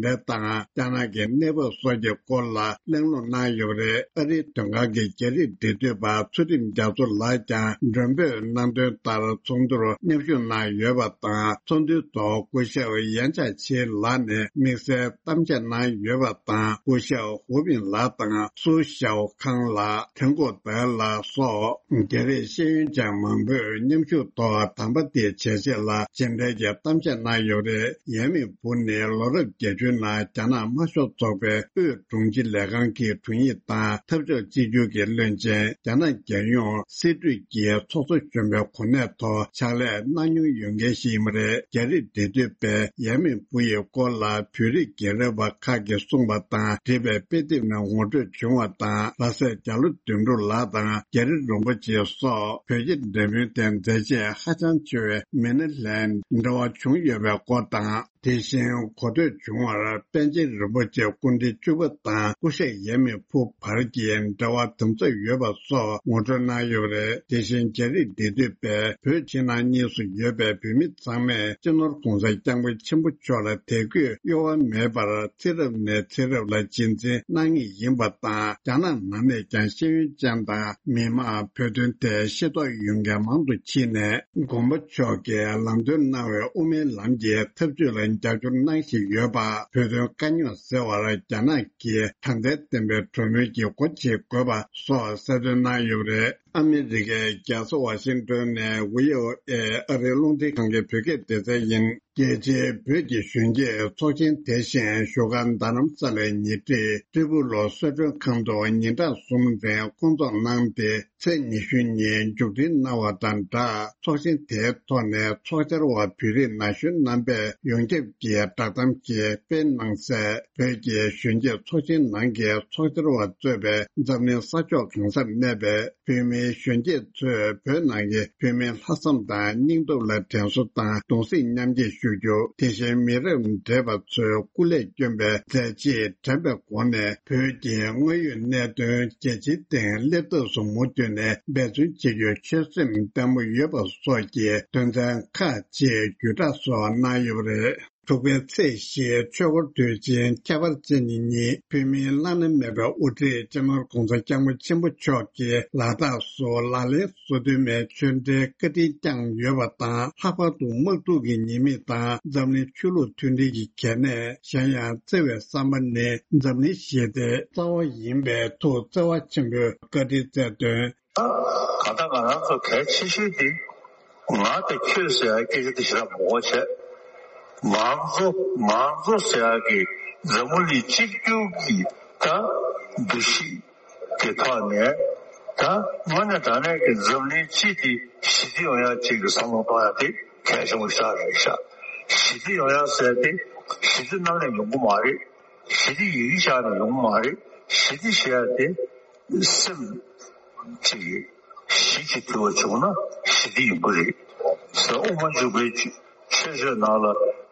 མཇལ་འཕྲད་དང་། རྒྱ་ནག་གི་གནས་བབ་སོགས་ཀྱི་སྐོར་ལ་གླེང་སློང་གནང་ཡོད་པ་རེད། ཨ་རིའི་དོན་ཁང་གི་རྒྱ་རིགས་འབྲེལ་མཐུད་པ་ཚུལ་ཁྲིམས་རྒྱ་མཚོ་ལགས་ཀྱང་མགྲོན་འབོད་གནང་དོན་ལྟར་ཚོགས་འདུར་མཉམ་ཞུགས་གནང་ཡོད་པ་དང་། ཚོགས་འདུའི་ཐོག་སྐུ་ཞབས་ཡན་ཅཱ་ཆི་ལགས་ནས་དམིགས་བསལ་གཏམ་བཤད་གནང་ཡོད་པ་དང་། སྐུ་ཞབས་ཧུའུ་པིན་ལགས་དང་སུའུ་ཞའོ་ཁང་ལགས། ཐེན་ཀོ་ཏེ་ལགས་སོགས་རྒྱ་རིགས་ཤེས་ཡོན་ཅན་མང་པོས་མཉམ་ཞུགས་ཐོག་དམ་པ་དེའི་བྱས་རྗེས་ལ་མཇལ་འཕྲད་ཀྱི་གཏམ་བཤད་གནང་ཡོད་པ་རེད། ཡ་མིན་ཕུའུ་ནི་ལོ་རབས་བརྒྱད་ཅུའི་ནང་རྒྱ་ནག་དམར་ཤོག་ཚོགས་པའི་དབུས་དྲུང་ཆེ་ལས་ཁང་གི་དྲུང་ཡིག་དང་འཐབ་ཕྱོགས་གཅིག་གྱུར་གྱི་བློན་ཆེན། རྒྱ་ནག་རྒྱལ་ཡོངས་སྲིད་གྲོས་ཀྱི་ཚོགས་གཙོ་གཞོན་པའི་གོ་གནས་ཐོག་ཕྱག་ལས་གནང་མྱོང་ཡོད་མཁན་ཞིག་ཡིན་པ་རེད། རྒྱ་རིགས་འབྲེལ་མཐུད་པས་ཡ་མིན་ཕུའུ་ཡི་སྐོར་ལ་བོད་རིགས་རྒན་རབས་པ་ཁག་གིས་གསུངས་པ་དང་འབྲེལ་བའི་དཔེ་དེབ་ནས་ངོ་སྤྲོད་བྱུང་བ་དང་། ལྷ་སྲས་རྒྱ་ལོ་དོན་གྲུབ་ལགས་དང་རྒྱ་རི་རིན་པོ་ཆེ་སོགས་བོད་རྒྱ་འབྲེལ་མོལ་དེ་མཛད་རྗེས་ཧ་ཅང་ཆེ་བའི་མི་སྣ་ལྷན་འབྲེལ་བ་བྱུང་ཡོད་པའི་སྐོར་དང་། དེ་བཞིན་གོ་ཐོས་བྱུང་བར་པཎ་ཆེན་རིན་པོ་ཆེ་སྐུ་ཕྲེང་བཅུ་པ་དང་སྐུ་ཞབས་ཡ་མིན་ཕུའུ་བར་གྱི་འབྲེལ་བ་དམ་ཟབ་ཡོད་པ་སོགས་ངོ་སྤྲོད་གནང་ཡོད་པ་རེད། དེ་བཞིན་རྒྱ་རིགས་འབྲེལ་མཐུད་པས་བོད་ཕྱི་ནང་གཉིས་སུ་ཡོད་པའི་བོད་མི་ཚང་མས་སྤྱི་ནོར་༸གོང་ས་༸སྐྱབས་མགོན་ཆེན་པོ་མཆོག་ལ་དད་གུས་གཡོ་བ་མེད་པར་ཚེ་རབས་ནས་ཚེ་རབས་ལ་རྗེས་འཛིན་གནང་ངེས་ཡིན་པ་དང་། རྒྱ་ནག་ནང་ནས་ཀྱང་ཤེས་ཡོན་ཅན་དང་མི་མང་བོད་དོན་ཐད་ཤེས་རྟོགས་ཡོད་མཁན་མང་དུ་ཕྱིན་ནས། མགོན་པོ་མཆོག་གིས་ལམ་སྟོན་གནང་བའི་དབུ་མའི་ལམ་གྱི་འཐབ་ཇུས་ལ་རྒྱབ་སྐྱོར་གནང་བཞིན་ཡོད་པ། བོད་དོན་དཀའ་རྙོག་སེལ་བར་རྒྱ་ནག་གིས་དྲང་བདེན་ལྡན་པའི་གྲོས་མོལ་གྱི་སྒོ་འབྱེད་དགོས་པ་སོགས་གསལ་སྟོན་གནང་ཡོད་པ་རེད། ཨ་མི་རི་ཀའི་རྒྱལ་ས་ཝ་ཤིང་ཏོན་ནས་བྷི་ཨོ་ཨེ་ཨ་རིའི་རླུང་འཕྲིན་ཁང་གི་བོད་སྐད་སྡེ་ཚན་ཡིན། རྒྱལ་སྤྱིའི་བོད་ཀྱི་གཞོན་སྐྱེས་ཚོགས་ཆེན་དེ་བཞིན་བཞུགས་སྒར་རྡ་རམ་ས་ལའི་ཉེ་འཁྲིས་ཀྲི་པུ་ལོ་གསོལ་མགྲོན་ཁང་དུ་ཉིན་གྲངས་གསུམ་རིང་བསྐོང་ཚོགས་གནང་སྟེ། ཚེས་ཉི་ཤུ་ཉིན་མཇུག་སྒྲིལ་གནང་བ་དང་སྦྲགས། ཚོགས་ཆེན་དེའི་ཐོག་ནས་ཚོགས་བཅར་བ་བོད་རིགས་ན་གཞོན་རྣམ་པས་ཡོངས་ཁྱབ་ཀྱི་བསྒྲགས་གཏམ་ཞིག་སྤེལ་གནང་གསལ། བོད་ཀྱི་གཞོན་སྐྱེས་ཚོགས་ཆེན་ནང་གི་ཚོགས་བཅར་བ་གཙོས་པའི་འཛམ་གླིང་ས་ཕྱོགས་གང་སར་གནས་པའི་བོད་མིའི་གཞོན་སྐྱེས་ཚོས་བོད་ནང་གི་བོད་མིའི་ལྷག་བསམ་དང་སྙིང་སྟོབས་ལ་དྲན་གསོ་དང་གདུང་སེམས་མཉམ་སྐྱེད་ཞུ་རྒྱུ། དེ་བཞིན་མི་རབས་བགྲེས་པ་ཚོས་སྐུ་ལས་བསྐྱོན་པའི་མཛད་རྗེས་དྲན་པའི་སྒོ་ནས། བོད་ཀྱི་དངོས་ཡོད་གནད་དོན་རྒྱལ་སྤྱིའི་སྟེང་སླེབས་ཐབས་སུ་མུ་མཐུད་ནས་འབད་བརྩོན་བྱེད་རྒྱུའི་ཆོད་སེམས་བརྟན་པོ་ཡོད་པ་སོགས་ཀྱི་དོན་ཚན་ཁག་ཅིག་བརྒྱུད་བསྒྲགས་སོགས་གནང་ཡོད་པ་རེད། དྲུག་པའི་ཚེས་བཞི་ཆོས་འཁོར་དུས་ཆེན་ཁྱད་པར་ཅན་གྱི་ཉིན། བོད་མིའི་བླ་ན་མེད་པའི་དབུ་ཁྲིད་སྤྱི་ནོར་༸གོང་ས་༸སྐྱབས་མགོན་ཆེན་པོ་མཆོག་གིས་ལ་དྭགས་སུ་ལག་ལེན་བཟོ་དུས་མའི་ཆོས་འབྲེལ་བཀའ་དྲིན་བསྐྱངས་ཡོད་པ་དང་། ལྷག་པར་དུ་དམག་འཁྲུག་གི་ཉེས་དམིགས་དང་འཛམ་གླིང་ཆོས་ལུགས་མཐུན་སྒྲིལ་གྱི་གལ་གནད། གཞན་ཡང་བརྩེ་བའི་བསམ་པ་ནི་འཛམ་གླིང་ཞི་བདེའི་རྩ་བ་ཡིན་པའི་ཐུགས་བརྩེ་བ་ཆེན་པོས་བཀའ་དྲིན་སྩལ་དོན། ད་གང་ལྟར་ང་རང་ཚོ་གལ་ཆེ་ཤོས་དེ་ང་དང་ཁྱོད་ཟེར་ཡ་སྐད་ཆ་དེ་ཞེ་དྲག་མང་པོ་བྱས། ང་ཚོ་ང་ཚོ་ཟེར་ཡ་གི་འཛམ་བུ་གླིང་གཅིག་གྱུར་གྱི་ད་འདུ་ཤེས་ཀྱི་ཐོག་ནས་ད་དངོས་གནས་དྲང་གནས་ཀྱི་འཛམ་གླིང་སྤྱི་དེ་ཞི་བདེ་ཡོང་ཡ་ཅིག་གི་བསམ་བློ་གཏོང་ཡ་དེ་གལ་ཆེན་པོ་ཞིག་རེད་ཤག་ཞི་བདེ་ཡོང་ཡ་ཟེར་དེ་ཞི་བདེ་རྣམ་གླིང་ཡོང་གི་མ་རེད། ཞི་བདེ་ཡི་གེ་བཞག་ནས་ཡོང་གི་མ་རེད། ཞི་བདེ་ཞེས་ཡ་དེ་སེམས་ཅིག་གཞི་གཅིག་གྱུར་བ་བྱུང་ན་ཞི་བདེ་ཡོང་གི་རེད། ཟེར་དབུ་མ་འཇུག་པའི་ཆོས་ཆོས་ཆོས་ནང་ལ་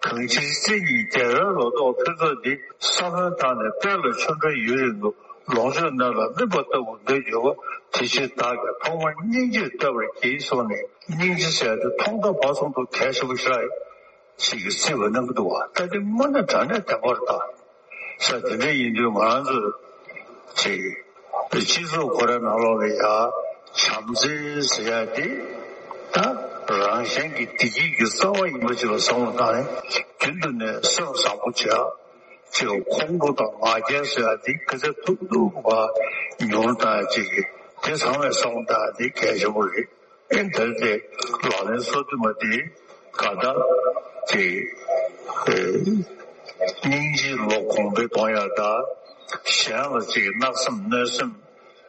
གང་ཕྱིར་སེམས་ཉིད་བདེ་བའི་ལོ་ཏོག་ཕུན་ཚོགས་འདི། ས་བོན་དང་ནི་དཔལ་ལ་ཆོ་འཕྲུལ་ཡུན་རིང་དུ། ལོངས་སྤྱོད་སྣོད་ལ་སྨིན་པ་ལྟ་བུར་འདོད་གྱུར་པ། དེ་ཕྱིར་བདག་གིས་ཐོག་མར་སྙིང་རྗེ་བསྟོད་པར་བགྱི་གསུངས་ནས་སྙིང་རྗེ་ཟེར་དེ་ཐོག་མཐའ་བར་གསུམ་དུ་གལ་ཆེན་པོ་ཞིག་རེད། ཞིག་གི་སྲིད་པ་གནང་གི་འདུག་བ། ད་དེ་དངོས་གནས་དྲང་གནས་བདེན་པར་ད། ས་དེ་འདྲ་ཡིན་དུས་ང་རང་ཚོས་ཅིག་སྤྱི་ཚོགས་ཁོ་རའི་ནང་ལོགས་ལ་ཡ་བྱམས་བརྩེ་ཟེར་ཡ་དེ་ད་རང་གཞན་གྱི་བདེ་སྐྱིད་ཀྱི་རྩ་བ་ཡིན་པ་ཅིག་ལ་བསམ་བློ་བཏང་ནས་རྒྱུན་དུ་ནས་སེམས་བཟང་པོ་བྱེད་ཡ། ཅིག་ཁོང་ཁྲོ་དང་ང་རྒྱལ་ཟེར་ཡ་དེ་ག་ཚད་ཐུབ་ཐུབ་བ་ཉུང་བཏང་ཡ་ཅིག་གི་དེ་ཚང་མས་བསམ་བློ་བཏང་ཡ་དེ་གལ་ཆེན་པོ་རེད། ཨེ་དེར་དེ་ལག་ལེན་སོ་བདུན་པ་དེ་ག་ད་དེ་ཨེ་སྙིང་རྗེ་བློ་གོང་འཕེལ་གཏོང་ཡ་ད་གཞན་ལ་ཅིག་གནག་སེམས་གནོད་སེམས་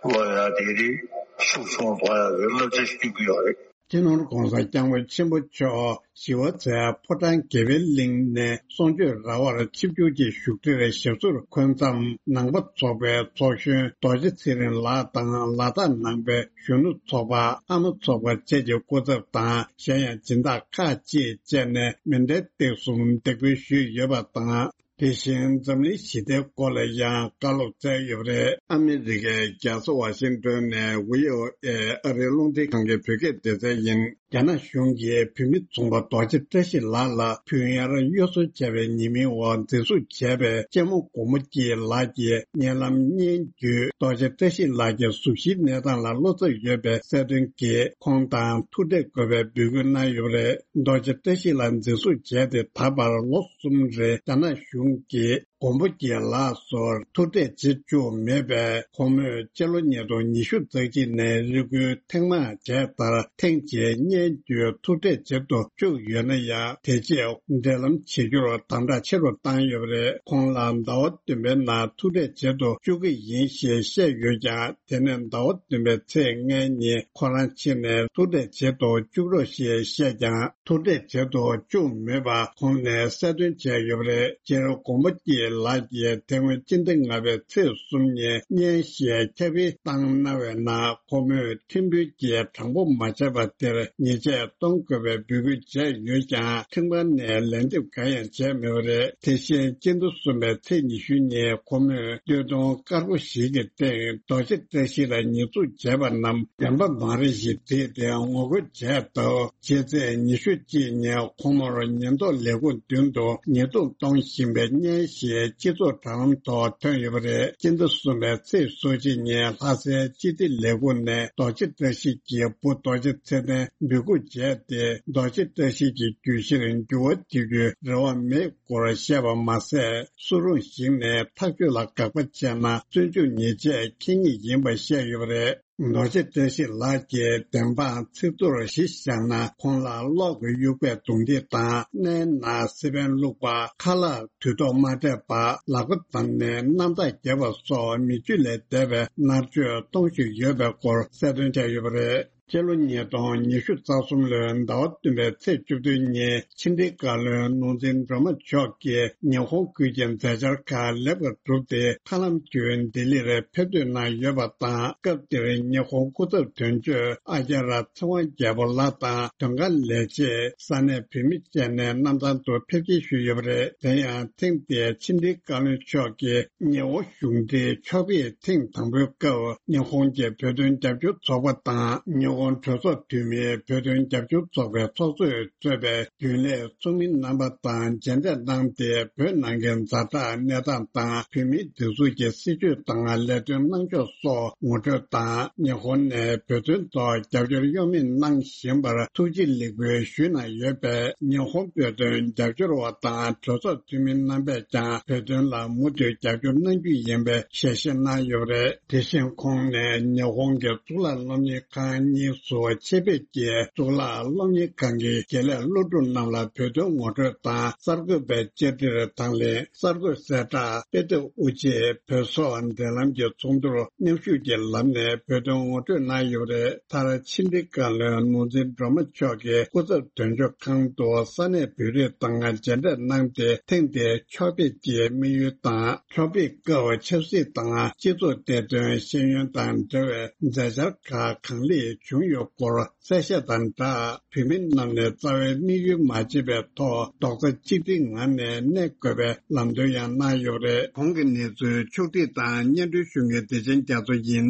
བློ་ཡ་དེ་རིགས་ཤུགས་ཆུང་གཏོང་ཡ་གི་བསླབ་བྱ་ཞིག་སྐྱོན་གྱི་ཡོད་རེད། སྤྱི་ནོར་༸གོང་ས་༸སྐྱབས་མགོན་ཆེན་པོ་མཆོག་ཞི་བ་འཚོའི་ཕོ་བྲང་དགེ་བའི་གླིང་ནས་གསུང་ཆོས་ར་བར་ཆིབས་བསྒྱུར་གྱི་བཞུགས་ཁྲིར་ཞབས་སོར་འཁོད་མཚམས། ནང་པ་ཚོགས་པའི་ཚོགས་གཞོན་རྡོ་རྗེ་ཚེ་རིང་ལགས་དང་། ལ་དྭགས་ནང་པའི་གཞོན་ནུ་ཚོགས་པ། ཨ་མ་ཚོགས་པ་བཅས་ཀྱི་སྐུ་ཚབ་དང་། གཞན་ཡང་སྦྱིན་བདག་ཁག་ཅིག་བཅས་ནས་མཎྜལ་སྟེགས་སུ་འདེགས་འབུལ་ཞུས་ཡོད་པ་དང་། དེ་བཞིན་འཛམ་གླིང་ཞི་བདེའི་སྐོར་ལ་ཡང་བཀའ་སློབ་སྩལ་ཡོད་པ་རེད། ཨ་མི་རི་ཀའི་རྒྱལ་ས་ཝ་ཤིང་ཏོན་ནས་བྷི་ཨོ་ཨེ་ཨ་རིའི་རླུང་འཕྲིན་ཁང་གི་བོད་སྐད་སྡེ་ཚན་ཡིན། རྒྱ་ནག་གཞུང་གིས་བོད་མི་ཚོང་པ་རྡོ་རྗེ་བཀྲ་ཤིས་ལགས་ལ་བུ་གཡར་གཡོ་ཟོལ་བྱས་པའི་ཉེས་མིང་འོག་འཛིན་བཟུང་བྱས་པའི་གཅེན་མོ་མགོན་པོ་སྐྱིད་ལགས་ཀྱི་བརྙན་ལམ་སྙན་བརྒྱུད་རྡོ་རྗེ་བཀྲ་ཤིས་ལགས་ཀྱི་གཟུགས་གཞིའི་གནས་སྟངས་ལ་བློ་འཚབ་ཡོད་པའི་གསལ་སྟོན་གྱིས་ཁོང་དང་ཐུག་འཕྲད་དགོས་པའི་འབོད་སྐུལ་གནང་ཡོད་པ་རེད། རྡོ་རྗེ་བཀྲ་ཤིས་ལགས་འཛིན་བཟུང་བྱས་ཏེ་ད་བར་ལོ་གསུམ་རིང་རྒྱ་ནག་གཞུང་གིས་མགོན་པོ་སྐྱིད་ལགས་སུ་ཐུག་འཕྲད་བྱེད་བཅུག་མེད་པས། ཁོ་མོས་སྤྱི་ལོ་ཉིས་སྟོང་ཉི་ཤུ་རྩ་གཅིག་ནས་རེ་སྐུལ་ཐེངས་མང་བྱས་མཐར་ཐེངས་གཅིག་སྙན་བརྒྱུད་ཐུག་འཕྲད་བྱེད་དུ་བཅུག་ཡོད་ན་ཡང་། དེ་རྗེས་འབྲེལ་ལམ་བྱེད་རྒྱུར་དམ་དྲག་ཆེ་རུ་བཏང་ཡོད་པ་རེད། ཁོང་ལ་ཟླ་བ་བདུན་པའི་ནང་ཐུག་འཕྲད་བྱེད་དུ་བཅུག་གི་ཡིན་ཞེས་བཤད་ཡོད་ཀྱང་། དེ་ནས་ཟླ་བ་བདུན་པའི་ཚེས་ལྔའི་ཉིན་ཁོ་རང་ཕྱིན་ནས་ཐུག་འཕྲད་བྱེད་དུ་བཅུག་རོགས་ཞེས་བཤད་ཀྱང་། ཐུག་འཕྲད་བྱེད་དུ་བཅུག་མེད་པ་ཁོང་ནས་གསལ་སྟོན་བྱས་ཡོད་པ་རེད། སྤྱིར་མགོན་པོ་སྐྱིད་ལགས་ཀྱིས་དེ་སྔོན་སྤྱི་ཟླ་ལྔ་པའི་ཚེས་གསུམ་ཉིན་སྙན་ཞུའི་ཁྱབ་སྤེལ་བཏང་གནང་བའི་ནང་། ཁོ་མོས་ཁྲིམས་དཔོན་གྱིས་དྲང་པོ་མ་བྱས་པ་དེར་ཉེས་ཆད་གཏོང་དགོས་པའི་འབོད་སྐུལ་བྱས་ཡོད་ཀྱང་། ཁྲིམས་ཁང་ནས་ལན་འདེབས་གང་ཡང་བྱས་མེད་པ་རེད། དེ་བཞིན་སྤྱི་ཟླ་གསུམ་པའི་ཚེས་ཉི་ཤུ་ཉིན་ཁོ་མོས་སྟོད་ཐུང་དཀར་པོ་ཞིག་གི་སྟེང་རྡོ་རྗེ་བཀྲ་ཤིས་ལ་ཉེས་འཛུགས་བྱས་པ་རྣམས་བདེན་པ་མ་རེད་ཞེས་བྲིས་ཏེ་ངོ་རྒོལ་བྱས་སྟབས། ཕྱི་ཚེས་ཉི་ཤུ་གཅིག་ཉིན་ཁོ་མོར་ཉེན་རྟོག་ལས་ཁུངས་མདུན་དུ་ཉེས་རྡུང་གཏོང་བཞིན་པའི་སྙན་ཞུ་སྤྱི་ཚོགས་དྲ་ལམ་ཐོག་ཐོན་ཡོད་པ་རེད། སྤྱི་ཟླ་གསུམ་པའི་ཚེས་སོ་གཅིག་ཉིན་ལྷ་སའི་སྤྱི་བདེ་ལས་ཁུངས་ནས་རྡོ་རྗེ་བཀྲ་ཤིས་ཀྱི་བུ་རྡོ་རྗེ་ཚེ་བརྟན་འབོད་འགུག་བྱས་ཏེ། རྡོ་རྗེ་བཀྲ་ཤིས་ཀྱི་གྱོད་གཞིར་འགྱུར་བ་གཏོང་རྒྱུའི་རེ་བ་མེད་སྐོར་བཤད་པ་མ་ཟད། སུ་རུང་ཞིག་ནས་ཐག་གཅོད་ལ་དགག་པ་བྱས་ན་བཙོན་འཇུག་ཉེས་ཆད་འཁྱེར་ངེས་ཡིན་པ་བཤད་ཡོད་པ་རེད། རྡོ་རྗེ་བཀྲ་ཤིས་ལགས་ཀྱིས་བདེན་དཔང་ཚིག་ཐོར་གཞི་བཞག་ན། ཁོང་ལ་གློག་གི་དབྱུག་པས་རྡུང་རྡེག་དང་། སྣའི་ནང་སི་པན་བླུགས་པ། ཁ་ལག་དུས་ཐོག་མ་སྤྲད་པ། ལག་པ་བརྡབས་ནས་རྣམ་ཐར་བརྒྱབ་པ་སོགས་མི་སྤྱོད་ལས་འདས་པའི་མནར་གཅོད་གཏོང་བཞིན་ཡོད་པའི་སྐོར་གསལ་སྟོན་བྱས་ཡོད་པ་རེད། སྤྱི་ལོ་ཉིས་སྟོང་ཉི་ཤུ་རྩ་གསུམ་ལོའི་ཟླ་བ་བདུན་པའི་ཚེས་བཅུ་བདུན་ཉིན། ཕྱི་འབྲེལ་བཀའ་བློན་ནོར་འཛིན་སྒྲོལ་མ་མཆོག་གིས་ཉི་ཧོང་ཁུལ་གྱི་མཛད་འཆར་ཁག་ལེགས་པར་གྲུབ་སྟེ། མཐའ་ལམ་བརྒྱུད་ལྡི་ལིར་ཕེབས་ཐུག་གནང་ཡོད་པ་དང་། སྐབས་དེར་ཉི་ཧོང་སྐུ་ཚབ་དོན་གཅོད་ཨ་ཀྱ་ར་ཚེ་དབང་རྒྱལ་པོ་ལགས་དང་། དོན་ཁང་ལས་བྱེད། ས་གནས་བོད་མི་བཅས་ནས་གནམ་ཐང་དུ་ཕེབས་སྐྱེལ་ཞུས་ཡོད་པ་རེད། དེ་ཡང་ཐེངས་འདིའི་ཕྱི་འབྲེལ་བཀའ་བློན་མཆོག་གིས་ཉི་ཧོང་གཞུང་འབྲེལ་ཕྱོགས་ཕེབས་ཐེངས་དང་པོའི་སྐབས། ཉི་ཧོང་གི་བོད་དོན་རྒྱབ་སྐྱོར་ཚོགས་པ་དང་། ཉི་ཧོང་གྲོས་ཚོགས་འཐུས་མིའི་བོད་དོན་རྒྱབ་སྐྱོར་ཚོགས་པའི་ཚོགས་གཙོས་གཙོས་པའི་རྒྱུན་ལས་ཚོགས་མི་རྣམ་པ་དང་མཇལ་འཕྲད་གནང་སྟེ། བོད་ནང་གི་ཛ་དྲག་གནས་སྟངས་དང་། བོད་མིའི་སྒྲིག་འཛུགས་ཀྱི་སྲིད་བྱུས་དང་ལས་དོན་གནང་ཕྱོགས་སོགས་ངོ་སྤྲོད་དང་། ཉི་ཧོང་ནས་བོད་དོན་ཐོག་རྒྱབ་སྐྱོར་གཡོ་མེད་གནང་བཞིན་པར་ཐུགས་རྗེ་ལེགས་འབུལ་ཞུས་གནང་ཡོད་པས། ཉི་ཧོང་བོད་དོན་རྒྱབ་སྐྱོར་བ་དང་གྲོས་ཚོགས་འཐུས་མི་རྣམ་པས་ཀྱང་བོད་དོན་ལ་མུ་མཐུད་རྒྱབ་སྐྱོར་གནང་རྒྱུ་ཡིན་པའི་ཞལ་བཞེས་གནང་ཡོད་པ་རེད། དེ་བཞིན་ཁོང་ནས་ཉི་ཧོང་གི་གཙུག་ལག་སློབ་གཉེར་ཁང་གཉིས་སུ་ཆེད་ཕེབས་ཀྱིས། གཙུག་ལག་སློབ་གཉེར་ཁང་གི་དགེ་ལས་སློབ་ཕྲུག་རྣམས་ལ་བོད་དོན་ངོ་སྤྲོད་དང་། གསར་འགོད་པའི་བཅར་འདྲིར་དང་ལེན། གསར་འགོད་གསལ་བསྒྲགས། དཔེ་དེབ་དབུ་འབྱེད། བོད་སོག་འབྲེལ་ལམ་གྱི་ཚོགས་འདུར་མཉམ་ཞུགས་ཀྱི་ལམ་ནས་བོད་དོན་ངོ་སྤྲོད་གནང་ཡོད་པ་རེད། མཐར་ཕྱི་འབྲེལ་བཀའ་བློན་ནོར་འཛིན་སྒྲོལ་མ་མཆོག་གིས་སྐུ་ཚབ་དོན་གཅོད་ཁང་དུ་ས་གནས་བོད་རིགས་དང་མཇལ་འཕྲད་གནང་སྟེ། ཐེངས་འདིའི་ཕྱོགས་ཕེབས་ཀྱི་དམིགས་ཡུལ་དང་། ཕྱོགས་ཕེབས་སྐབས་ཆབ་སྲིད་དང་སྤྱི་ཚོགས་བདེ་དོན་ཤེས་ཡོན་དང་འབྲེལ་བའི་མཛད་འཆར་ཁག་གང་ལེགས་བྱུང་ཡོད་སྐོར་གསལ་བཤད་དང་སྦྲགས། བོད་མི་རྣམས་ནས་རྩ་བའི་དམིགས་ཡུལ་མ་བརྗེད་པའི་ཐོག་རྡོག་རྩ་གཅིག་སྒྲིལ་ངང་ནས་གནས་དགོས་པའི་ལམ་སྟོན་ཡང་གནང་ཡོད་པ་རེད། གོང་གི་གནས་ཚུལ་ཕྱོགས་བསྒྲིགས་དང་སྙན་སྒྲོན་ཞུ་མཁན་བདེ་ཆེན་རྒྱ་མཚོ་ཡིན།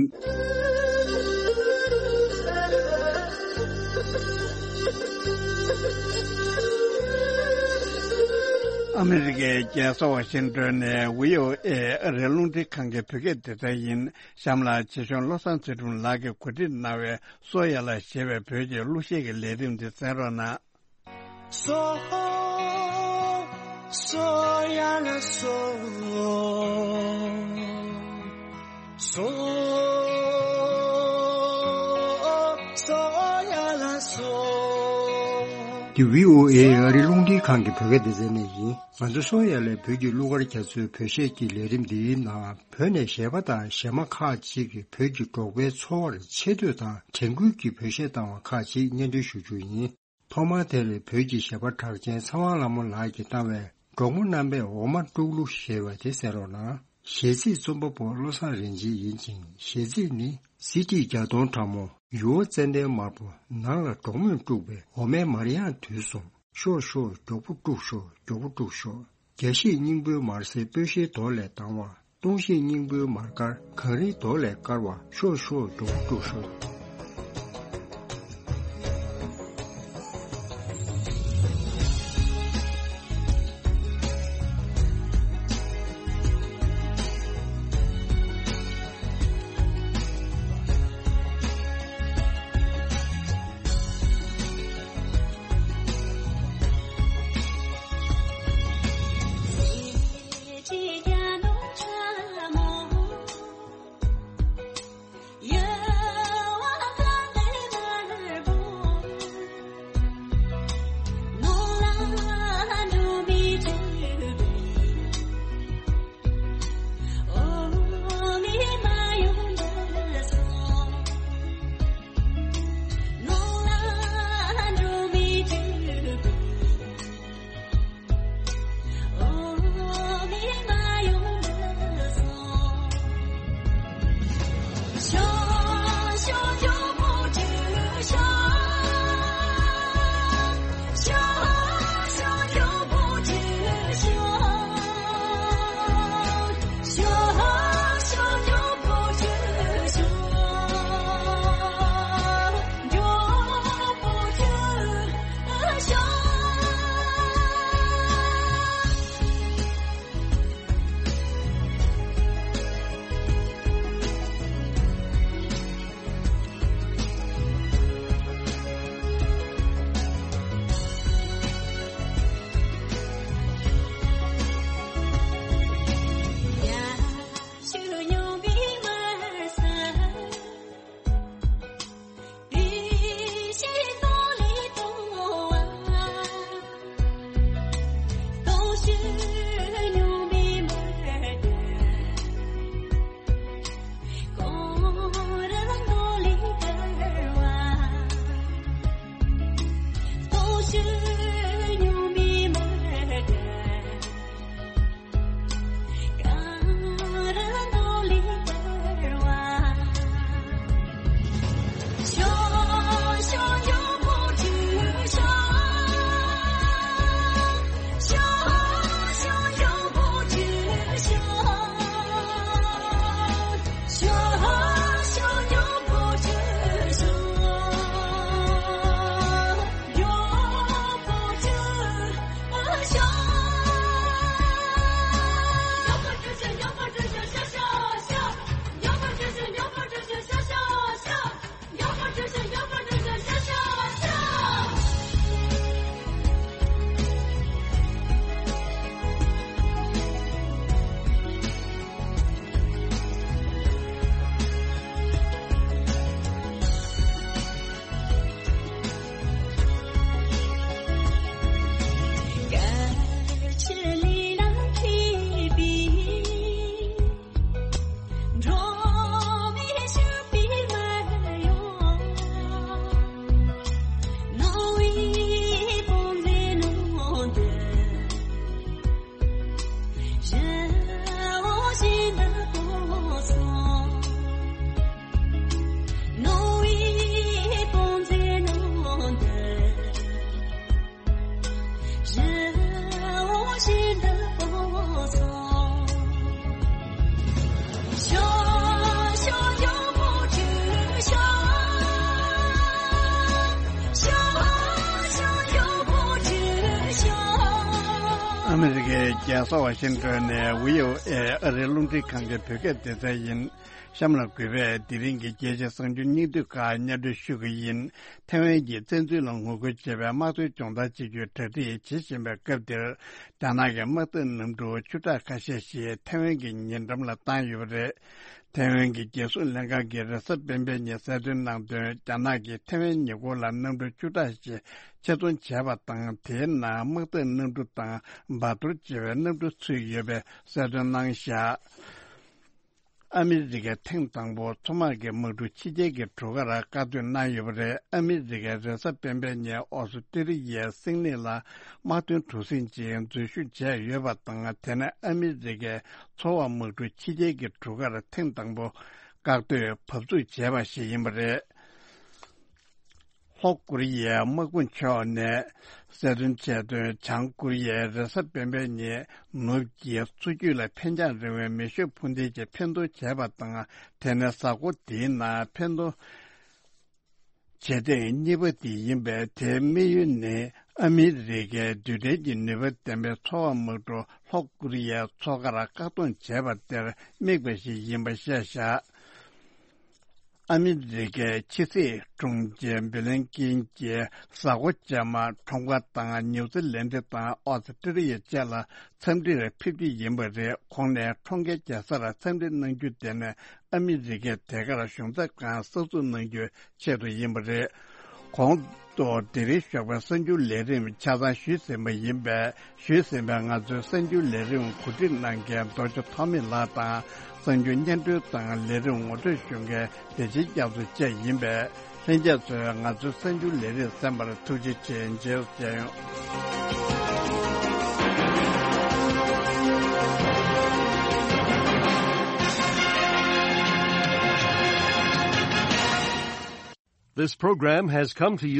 ཨ་མི་རི་ཀའི་རྒྱལ་ས་ཝ་ཤིང་ཏོན་ནས་བྷི་ཨོ་ཨེ་ཨ་རིའི་རླུང་འཕྲིན་ཁང་གི་བོད་སྐད་སྡེ་ཚན་ཡིན། གཤམ་ལ་ཆེ་ཆུང་བློ་བཟང་ཚེ་རིང་ལགས་ཀྱིས་གོ་སྒྲིག་གནང་བའི། སོ་ཡ་ལ་ཞེས་པའི་བོད་ཀྱི་གླུ་གཞས་ཀྱི་ལས་རིམ་འདི་གསན་རོགས་གནང་། སོ། སོ་ཡ་ལ་སོ། སོ། སོ་ཡ་ལ་སོ། འདི་བྷི་ཨོ་ཨེ་ཨ་རིའི་རླུང་འཕྲིན་ཁང་གི་བོད་སྐད་སྡེ་ཚན་ནས་ཡིན། ང་ཚོ་སོ་ཡ་ལའི་བོད་ཀྱི་གླུ་གར་རྒྱ་མཚོའི་བོད་གཞས་ཀྱི་ལས་རིམ་འདིའི་ནང་། བོད་ནས་གཞས་པ་དང་གཞས་མ་ཁག་ཅིག་གིས་བོད་ཀྱི་འབྲོག་པའི་འཚོ་བར་ཆེ་བསྟོད་དང་དྲན་སྐུལ་གྱི་བོད་གཞས་བཏང་བ་ཁག་ཅིག་སྙན་སྒྲོན་ཞུ་རྒྱུ་ཡིན། ཐོག་མར་དེར་བོད་ཀྱི་གཞས་པ་གྲགས་ཅན་ཚེ་དབང་ལྷ་མོ་ལགས་ཀྱིས་བཏང་བའི་འབྲོག་མོ་རྣམ་པས་འོ་མ་དཀྲུག་གླུ་ཞེས་པ་དེ་གསན་རོགས་གནང་། གཞས་ཚིག་རྩོམ་པ་པོ་བློ་བཟང་རིན་ཆེན་ཡིན་ཅིང་། གཞས་ཚིག་ནི། གཟི་བརྗིད་བརྒྱ་སྟོང་ཕྲ་མོ། ཡུར་བ་ཙན་དན་དམར་པོ། ནང་ལ་འབྲོག་མོས་དཀྲུགས་པའི་འོ་མའི་མར་དབྱངས་དུས་གསུམ། ཤོག་ཤོག་མགྱོགས་པོ་དཀྲུགས་ཤོག་མགྱོགས་པོ་དཀྲུགས་ཤོག་རྒྱ་བཞིན་སྙིང་པོའི་མར་ཟས་སྤོས་ཤེལ་རྡོ་ལས་ལྡང་བ། སྟོང་བཞིན་སྙིང་པོའི་མར་དཀར་གངས་རིའི་རྡོ་ལས་དཀར་བ། ཤོག་ཤོག་འགྲོ་འགྲོ་ཤོག་ཨ་མི་རི་ཀའི་རྒྱལ་ས་ཝ་ཤིང་ཏོན་ནས་བྷི་ཨོ་ཨེ་ཨ་རིའི་རླུང་འཕྲིན་ཁང་གི་བོད་སྐད་སྡེ་ཚན་ཡིན། གཤམ་ལ་གུས་པས་དེ་རིང་གི་རྒྱལ་སྤྱིའི་གསར་འགྱུར་སྙིང་བསྡུས་ཁག་སྙན་སྒྲོན་ཞུ་གི་ཡིན། ཐའེ་ཝན་གྱི་བཙན་འཛུལ་ལ་ངོ་རྒོལ་བྱེད་པའི་དམག་དོན་སྦྱོང་བརྡར་གཅིག་གྱུར་གྲ་སྒྲིག་བྱེད་བཞིན་པའི་སྐབས་འདིར། རྒྱ་ནག་གི་དམག་དོན་གནམ་གྲུ་བཅུ་ཕྲག་ཁ་ཤས་ཤིག་ཐའེ་ཝན་གྱི་ཉེ་འགྲམ་ལ་བཏང་ཡོད་པ་རེད། ཐའེ་ཝན་གྱི་རྒྱལ་སྲུང་ལྷན་ཁང་གིས་རེས་གཟའ་སྤེན་པའི་ཉིན་གསལ་སྟོན་གནང་དོན། རྒྱ་ནག་གིས་ཐའེ་ཝན་ཉེ་འཁོར་ལ་གནམ་གྲུ་བཅུ་ཕྲག་ཞིག་ཆེད་རྫོང་བྱས་པ་དང་། དེའི་ནང་དམག་དོན་གནམ་གྲུ་དང་འབར་གཏོར་བྱེད་པའི་གནམ་གྲུ་ཚུད་ཡོད་པའི་གསལ་སྟོན་གནང་བཞག་ཨ་མི་རི་ཀས་ཐེངས་དང་པོ་མཚོ་དམག་གི་དམག་གྲུ་ཕྱི་རྒྱལ་གྱི་གྲུ་ཁར་བཀག་སྡོད་གནང་ཡོད་པ་རེད། ཨ་མི་རི་ཀས་རེས་གཟའ་སྤེན་པའི་ཉིན་ཨོ་སི་ཀྲི་ལི་ཡའི་སིད་ནི་ལ་དམག་དོན་གྲུ་གཟིངས་ཤིག་འཛུལ་ཞུགས་བྱས་ཡོད་པ་དང་། དེ་ནས་ཨ་མི་རི་ཀའི་མཚོ་དམག་གྲུ་ཕྱི་རྒྱལ་གྱི་གྲུ་ཁར་ཐེངས་དང་པོ་བཀག་སྡོད་བབས་ཚུགས་བྱས་པ་ཞིག་ཡིན་པ་རེད། ལྷོ་ཀོ་རི་ཡའི་དམག་དཔུང་ཕྱོགས་ནས་གསལ་སྟོན་བྱས་དོན། བྱང་ཀོ་རི་ཡས་རེས་གཟའ་སྤེན་པའི་ཉིན་ནུབ་ཀྱི་མཚོ་རྒྱུད་ལ་འཕེན་རྒྱང་རིང་བའི་མེ་ཤུགས་འཕུར་མདེལ་གྱི་འཕེན་གཏོང་བྱས་པ་དང་། དེ་ནི་གཟའ་འཁོར་འདིའི་ནང་འཕེན་གཏོང་བྱེད་ཐེངས་གཉིས་པ་དེ་ཡིན་པས། དེའི་དམིགས་ཡུལ་ནི་ཨ་མི་རི་ཀའི་རྡུལ་ཕྲན་གྱི་ནུས་པ་ལྡན་པའི་མཚོ་འོག་དམག་གྲུ་ལྷོ་ཀོ་རི་ཡའི་མཚོ་ཁར་བཀག་སྡོམ་བྱས་པ་དེར་དམིགས་པ་ཞིག་ཡིན་པ་བཤད་བཞག་ཨ་མི་རི་ཀའི་ཕྱི་སྲིད་དྲུང་ཆེ་བྷི་ལིན་ཀིན་གྱིས་གཟའ་འཁོར་རྗེས་མ་ཁྲོམ་ཁ་དང་ནིའུ་ཛི་ལན་ཌི་དང་ཨོ་སི་ཀྲི་ལི་ཡ་བཅས་ལ་འཚམས་འདྲིར་ཕེབས་རྒྱུ་ཡིན་པ་རེད། ཁོང་ནས་ཁྲོམ་ཁའི་རྒྱལ་སར་འཚམས་འདྲི་གནང་རྒྱུ་དེ་ནི་ཨ་མི་རི་ཀས་དེ་གར་གཞུང་ཚབ་ཁང་གསར་འཛུགས་གནང་རྒྱུའི་ཆེད་དུ་ཡིན་པ་རེད། ཁོང་ཚོ་དེ་རིང་ཞོགས་པའི་གསར་འགྱུར་ལས་རིམ་ཆ་ཚང་ཞུས་ཟིན་པ་ཡིན་པས། ཞུས་ཟིན་པའི་ང་ཚོའི་གསར་འགྱུར་ལས་རིམ་གོ་སྒྲིག་གནང་མཁན་རྡོ་རྗེ་ཐོགས་མེད་ལགས་དང་། གསར་འགྱུར་སྙན་སྒྲོན་དང་ལས་རིམ་ངོ་སྤྲོད་ཞུ་མཁན་བདེ་ཆེན་སྐྱབས་མགོན་བཅས་ཡིན་པས། ལྷན་རྒྱས་ཚོས་ང་ཚོའི་གསར་འགྱུར་ལས་རིམ་གསན་པར་ཐུགས་རྗེ་ཆེ། མཇལ་ཡོང་། This program has come to you